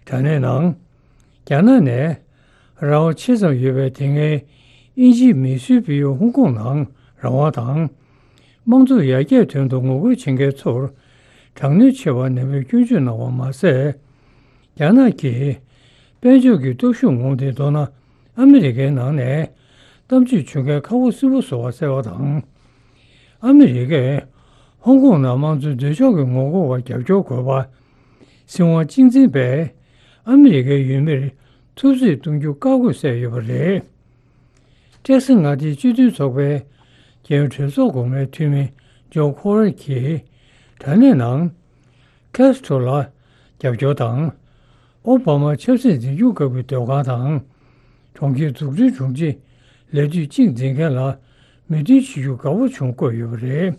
དྲ་གནས་ནང་། རྒྱ་ནག་ནས་རང་དབང་ཆེ་ཙམ་ཡོད་པའི་དེ་སྔའི་དབྱིན་ཇིའི་མིས་བཟོས་སྤེལ་ཡུལ་ཧོང་ཀོང་ནང་རང་དབང་དང་། དམངས་གཙོ་ཡར་རྒྱས་དོན་དུ་ངོ་རྒོལ་བྱེད་མཁན་ཚོར་དྲག་གནོན་བྱས་པ་ནན་པོས་སྐྱོན་བརྗོད་གནང་བ་མ་ཟད། རྒྱ་ནག་གིས་དཔལ་འབྱོར་གྱི་སྟོབས་ཤུགས་ངོམ་སྟེ། མདོར་ན། ཨ་མི་རི་ཀའི་ནང་ནས་གཏམ་བརྗོད་བྱུང་མཁན་ཁ་བོ་སིལ་བོ་ཟེར་བ་བསལ་བ་དང་། ཨ་མི་རི་ཀས་ཧོང་ཀོང་ནང་དམངས་གཙོའི་འདོད་ཕྱོགས་ཀྱི་ངོ་རྒོལ་བར་རྒྱབ་སྐྱོར་དགོས་པ། སྲིད་དབང་གཅིག་འཛིན་པས་ཨ་མི་རི་ཀའི་ཡུལ་མིར་ཐུབ་ཚོད་གཏོང་རྒྱུ་བཀག་དགོས་བསལ་ཡོད་པ་རེད། ཀྲེག་སི་མངའ་སྡེའི་སྤྱི་མཐུན་ཚོགས་པའི་རྒྱལ་ཡོངས་གྲོས་ཚོགས་གོང་མའི་འཐུས་མི་ཇོ་ཁོ་རེ་གྱིས་དྲ་གནས་ནང་ཁེ་སི་ཊོ་ལ་རྒྱབ་སྐྱོར་དང་། ཨོ་བྷ་མ་ཆབ་སྲིད་འཛིན་སྐྱོང་སྐབས་ཀྱི་སྡོད་ཁང་དང་། གྲོང་ཁྱེར་འཛུགས་སྐྲུན་དྲུང་ཆེ་ལས་དུས་གཅིག་འཛིན་མཁན་ལ་མོས་མཐུན་བྱེད་རྒྱུ་དགའ་བོ་བྱུང་བཀོད་ཡོད་པ་རེད།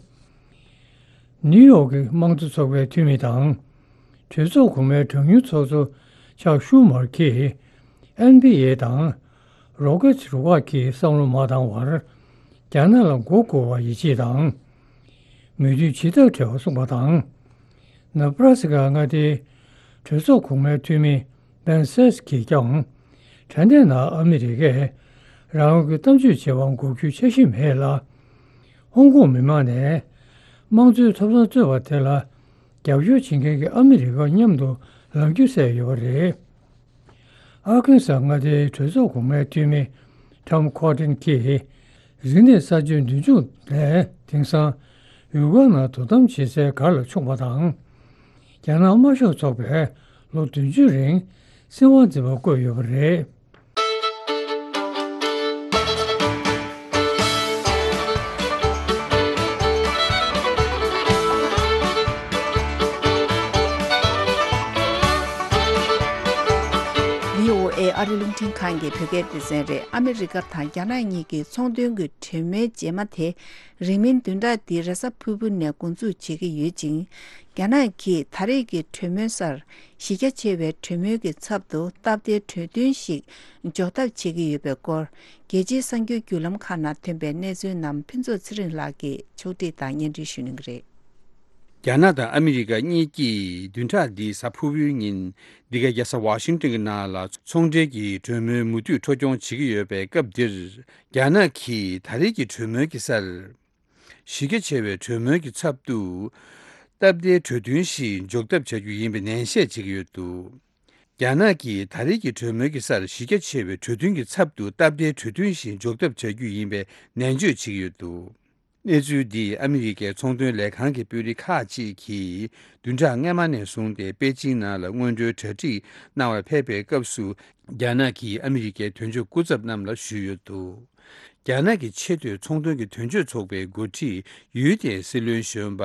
ནིའུ་ཡོག་གི་དམངས་གཙོ་ཚོགས་པའི་འཐུས་མི་དང་། གྲོས་ཚོགས་གོང་མའི་གྲངས་ཉུང་ཚོགས་གཙོ་ཆག་ཤུ་མར་གྱིས་ཨེན་བྷི་ཨེ་དང་རོ་ཀེ་ཊི་རུ་ཁག་གི་བསམ་བློ་མ་བཏང་བར་རྒྱ་ནག་ལ་མགོ་སྒུར་བར་ཡིད་ཆེས་དང་། མོས་མཐུན་ཇི་ལྟར་བྲལ་བ་གསུངས་པ་དང་། ནེ་བྷ་ར་སི་ཀ་མངའ་སྡེའི་གྲོས་ཚོགས་གོང་མའི་འཐུས་མི་བྷེན་སེས་གྱིས་ཀྱང་དྲ་གནས་ནང་ཨ་མི་རི་ཀས་རང་དབང་གི་གཏམ་བརྗོད་བྱེད་པར་འགོག་རྒྱུའི་འཆར་གཞི་མེད་ལ། ཧོང་ཀོང་མི་མང་ནས་དམངས་གཙོའི་ཐོབ་ཐང་རྩོད་པ་དེ་ལ་རྒྱབ་སྐྱོར་བྱེད་མཁན་གྱི་ཨ་མི་རི་ཀ་མཉམ་དུ་ལངས་རྒྱུ་གསལ་ཡོད་པ་རེད། ཨར་ཁན་སཱ་མངའ་སྡེའི་གྲོས་ཚོགས་གོང་མའི་འཐུས་མི་ཊམ་ཁོ་ཏིན་གྱིས་རིག་གནས་གསར་བརྗེའི་མདུན་ལྗོངས་ནས་དེང་སང་ཡུལ་སྐོར་ནང་དོ་དམ་བྱེད་སའི་སྒར་ལ་མཆོངས་པ་དང་། རྒྱ་ནག་དམར་ཤོག་ཚོགས་པས་ལོ་བདུན་ཅུ་རིང་སྲིད་དབང་འཛིན་པ་བསྐོས་ཡོད་པ་རེད། བྷི་ཨོ་ཨེ་ཨ་རི་རླུང་འཕྲིན་ཁང་གི་བོད་སྐད་སྡེ་ཚན་རེད། ཨ་མི་རི་ཀ་དང་རྒྱ་ནག་གཉིས་ཀྱི་ཚོང་དོན་གྱི་གྲོས་མོལ་རྗེས་མ་དེ་རིང་མིན་བདུན་ཕྲག་འདིའི་རེས་གཟའ་ཕུར་བུ་ནས་འགོ་འཛུགས་བྱེད་ཀྱི་ཡོད་ཅིང་། རྒྱ་ནག་གིས་ད་རེས་ཀྱི་གྲོས་མོལ་སར་གཞི་རྒྱ་ཆེ་བའི་གྲོས་མོལ་གྱི་ཚབ་ཏུ་སྟབས་བདེའི་གྲོས་མཐུན་ཞིག་འཇོག་ཐབས་བྱེད་ཀྱི་ཡོད་པའི་སྐོར། རྒྱལ་སྤྱིའི་གསར་འགྱུར་བརྒྱུད་ལམ་ཁག་ནང་ཐོན་པའི་གནས་ཚུལ་རྣམས་ཕུན་ཚོགས་ཚེ་རིང་ལགས་ཀྱིས་ཕྱོགས་སྒྲིག་དང་སྙན་སྒྲོན་ཞུ་གནང་གི་རེད། རྒྱ་ནག་དང་ཨ་མི་རི་ཀ་གཉིས་ཀྱིས་བདུན་ཕྲག་འདིའི་གཟའ་ཕུར་བུའི་ཉིན་འདི་ག་རྒྱལ་ས་ཝ་ཤིང་ཏོན་གྱི་ནང་ལ་ཚོང་འབྲེལ་གྱི་གྲོས་མོལ་མུ་མཐུད་འཕྲོ་སྐྱོང་བྱེད་ཀྱི་ཡོད་པའི་སྐབས་འདིར། རྒྱ་ནག་གིས་ད་རེས་ཀྱི་གྲོས་མོལ་གྱི་སར་གཞི་རྒྱ་ཆེ་བའི་གྲོས་མོལ་གྱི་ཚབ་ཏུ་སྟབས་བདེའི་གྲོས་མཐུན་ཞིག་འཇོག་ཐབས་བྱ་རྒྱུ་ཡིན་པའི་ནན་བཤད་བྱེད་ཀྱི་ཡོད་འདུག་རྒྱ་ནག་གིས་ད་རེས་ཀྱི་གྲོས་མོལ་གྱི་སར་གཞི་རྒྱ་ཆེ་བའི་གྲོས་མཐུན་གྱི་ཚབ་ཏུ་སྟབས་བདེའི་གྲོས་མཐུན་ཞིག་འཇོག་ཐབས་བྱ་རྒྱུ་ཡིན་པའི་ནན་བརྗོད་བྱེད་ཀྱི་ཡོད་འདུག་གནས་ཚུལ་འདི་ཨ་མི་རི་ཀའི་ཚོང་དོན་ལས་ཁང་གི་དཔོན་རིགས་ཁག་ཅིག་གིས་བདུན་ཕྲག་སྔ་མ་ནས་བཟུང་སྟེ་པེ་ཅིང་ནང་ལ་སྔོན་འགྲོའི་གྲ་སྒྲིག་གནང་བར་ཕེབས་པའི་སྐབས་སུ། རྒྱ་ནག་གིས་ཨ་མི་རི་ཀའི་དོན་གཅོད་སྐུ་ཚབ་རྣམས་ལ་ཞུས་ཡོད་འདུག་རྒྱ་ནག་གི་ཆེས་མཐོའི་ཚོང་དོན་གྱི་དོན་གཅོད་ཚོགས་པའི་འགོ་ཁྲིད་ཡུས་ཏེ་སྲིད་བློན་གཞོན་པ་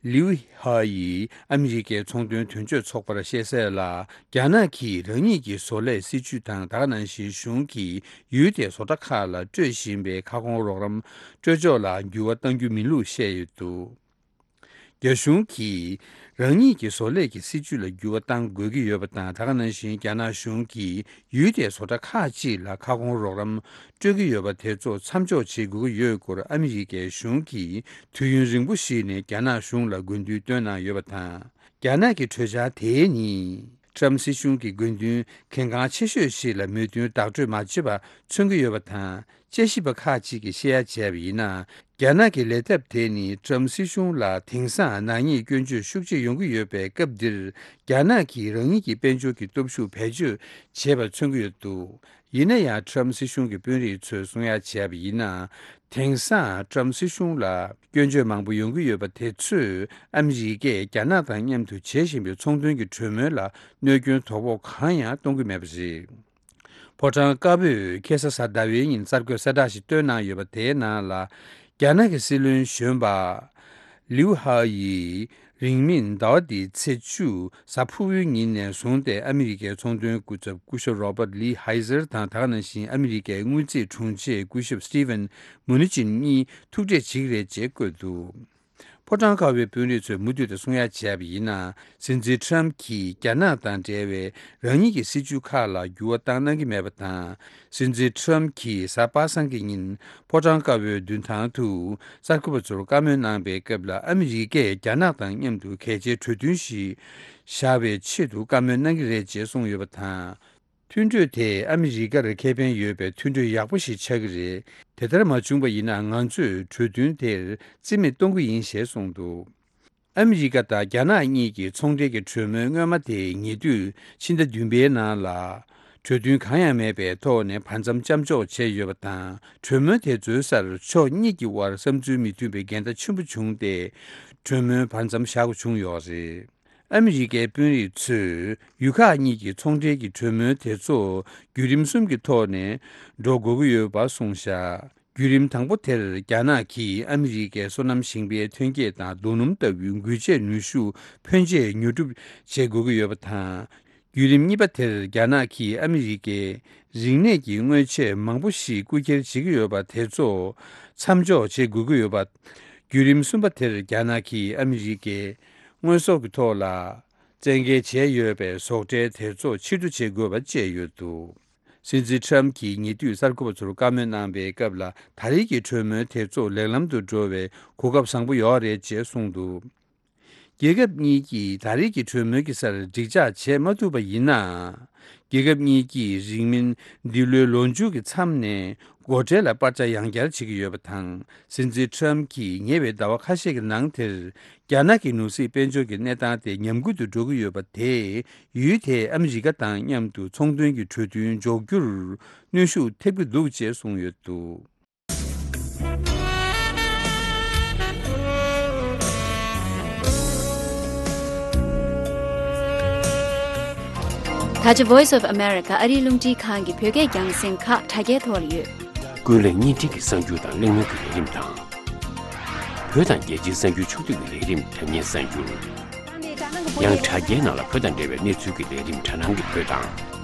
ལིའུ་ཧྭ་ཡིས་ཨ་མི་རི་ཀའི་ཚོང་དོན་དོན་གཅོད་ཚོགས་པར་བཤད་གསལ་ལ། རྒྱ་ནག་གིས་རང་ཉིད་ཀྱི་བཟོ་ལས་སྲིད་ཇུས་དང་། ད་ག་ནང་བཞིན་གཞུང་གིས་ཡུལ་དེའི་བཟོ་གྲྭ་ཁག་ལ་སྤྲོད་བཞིན་པའི་ཁ་སྐོང་རོགས་རམ་སྤྲོད་ཕྱོགས་ལ་འགྱུར་བ་གཏང་རྒྱུ་མིན་ལུགས་བཤད་ཡོད་འདུག་རྒྱ་གཞུང་གིས་རང་ཉིད་ཀྱི་བཟོ་ལས་ཀྱི་སྲིད་ཇུས་ལ་འགྱུར་བ་གཏང་དགོས་ཀྱི་ཡོད་པ་དང་། ད་ག་ནང་བཞིན་རྒྱ་ནག་གཞུང་གིས་ཡུལ་དེའི་བཟོ་གྲྭ་ཁག་ཅིག་ལ་ཁ་སྐོང་རོགས་རམ་སྤྲོད་ཀྱི་ཡོད་པ་དེ་ཚོ་མཚམས་འཇོག་བྱེད་དགོས་ཀྱི་ཡོད་སྐོར་ཨ་མི་རི་ཀའི་གཞུང་གིས་དུས་ཡུན་རིང་པོ་ཞིག་ནས་རྒྱ་ནག་གཞུང་ལ་དགོས་འདུན་བཏོན་གནང་ཡོད་པ་དང་། རྒྱ་ནག་གི་གྲོས་འཆར་དེ་ནི་ཊམ་སྲིད་གཞུང་གི་དགོས་འདུན་གལ་འགངས་ཆེ་ཤོས་ཤིག་ལ་མོས་མཐུན་བདག་སྤྲོད་མ་བྱས་པ་མཚོན་གྱི་ཡོད་པ་དང་། དཔྱད་ཞིབ་པ་ཁག་ཅིག་གིས་བཤད་ཡ་བྱས་པ་ཡིན་ན། རྒྱ་ནག་གི་ལས་ཐབས་དེ་ནི་ཊམ་སྲིད་གཞུང་ལ་དེང་སང་ནག་ཉེས་སྐྱོན་བརྗོད་ཤུགས་ཆེ་ཡོང་གི་ཡོད་པའི་སྐབས་འདིར། རྒྱ་ནག་གིས་རང་ཉིད་ཀྱི་དཔལ་འབྱོར་གྱི་སྟོབས་ཤུགས་བེད་སྤྱོད་བྱས་པ་མཚོན་གྱི་ཡོད་འདུག་ཡིན་ན་ཡང་ཊམ་སྲིད་གཞུང་གི་དཔོན་རིགས་ཚོས་གསུང་ཡ་བྱས་པ་ཡིན་ན། དེང་སང་ཊམ་སྲིད་གཞུང་ལ་སྐྱོན་བརྗོད་མང་པོ་ཡོང་གི་ཡོད་པ་དེ་ཚོས་ཨ་མི་རི་ཀས་རྒྱ་ནག་དང་མཉམ་དུ་བྱེད་བཞིན་པའི་ཚོང་དོན་གྱི་གྲོས་མོལ་ལ་གནོད་སྐྱོན་དོ་ཕོག་གང་ཡང་གཏོང་གི་མེད་པ་རེད། ཕོ་བྲང་དཀར་པོས་ཁ་སང་གཟའ་ཟླ་བའི་ཉིན་གསར་འགོད་གསལ་བསྒྲགས་ཤིག་བཏོན་གནང་ཡོད་པ་དེའི་ནང་ལ། རྒྱ་ནག་གི་སྲིད་བློན་གཞོན་པ་ལིའུ་ཧྭ་ཡིས་རིང་མིན་ཟླ་བ་འདིའི་ཚེས་བཅུ་གཟའ་ཕུར་བུའི་ཉིན་ནས་བཟུང་སྟེ་ཨ་མི་རི་ཀའི་ཚོང་དོན་སྐུ་ཚབ་སྐུ་ཞབས་རོ་པར་ལི་ཧའི་ཟེར་དང་། ད་ག་ནང་བཞིན་ཨ་མི་རི་ཀའི་དངུལ་རྩིས་དྲུང་ཆེ་སྐུ་ཞབས་སི་ཏི་ཝན་མུ་ནི་ཅིན་གཉིས་ཐུག་འཕྲད་བྱེད་ཀྱི་རེད་ཅེས་བཀོད་འདུག་ཕོ་བྲང་དཀར་པོའི་དཔོན་རིགས་ཚོས་མུ་མཐུད་དུ་གསུང་ཡ་བྱས་པ་ཡིན་ན། སྲིད་འཛིན་ཊམ་གྱིས་རྒྱ་ནག་དང་འབྲེལ་བའི་རང་ཉིད་ཀྱི་སྲིད་ཇུས་ཁག་ལ་འགྱུར་བ་བཏང་གནང་གི་མེད་པ་དང་། སྲིད་འཛིན་ཊམ་གྱིས་གཟའ་པ་སངས་ཀྱི་ཉིན་ཕོ་བྲང་དཀར་པོའི་མདུན་ཐང་དུ་གསར་འགོད་པ་ཚོར་བཀའ་མོལ་གནང་པའི་སྐབས་ལ། ཨ་མི་རི་ཀས་རྒྱ་ནག་དང་མཉམ་དུ་གལ་ཆེའི་གྲོས་མཐུན་ཞིག་བཞག་པའི་ཆེད་དུ་བཀའ་མོལ་གནང་གི་རེད་ཅེས་གསུངས་ཡོད་པ་དང་། མཐུན་གྲོས་དེ་ཨ་མི་རི་ཀར་ཁེ་ཕན་ཡོད་པའི་མཐུན་གྲོས་ཡག་པོ་ཞིག་ཆགས་ཀྱི་རེད། དེ་ལྟར་མ་བྱུང་པ་ཡིན་ན། ང་ཚོས་གྲོས་མཐུན་དེར་རྩིས་མེད་གཏོང་གི་ཡིན་ཞེས་གསུངས་འདུག་ཨ་མི་རི་ཀ་དང་རྒྱ་ནག་གཉིས་ཀྱི་ཚོང་འབྲེལ་གྱི་གྲོས་མོལ་སྔོན་མ་དེ་ཉེ་དུས་ཕྱི་ཟླ་བདུན་པའི་ནང་ལ། གྲོས་མཐུན་གང་ཡང་མེད་པའི་ཐོག་ནས་བར་མཚམས་མཚམས་འཇོག་བྱས་ཡོད་པ་དང་། གྲོས་མོལ་དེ་ཚོའི་སར་ཕྱོགས་གཉིས་ཀྱི་དབར་བསམ་ཚུལ་མི་མཐུན་པའི་འགལ་ཟླ་ཆེན་པོ་བྱུང་སྟེ། གྲོས་མོལ་བར་མཚམས་བཞག་དགོས་བྱུང་ཡོད་རེད། ཨ་མི་རི་ཀའི་དཔོན་རིགས་ཚོས་ཡུལ་ཁག་གཉིས་ཀྱི་ཚོང་འབྲེལ་གྱི་གྲོས་མོལ་དེ་ཚོ་བརྒྱུད་རིམ་གསུམ་གྱི་ཐོག་ནས་འགྲོ་དགོས་ཀྱི་ཡོད་པ་གསུངས་བཞག་བརྒྱུད་རིམ་དང་པོ་དེར་རྒྱ་ནག་གིས་ཨ་མི་རི་ཀའི་སོ་ནམ་ཞིང་པའི་ཐོན་སྐྱེད་དང་རྡོ་སྣུམ་ལྟ་བུའི་འགུལ་སྐྱོད་ནུས་ཤུགས་ཕོན་ཆེ་ཉོ་སྒྲུབ་བྱེད་དགོས་ཀྱི་ཡོད་པ་དང་། བརྒྱུད་རིམ་གཉིས་པ་དེར་རྒྱ་ནག་གིས་ཨ་མི་རི་ཀའི་རིག་གནས་ཀྱི་དངོས་ཆས་མང་པོ་ཞིག་རྐུ་འཁྱེར་བྱེད་ཀྱི་ཡོད་པ་དེ་ཚོ་མཚམས་འཇོག་བྱེད་དགོས་ཀྱི་ཡོད་པ། བརྒྱུད་རིམ་གསུམ་པ་དེར་རྒྱ་ནག་གིས་ཨ་མི་རི་ཀའི་དངོས་ཟོག་གི་ཐོག་ལ་བཙན་འགེལ་བྱས་ཡོད་པའི་ཟོག་ཁྲལ་དེ་ཚོ་ཕྱིར་བསྡུ་བྱེད་དགོས་པ་བཅས་ཡོད་འདུག་སྲིད་འཛིན་ཁྲམ་གྱིས་ཉེ་དུས་གསར་འགོད་པ་ཚོར་བཀའ་མོལ་གནང་བའི་སྐབས་ལ། ད་རེས་ཀྱི་གྲོས་མོལ་དེ་ཚོ་ལེགས་ལམ་དུ་འགྲོ་བའི་གོ་སྐབས་བཟང་པོ་ཡོད་རེད་ཅེས་གསུངས་འདུག་རྒྱལ་ཁབ་གཉིས་ཀྱིས་ད་རེས་ཀྱི་གྲོས་མོལ་གྱི་སར་འགྲིག་འཇགས་བྱེད་མ་ཐུབ་པ་ཡིན་ན། རྒྱལ་ཁབ་གཉིས་ཀྱིས་རིང་མིན་འདི་ལོའི་ལོ་མཇུག་གི་མཚམས་ནས་སྒོ་ཁྲལ་ལ་སྤར་ཆ་ཡང་བསྐྱར་བྱེད་ཀྱི་ཡོད་པ་དང་། སྲིད་འཛིན་ཁྲམ་གྱིས་ཉེ་བའི་ཟླ་བ་ཁ་ཤས་ཀྱི་ནང་དེར། རྒྱ་ནག་གི་ནོར་སྲིད་དཔལ་འབྱོར་གྱི་གནས་སྟངས་དེ་ཉམས་རྒུད་དུ་འགྲོ་གི་ཡོད་པ་དེས། ཡུལ་དེས་ཨ་མི་རི་ཀ་དང་མཉམ་དུ་ཚོང་དོན་གྱི་གྲོས་མཐུན་འཇོག་རྒྱུར་གནོན་ཤུགས་ཐེབས་ཀྱི་འདུག་ཅེས་གསུངས་ཡོད་འདུག་ད་ཆ་Voice of America ཨ་རིའི་རླུང་འཕྲིན་ཁང་གི་བོད་སྐད་རྒྱང་སྲིང་ཁག་དྲ་རྒྱའི་ཐོག་ལ་ཡོད། ཀུན་གླེང་བརྙན་འཕྲིན་གྱི་གསར་འགྱུར་དང་གླེང་མོལ་གྱི་ལས་རིམ་དང་། བོད་དང་རྒྱལ་སྤྱིའི་གསར་འགྱུར་ཕྱོགས་བསྡུས་ཀྱི་ལས་རིམ་དྲ་བརྙན་གསར་འགྱུར། ཡང་དྲ་རྒྱའི་ནང་ལ་བོད་དང་འབྲེལ་བའི་གནས་ཚུལ་གྱི་ལས་རིམ་དྲ་སྣང་གི་བོད་དང་།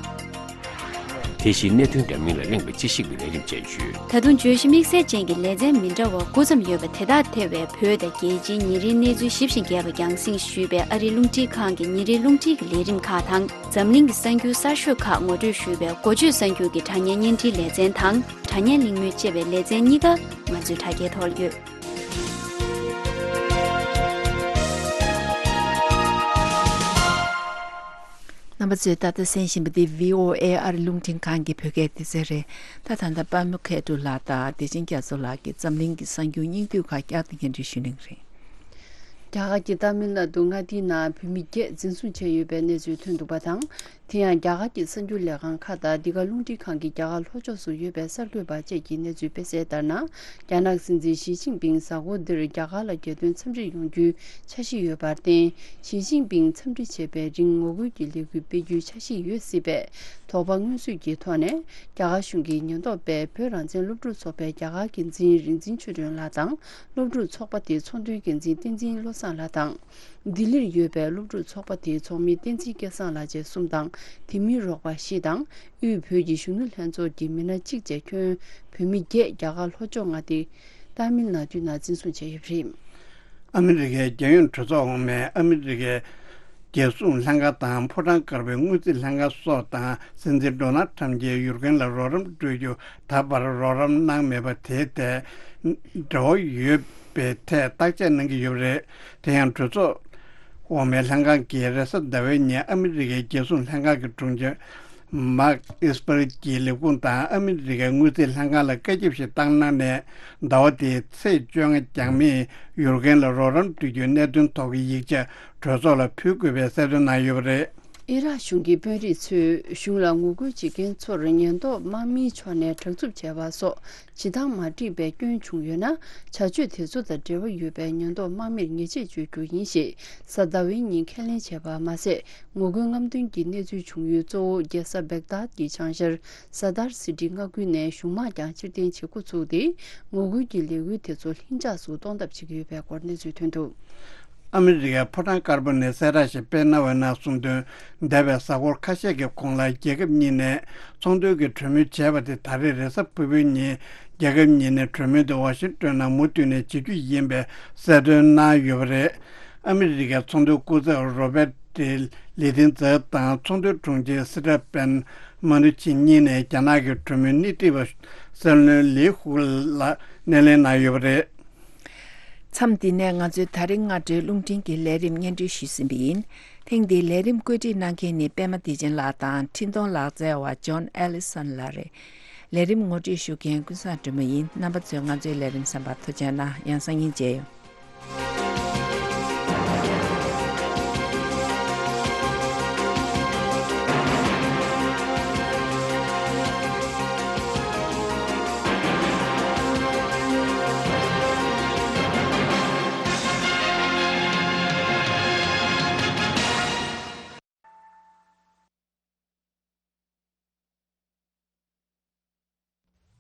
དེ་བཞིན་གནད་དོན་འདྲ་མིན་ལ་གླེང་བའི་དཔྱད་ཞིབ་ཀྱི་ལས་རིམ་བཅས་ཡོད། ད་དུང་བརྗོད་གཞི་དམིགས་བསལ་ཅན་གྱི་ལེ་ཚན་མི་འདྲ་བ་དགུ་ཙམ་ཡོད་པ་དེ་དག་ཐེ་བའི་བོད་དང་རྒྱལ་སྤྱིའི་ཉིན་རེའི་གནས་ཚུལ་ཞིབ་ཅིང་རྒྱས་པ་རྒྱང་སྲིང་ཞུས་པའི་ཨ་རིའི་རླུང་འཕྲིན་ཁང་གི་ཉིན་རེའི་རླུང་འཕྲིན་གྱི་ལས་རིམ་ཁག་དང་། འཛམ་གླིང་གི་གསར་འགྱུར་གསར་ཤོས་ཁག་ངོ་སྤྲོད་ཞུས་པའི་འགོ་བརྗོད་གསར་འགྱུར་གྱི་དྲ་བརྙན་བརྙན་འཕྲིན་ལེ་ཚན་དང་། དྲ་བརྙན་གླེང་མོལ་ཅེས་པའི་ལེ་ཚན་གཉིས་ཀ་ང་ཚོའི་དྲ་རྒྱའི་ཐོག་ལ་ཡོད། རྣམ་པ་ཚོས་ད་ལྟ་གསན་བཞིན་པ་འདི་VOA ཨ་རི་རླུང་འཕྲིན་ཁང་གི་བོད་སྐད་སྡེ་ཚན་རེད། ད་ད་ལྟ་པདྨ་མཁས་གྲུབ་ལགས་དང་བདེ་ཆེན་རྒྱ་མཚོ་ལགས་ཀྱིས་འཛམ་གླིང་གི་གསར་འགྱུར་སྙིང་བསྡུས་ཁག་བསྐྱར་དུ་སྙན་སྒྲོན་ཞུ་གནང་གི་རེད། རྒྱ་གར་གྱི་ཏཱ་མིལ་ནཱ་ཌུ་མངའ་སྡེའི་ནང་བོད་མི་བརྒྱད་འཛིན་བཟུང་བྱས་ཡོད་པའི་གནས་ཚུལ་ཐོན་འདུག་པ་དང་། དེ་ཡང་རྒྱ་གར་གྱི་གསར་འགྱུར་ལས་ཁང་ཁག་དང་འདི་ག་རླུང་འཕྲིན་ཁང་གི་རྒྱ་གར་ལྷོ་ཕྱོགས་སུ་ཡོད་པའི་གསར་འགོད་པ་བཅས་ཀྱིས་གནས་ཚུལ་སྤེལ་གསལ་ལྟར་ན། རྒྱ་ནག་སྲིད་འཛིན་ཞི་ཅིན་ཕིང་གཟའ་འཁོར་འདིར་རྒྱ་གར་ལ་རྒྱལ་དོན་འཚམས་འདྲིར་ཡོང་རྒྱུའི་འཆར་གཞི་ཡོད་པར་བརྟེན། ཞི་ཅིན་ཕིང་འཚམས་འདྲི་བྱས་པའི་རིང་ངོ་རྒོལ་གྱི་ལས་འགུལ་སྤེལ་རྒྱུའི་འཆར་གཞི་ཡོད་སྲིད་པས། དོགས་པ་མངོན་གསལ་གྱི་ཐོག་ནས། རྒྱ་གར་གཞུང་གི་ཉེན་རྟོག་པས་བོད་རང་བཙན་སློབ་ཕྲུག་ཚོགས་པའི་རྒྱ་གར་འགན་འཛིན་རིག་འཛིན་ཆོས་སྒྲོན་ལགས་དང་། སློབ་ཕྲུག་ཚོགས་པ་དེའི་ཚོགས་འདུའི་འགན་འཛིན་བསྟན་འཛིན་བློ་བཟང་ལགས་དང་། ལྡི་ལིར་ཡོད་པའི་སློབ་ཕྲུག་ཚོགས་པ་དེའི་ཚོགས་མི་བསྟན་འཛིན་སྐལ་བཟང་ལགས་བཅས་གསུམ་དང་། དེ་མིན་རོགས་པ་བཞི་དང་། དབུས་བོད་ཀྱི་གཞོན་ནུ་ལྷན་ཚོགས་ཀྱི་མི་སྣ་གཅིག་བཅས་ཁྱོན་བོད་མི་བརྒྱད་རྒྱ་གར་ལྷོ་ཕྱོགས་མངའ་སྡེ་ཏཱ་མིལ་ནཱ་ཌུའི་ནང་འཛིན་བཟུང་བྱས་ཡོད་པ་རེད། ཨ་མི་རི་ཀའི་རྒྱལ་ཡོངས་གྲོས་ཚོགས་འོག་མའི་ཨ་མི་རི་ཀའི་རྒྱལ་སྲུང་ལྷན་ཁང་དང་ཕོ་བྲང་དཀར་པོའི་དངུལ་རྩིས་ལྷན་ཁང་སོགས་དང་སྲིད་འཛིན་ཌོ་ནལ་ཁྲམ་གྱིས་ཡུཀ་རེན་ལ་རོགས་རམ་སྤྲོད་རྒྱུ་ད་བར་རོགས་རམ་གནང་མེད་པ་དེའི་ཐད་འབྲེལ་བ་ཡོད་པའི་ཐད་བརྟག་དཔྱད་གནང་གི་ཡོད་པ་རེད། དེ་ཡང་གྲོས་ཚོགས་འོག་མའི་ལྷན་ཁང་གིས་རེས་གཟའ་ཟླ་བའི་ཉིན་ཨ་མི་རི་ཀའི་རྒྱལ་སྲུང་ལྷན་ཁང་གི་དྲུང་ཆེ་མཱག་ཨིས་པར་གྱི་ལས་ཁུངས་དང་ཨ་མི་རི་ཀའི་དངུལ་རྩིས་ལྷན་ཁང་ལ་བཀའ་ཁྱབ་ཞིག་བཏང་གནང་ནས། ཟླ་བ་འདིའི་ཚེས་བཅོ་ལྔ་རྒྱང་མིས་ཡུཀ་རེན་ལ་རོགས་རམ་སྤྲོད་རྒྱུའི་གནད་དོན་ཐོག་གི་ཡིག་ཆ་གྲོས་ཚོགས་ལ་ཕུལ་དགོས་པའི་གསལ་སྟོན་གནང་ཡོད་པ་རེད། ཨི་རག་གཞུང་གི་དཔོན་རིགས་ཚོས་གཞུང་ལ་ངོ་རྒོལ་བྱེད་མཁན་ཚོར་ཉེན་རྟོག་དམག་མིའི་ཕྱོགས་ནས་དྲག་རྩུབ་བྱས་པ་སོགས་བྱེད་སྟངས་མ་འགྲིག་པའི་སྐྱོན་བྱུང་ཡོད་ན། བྱ་སྤྱོད་དེ་ཚོ་དང་འབྲེལ་བ་ཡོད་པའི་ཉེན་རྟོག་དམག་མིར་ཉེས་ཆད་གཅོད་རྒྱུ་ཡིན་ཞེས་གཟའ་ཟླ་བའི་ཉིན་ཁས་ལེན་བྱས་པ་མ་ཟད། ངོ་རྒོལ་རྔམ་སྟོན་གྱི་གནས་ཚུལ་བྱུང་ཡུལ་གཙོ་བོ་རྒྱལ་ས་བེག་དཱད་ཀྱི་བྱང་ཤར་སར་དར་སི་ཊི་མངའ་ཁུལ་ནས་གཞུང་དམག་ཀྱང་ཕྱིར་འཐེན་བྱེད་འགོ་ཚུགས་ཏེ། ངོ་རྒོལ་གྱི་ལས་འགུལ་དེ་ཚོ་ལྷིང་འཇགས་སུ་གཏོང་ཐབས་བྱེད་ཀྱི་ཡོད་པའི་སྐོར་གནས་ཚུལ་ཐོན་འདུག་ཨ་མི་རི་ཀའི་ཕོ་བྲང་དཀར་པོ་ནས་གསལ་བསྒྲགས་ཤིག་སྤེལ་གནང་བའི་ནང་གསུངས་དོན། འདས་པའི་གཟའ་འཁོར་ཁ་ཤས་ཀྱི་གོང་ལ་རྒྱལ་ཁབ་གཉིས་ནས་ཚོང་དོན་གྱི་གྲོས་མོལ་བྱས་པ་དེ་ད་རེས་རེས་གཟའ་ཕུར་བུའི་ཉིན་རྒྱལ་ཁབ་གཉིས་ནས་གྲོས་མོལ་དེ་ཝ་ཤིང་ཏོན་ནང་མུ་མཐུད་ནས་བྱེད་རྒྱུ་ཡིན་པའི་གསལ་སྟོན་གནང་ཡོད་པ་རེད། ཨ་མི་རི་ཀའི་ཚོང་དོན་སྐུ་ཚབ་རོ་བེ་ཏི་ལི་ཏིན་ཛེ་དང་ཚོང་དོན་དྲུང་ཆེ་སི་ཏྲ་པན་མ་ནུ་ཆི་གཉིས་ནས་རྒྱ་ནག་གི་གྲོས་མོལ་སྣེ་ཁྲིད་པ་སྲིད་བློན་ལི་ཧུ་ལ་སྣེ་ལེན་གནང་ཡོད་པ་རེད། མཚམས་འདི་ནས་ང་ཚོའི་ད་རིང་སྔ་དྲོའི་རླུང་འཕྲིན་གྱི་ལས་རིམ་སྙན་སྒྲོན་ཞུས་ཟིན་པ་ཡིན། ཐེངས་འདིའི་ལས་རིམ་བཀོད་སྒྲིག་གནང་མཁན་ནི་པད་མ་བདེ་ཆེན་ལགས་དང་འཕྲིན་གཏོང་ལག་རྩལ་བ་ཇོན་ཨེ་ལི་སོན་ལགས་རེད། ལས་རིམ་ངོ་སྤྲོད་ཞུ་མཁན་ཀུན་བཟང་སྒྲོལ་མ་ཡིན། རྣམ་པ་ཚོས་ང་ཚོའི་ལས་རིམ་གསན་པར་ཐུགས་རྗེ་གནང་། ཡང་སང་ཉིན་མཇལ་ཡོང་།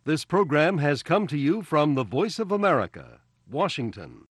This program has come to you from the Voice of America, Washington.